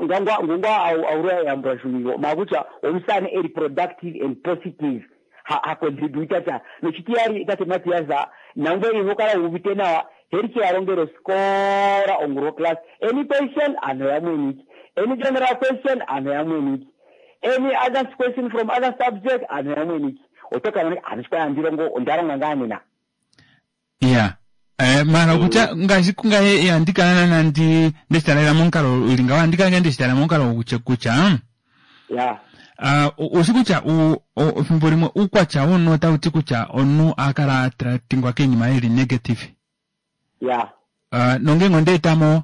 ngangwa ngungwa aurwa yambura shungigo makucha omusane eri productive and positive ha, ha contributa cha nochitiyari tate matiyaza nangwe ihokala uvite nawa heri chiyarongero skora onguro class any question ano yamweniki any general question ano yamweniki any other question from other subject ano yamweniki otokana ano ndirongo ondaronga nganena. Iya. Eh mara kutya ngaashi kungaye yandikana nandi ndeshitalela momukalo uli ngawo andikala nga ndeshitalela momukalo kutya kutya ya uh, usi kutya efimbo limwe uukwatya womunhu otauti kutya omunhu akala atingwa kiinima ili negative. Ya. Uh, nongenge ondeetamo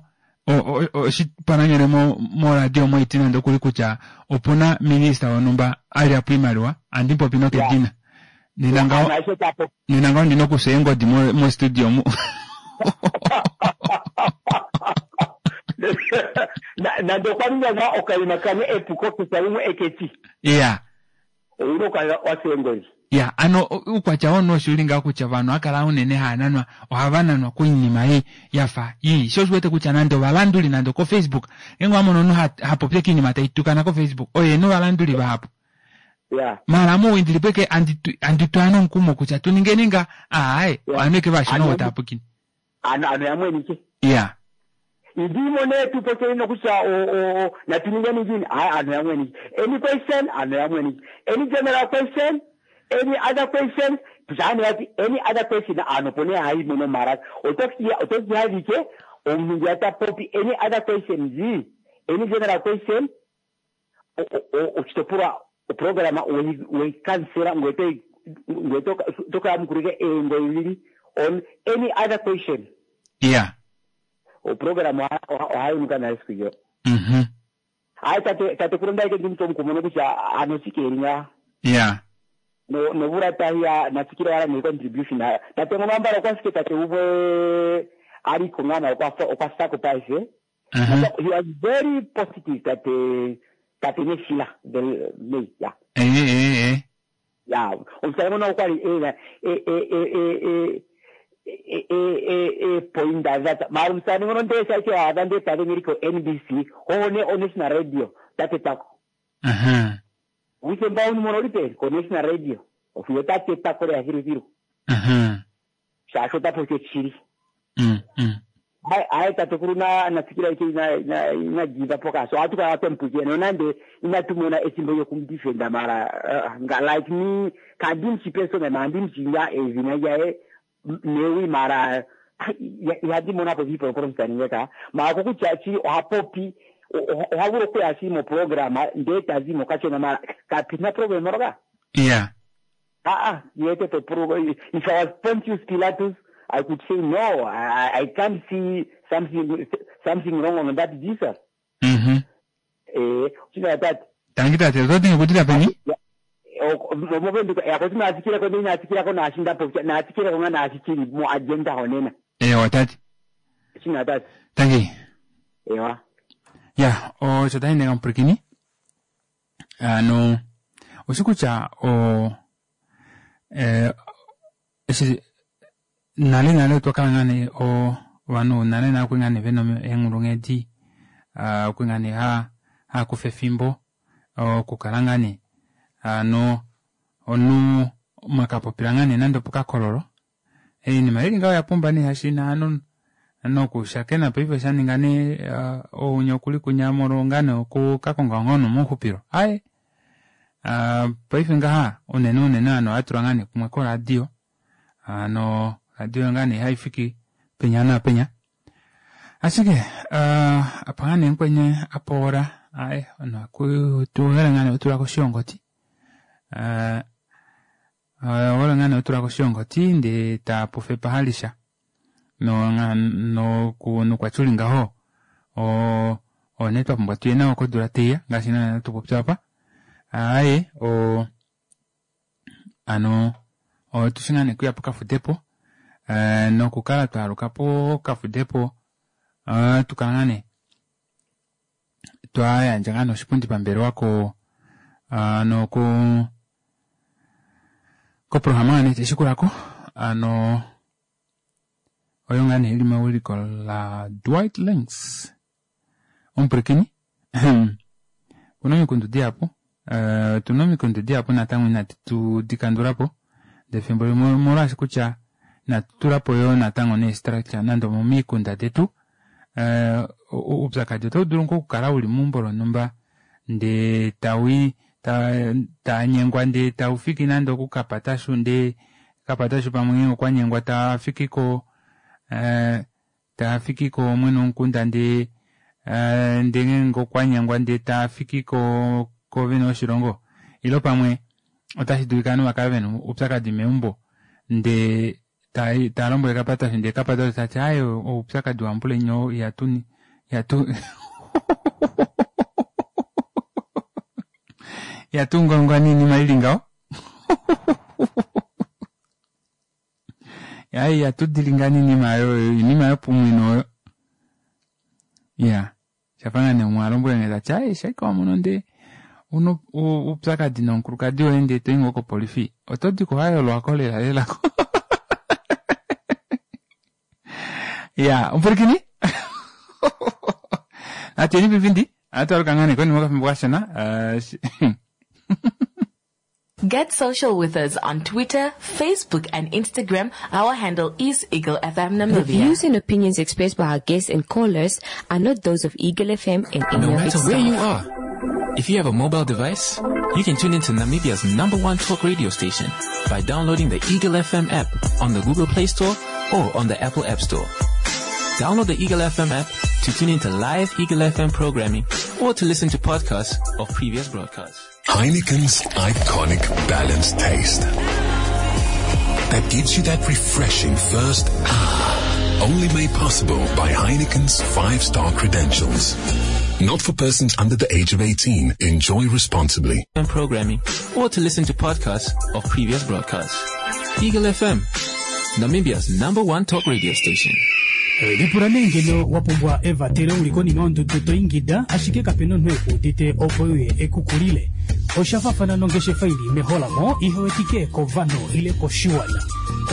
oshipananyole moradio moiti nande okuli kutya opuna minista wonhumba alya po iimaliwa andipopi nokedina. Nena ngawo nena ngawo ndina okusa eengodi mo studio mu. Nande okwa ninga okaima kamwe epuko kutya limwe eketi. Iya. Owuna okukala wasa eengozi. Ya, ano uukwatya womunhu osho uli ngawo kutya vanhu akala unene haananwa ohava nanwa koinima ei yafa ii. Sho oshiwete kutya nande ovalanduli nande ko Facebook ngenge wamono omunhu hapopye kiinima taitukana ko Facebook oye novalanduli vahapu. Ya. Mara mouwindili peke anditwa nomukumo kutya tuningeni nga aaye ovanhu eke vashona otapukini. Ano ano yamwenike. Ya. Ndimo ne tupokeni nokutya o o natuningeni ngini hayi ano yamwenike. Any question ano yamwenike. Any general question any other question tujani yati any other question ano pone hayi mono maraka otoki otoki havike omunhu yata popi any other question zi any general question ochitopolwa oprograma weikansela ngwete ngwete tokayamukulike eengo ivili on any other question. Yeah. Oprograma ohayunuka nayo siku iyo. Mhm. Hayi tate tate kulonda ike ndimto mukumono kutya ano sikeri nga. Yeah. No novula tahiya natsikile wala ne contribution tate ngono ambala okwashike tate umwe aliko ngana okwa okwa sako paife. Mhm. He was very positive tate tate Neshila the me yeah. Eh eh eh. Ya omusale ngono okwali ena e e e e e e e poinda that mara omusale ngono ndesha ike adha ndetale ngiriko N B C one o National Radio tate tako. Mhm. Wike mbauni monolipe ko National Radio ofuyo tate tako le hiru hiru. Mhm. Shasho tapo ke chiri. Mm mm. Ai ai tate kuruna natsikira ike ina ina ina give up ka so atuka atempuje no nande ina tumona esimbo yokumdefenda mara uh, nga like me kandimchi person na ndimchi ya ezina ya newi mara ya dimona po vipo ko mstaniyeka ma ko kuchachi ohapopi ohavuro kuya mo programa ndeta zimo kachona mara kapina program roga. Yeah. Ah ah yete to pro if I was Pontius Pilatus I could say no, I, I can't see something something wrong on that Jesus. Mhm. Eh, china that. Tangita te zote ngikutira peni? Movenduka yakoti nasikira ko nasikira ko nashinda po nasikira ko nasikiri mo agenda honena. Eh, watati. China that. Tangi. Ewa. Ya, o chotani ngampurikini. Ano usikucha o eh esi nale nale twakala ngane o vanhu nale nale kwingane vena enghulunghedi uh, kwingane ha ha kufa efimbo okukala ngane ano onu mwakapopila ngane nande pokakololo einima ili ngaho yapumba ne hashina ano nokushakena paife shaninga ne uh, ounya okuli kunyamolo ngane okukakonga ngono muhupilo aye uh, paife ngaha unene unene ano atula ngane kumwe koradio ano radio ngane haifiki penya na penya ashike uh, apangane nkwenye apora aye ono kutuhela ngane otula koshongoti uh, uh, wala ngane otula koshongoti nde tapufe pahalisha no no ku no kwachuli ngaho o o netwa pumbwa tuye nawo kodula teya ngaashi nana tupopya apa aye o ano o tushingane kuya pokafudepo Uh, nokukala twalukapo kafudepo uh, tukalangane twayandja ngane oshipundi pambelewa ko uh, noku koprograma ngane teshikulako ano oyo ngane ili mewiliko la Dwight Links omupulakeni kuna omikundu dihapu uh, tuna omikundu dihapu natango inatu tudikandulapo ndefimbo limwe molwaashi kutya natulapo yo natango ne-structure nande momikunda detu uh, uupyakadi otau dulu ngoo okukala uli meumbo lonhumba nde tawi tanyengwa nde taufiki nande okukapatashu nde kapatashu pamwe okwanyengwa tafiki ko uh, tafiki ko mwene womukunda nde uh, nde ngeenge okwanyengwa nde tafiki ko kovene woshilongo ilo pamwe otashi dulika ovanhu vakale vena oupyakadi meumbo nde ta lombwele kapatashu ndee kapatashu tati aye oupyakadi wambulenyo ihatu ihatu ihatu ngongwa niinima ili ngaho aye ihatu dilinga niinima oyo iinima yopumwino oyo ya shafa ngane umwe alombwele nge tati aye shaika wamono ndee uno uupyakadi nomukulukadi woye ndee toyi ngoo kopolifi oto diko wayolwako lela lelako. Ya, umpulikini? Ateni pipindi? Atwaluka ngane konima okafimbo kashona. Uh, Get social with us on Twitter, Facebook and Instagram. Our handle is Eagle F M Namibia. The views and opinions expressed by our guests and callers are not those of Eagle F M and any No of its matter where you staff. are, if you have a mobile device, you can tune into Namibia's number one talk radio station by downloading the Eagle F M app on the Google Play Store or on the Apple App Store. Download the Eagle F M app to tune into live Eagle F M programming or to listen to podcasts of previous broadcasts. Heineken's iconic balanced taste that gives you that refreshing first ah Only made possible by Heineken's five-star credentials. Not for persons under the age of eighteen. Enjoy responsibly. And programming, or to listen to podcasts of previous broadcasts. Eagle F M, Namibia's number one talk radio station. Lipula nee ngeno wa pumbwa evatelo uli konima yondudu to ingida ashike kapena omunhu ekuudite opo uye ekukulile. Osha fafana nongeshefa ili meholamo ihewetike kovanhu ile koshiwana.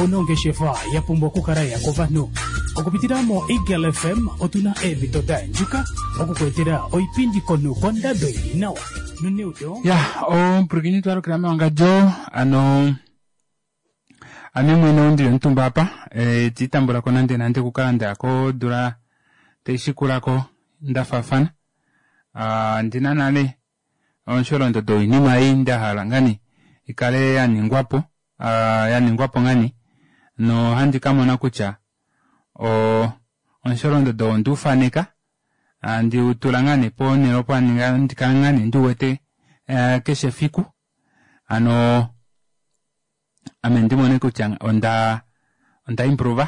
Onongeshefa ya pumbwa okukala ya kovanhu. Okupitila mo Eagle F M otuna eemhito da andjuka okukuetela oipindi komunhu kondado ili nawa. Noneudo Ya, omupulakeni, twalukila mewangadjo. Ano ame mwene ondili omutumba apa e, tiitambulako nande nande okukala ndaya kodula taishikulako ndafaafana. Ah, ndina nale omusholondodo woinima ei ndahala ngani ikale yaningwapo, ah, yaningwapo ngani nohandi kamona kutya o omusholondodo ondiufaneka andiutula ngane ponele opo andikala ngane ndiwete eh, keshe efiku ano ame ndimone kutya onda onda improve.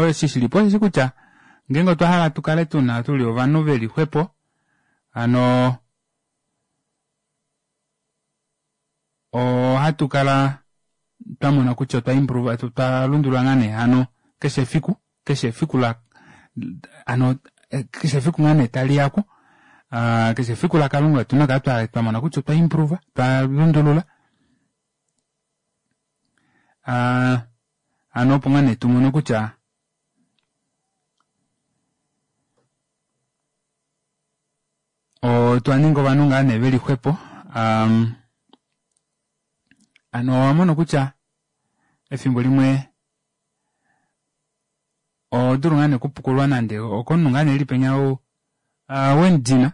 Eshi shilipo osheshi kutya ngeenge otwa hala tukale tuna tuli ovanhu veli xwepo hano ohatu kala twamona kutya otwa improve, twa lundulula ngaa nee hano keshe efiku, keshe efiku la ano keshe efiku ngaa nee taliyako, keshe efiku lakalunga otuna okukala twamona kutya otwa improve, twa lundulula, hano opo ngaa nee tumone kutya otwa ninga ovanhu ngaa nee veli xwepo. Hano owamono kutya efimbo limwe ohodulu ngaa nee okupukululwa nande okomunhu ngaa nee eli penya wemudina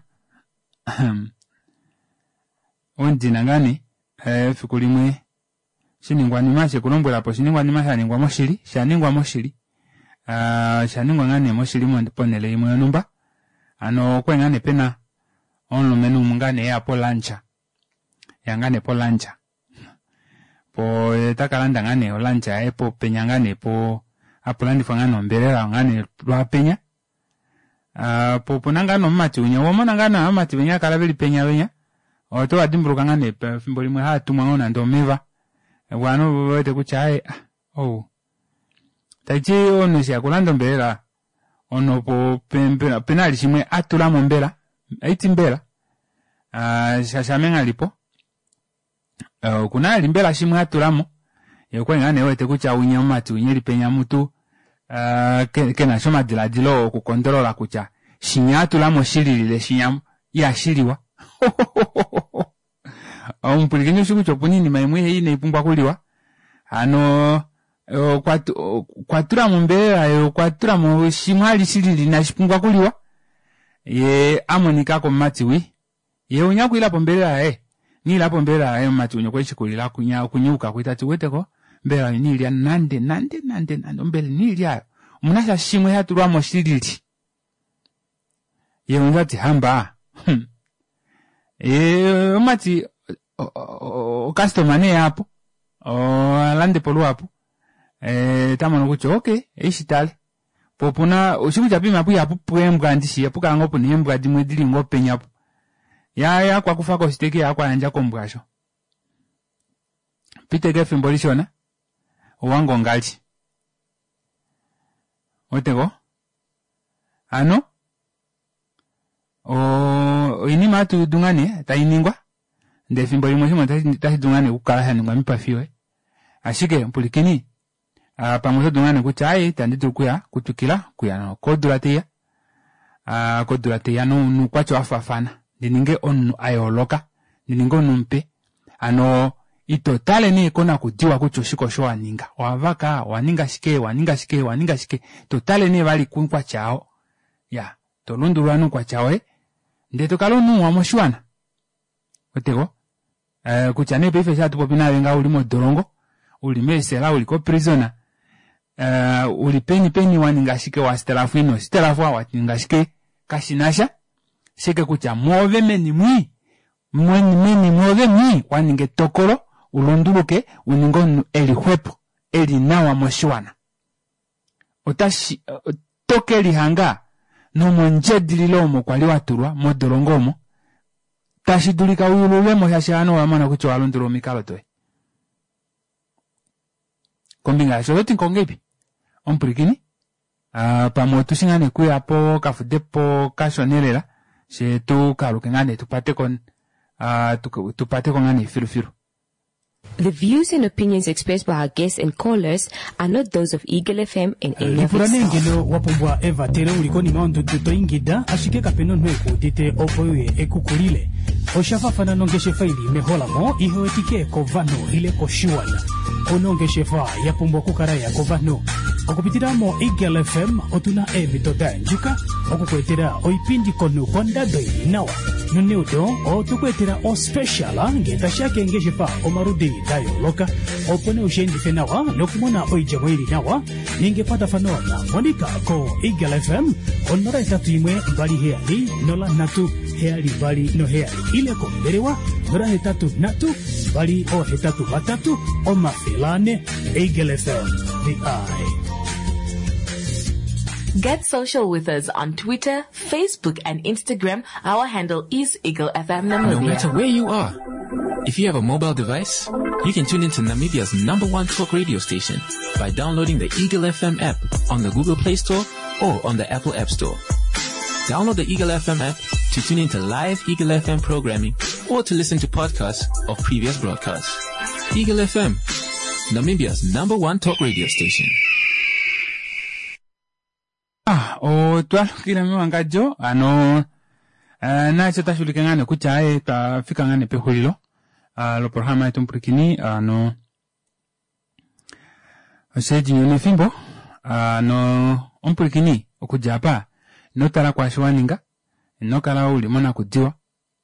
wemudina ngaa nee efiku limwe oshiningwanima shekulombwelapo oshiningwanima shaningwa moshili, shaningwa moshili, oshaningwa ngaa nee moshili ponele imwe yonhumba. Hano okwali ngaa nee pena omulumenhu umwe ngaa nee eya po lunch, eya ngaa nee po lunch po takalanda ngaa nee o lunch yaye penya ngaa nee po hapulandifwa ngaa nee ombelela ngaa nee lwaapenya, po opuna ngaa nee omumati winya, owamona ngaa nee ovamati venya haakala veli penya venya otovadimbuluka ngaa nee efimbo limwe haatumwa ngoo nande omeva ovanhu vewete kutya aaye ou taiti omunhu eshi eya okulanda ombelela omunhu opo opena vali shimwe atulamo mbela haiti mbela shaashi ame nghalipo okuna vali mbela shimwe atulamo yee okwali ngaa nee ewete kutya winya omumati winya eli penya mutu kenasha omadilaadilo oku kondolola kutya shinya atulamo shililile shinya ihashiliwa. Omupwilikini oushi kutya opuna oinima imwe inaipumbwa okuliwa hano okwatulamo ombelela yee okwatulamo shimwe vali shilili inashipumbwa okuliwa yee amonika komumati wii yee unya okwiilapo ombelela yaye iniilapo ombelela yaye omumati winya okweshikulila okunyauka kwi tati ouweteko ombelela oyo iniilya nande nande nande nande ombelela iniilya aayo omunasha shimwe shatulwamo shilili yee umwe tati hamba yee omumati ocustoma nee aapo alandepo luhapu tamono kutya okey haishitale poo opuna oushikutya poima aapo ihapupwa eembwa ndishi ohapukala ngoo puna eembwa dimwe dili ngoo penya opo yee akwakufako oshiteke akwayandja kombwa aasho pita ashike efimbo lishona ouhange ongali ouweteko hano oinima hatuudu ngaa nee tainingwa ndee efimbo limwe oshinima otashidulu ngaa nee okukala shaningwa moipafi yoye ashike mupulikini pamwe otodulu ngaa nee kutya aaye ita ndidulu okuya okutwikila okuya kodula taiya kodula taiya noukwatya wafaafana ndininge omunhu ayooloka ndininge omunhu mupe hano ito tale nee konakudiwa kutya oshike osho waninga owavaka owaninga shike owaninga shike owaninga shike totale nee vali koukwatya oo iya tolundulula nee oukwatya woye ndee tokala omunhu muwa moshiwana ouweteko kutya nee paife eshi hatupopi naave ngaha ouli modolongo uli meesela uli ko prison uli peni peni waninga shike wastelafwa ino stelafwa waninga shike kashinasha ashike kutya mwoove meni mwii meni mwoove mwii waninga etokolo ulunduluke uninge omunhu eli xwepo eli nawa moshiwana Otashi oto ke lihanga nomondjedililo omo kwali watulwa modolongo omo tashi dulika uyululwemo shaashi ovanhu ova mona kutya owa lundulula omikalo doye. Kombinga yasho ototi ngongeipi omupwilikini pamwe otushi ngaa nee okuya pokafudepo kashona elela fyee tukaluke ngaa nee tupateko tupateko ngaa nee filufilu. The views and opinions expressed by our guests and callers are not those of Eagle F M and any of Lipula its nee staff. Ngeno wa pumbwa evatelo uli konima yondudu to ingida ashike kape na omunhu eku udite opo uye ekukulile. Osha faafana nongeshefa ili meholamo ihe wetike kovanhu ile koshiwana. Ouna ongeshefa ya pumbwa okukala ya kovanhu. Okupitila moEagle F M otuna eemhito da yandjuka okukuetela oipindi komunhu kondado ili nawa. Noneudo otwe ku etela ospecial ngee tashiya keengeshefa omaludi da yooloka opo nee ushiendife nawa nokumona oidjemo ili nawa. Ninga ekwatafano na Monica ko Eagle F M onola hetatu imwe mbali heyali nola nhatu heyali mbali noheyali ile kombelewa nola hetatu nhatu mbali oohetatu vatatu omafele ane. Eagle F M, the eye. Get social with us on Twitter, Facebook, and Instagram. Our handle is Eagle F M No Namibia. matter where you are, if you have a mobile device, you can tune into Namibia's number one talk radio station by downloading the Eagle F M app on the Google Play Store or on the Apple App Store. Download the Eagle F M app to tune into live Eagle F M programming or to listen to podcasts of previous broadcasts. Eagle F M, Namibia's number one talk radio station. Ah, otwalukila mewangadjo ano uh, naasho otashi ulike ngaa nee kutya aye twafika ngaa nee pexulilo uh, loprograma yetu mupwilikini ano osheedinyo nefimbo ano omupwilikini okudja apa ino tala kwaasho waninga ino kala uli monakudiwa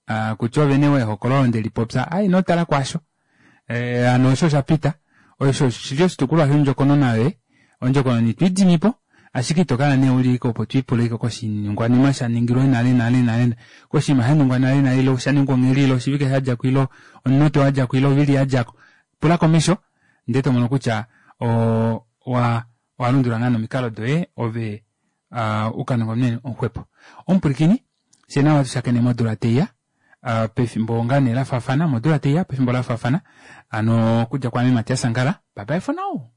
uh, kutya ove nee wehokololo ndelipopya ai ino tala kwaasho eh, ano osho oshapita osho oshili oshitukulwa shondjokonona yoye ondjokonona itwiidimipo ashike ito kala nee uli opo twiipula ike koshiningwanima sha ningilwe nale nale nale koshinima sha ningwa nale nale ile osha ningwa ongheli ile oshivike shadjako ile omunute wadjako ile ovili yadjako pula komesho ndee tomono kutya o wa walundulula ngaa nomikalo doye ove uh, ukaninga omunene omuxwepo omupwilikini fyee nawa tushakene modula teiya uh, pefimbo ngaa nee lafaafana modula teiya pefimbo lafaafana ano okudja kwaame Matias Angala bye bye for now.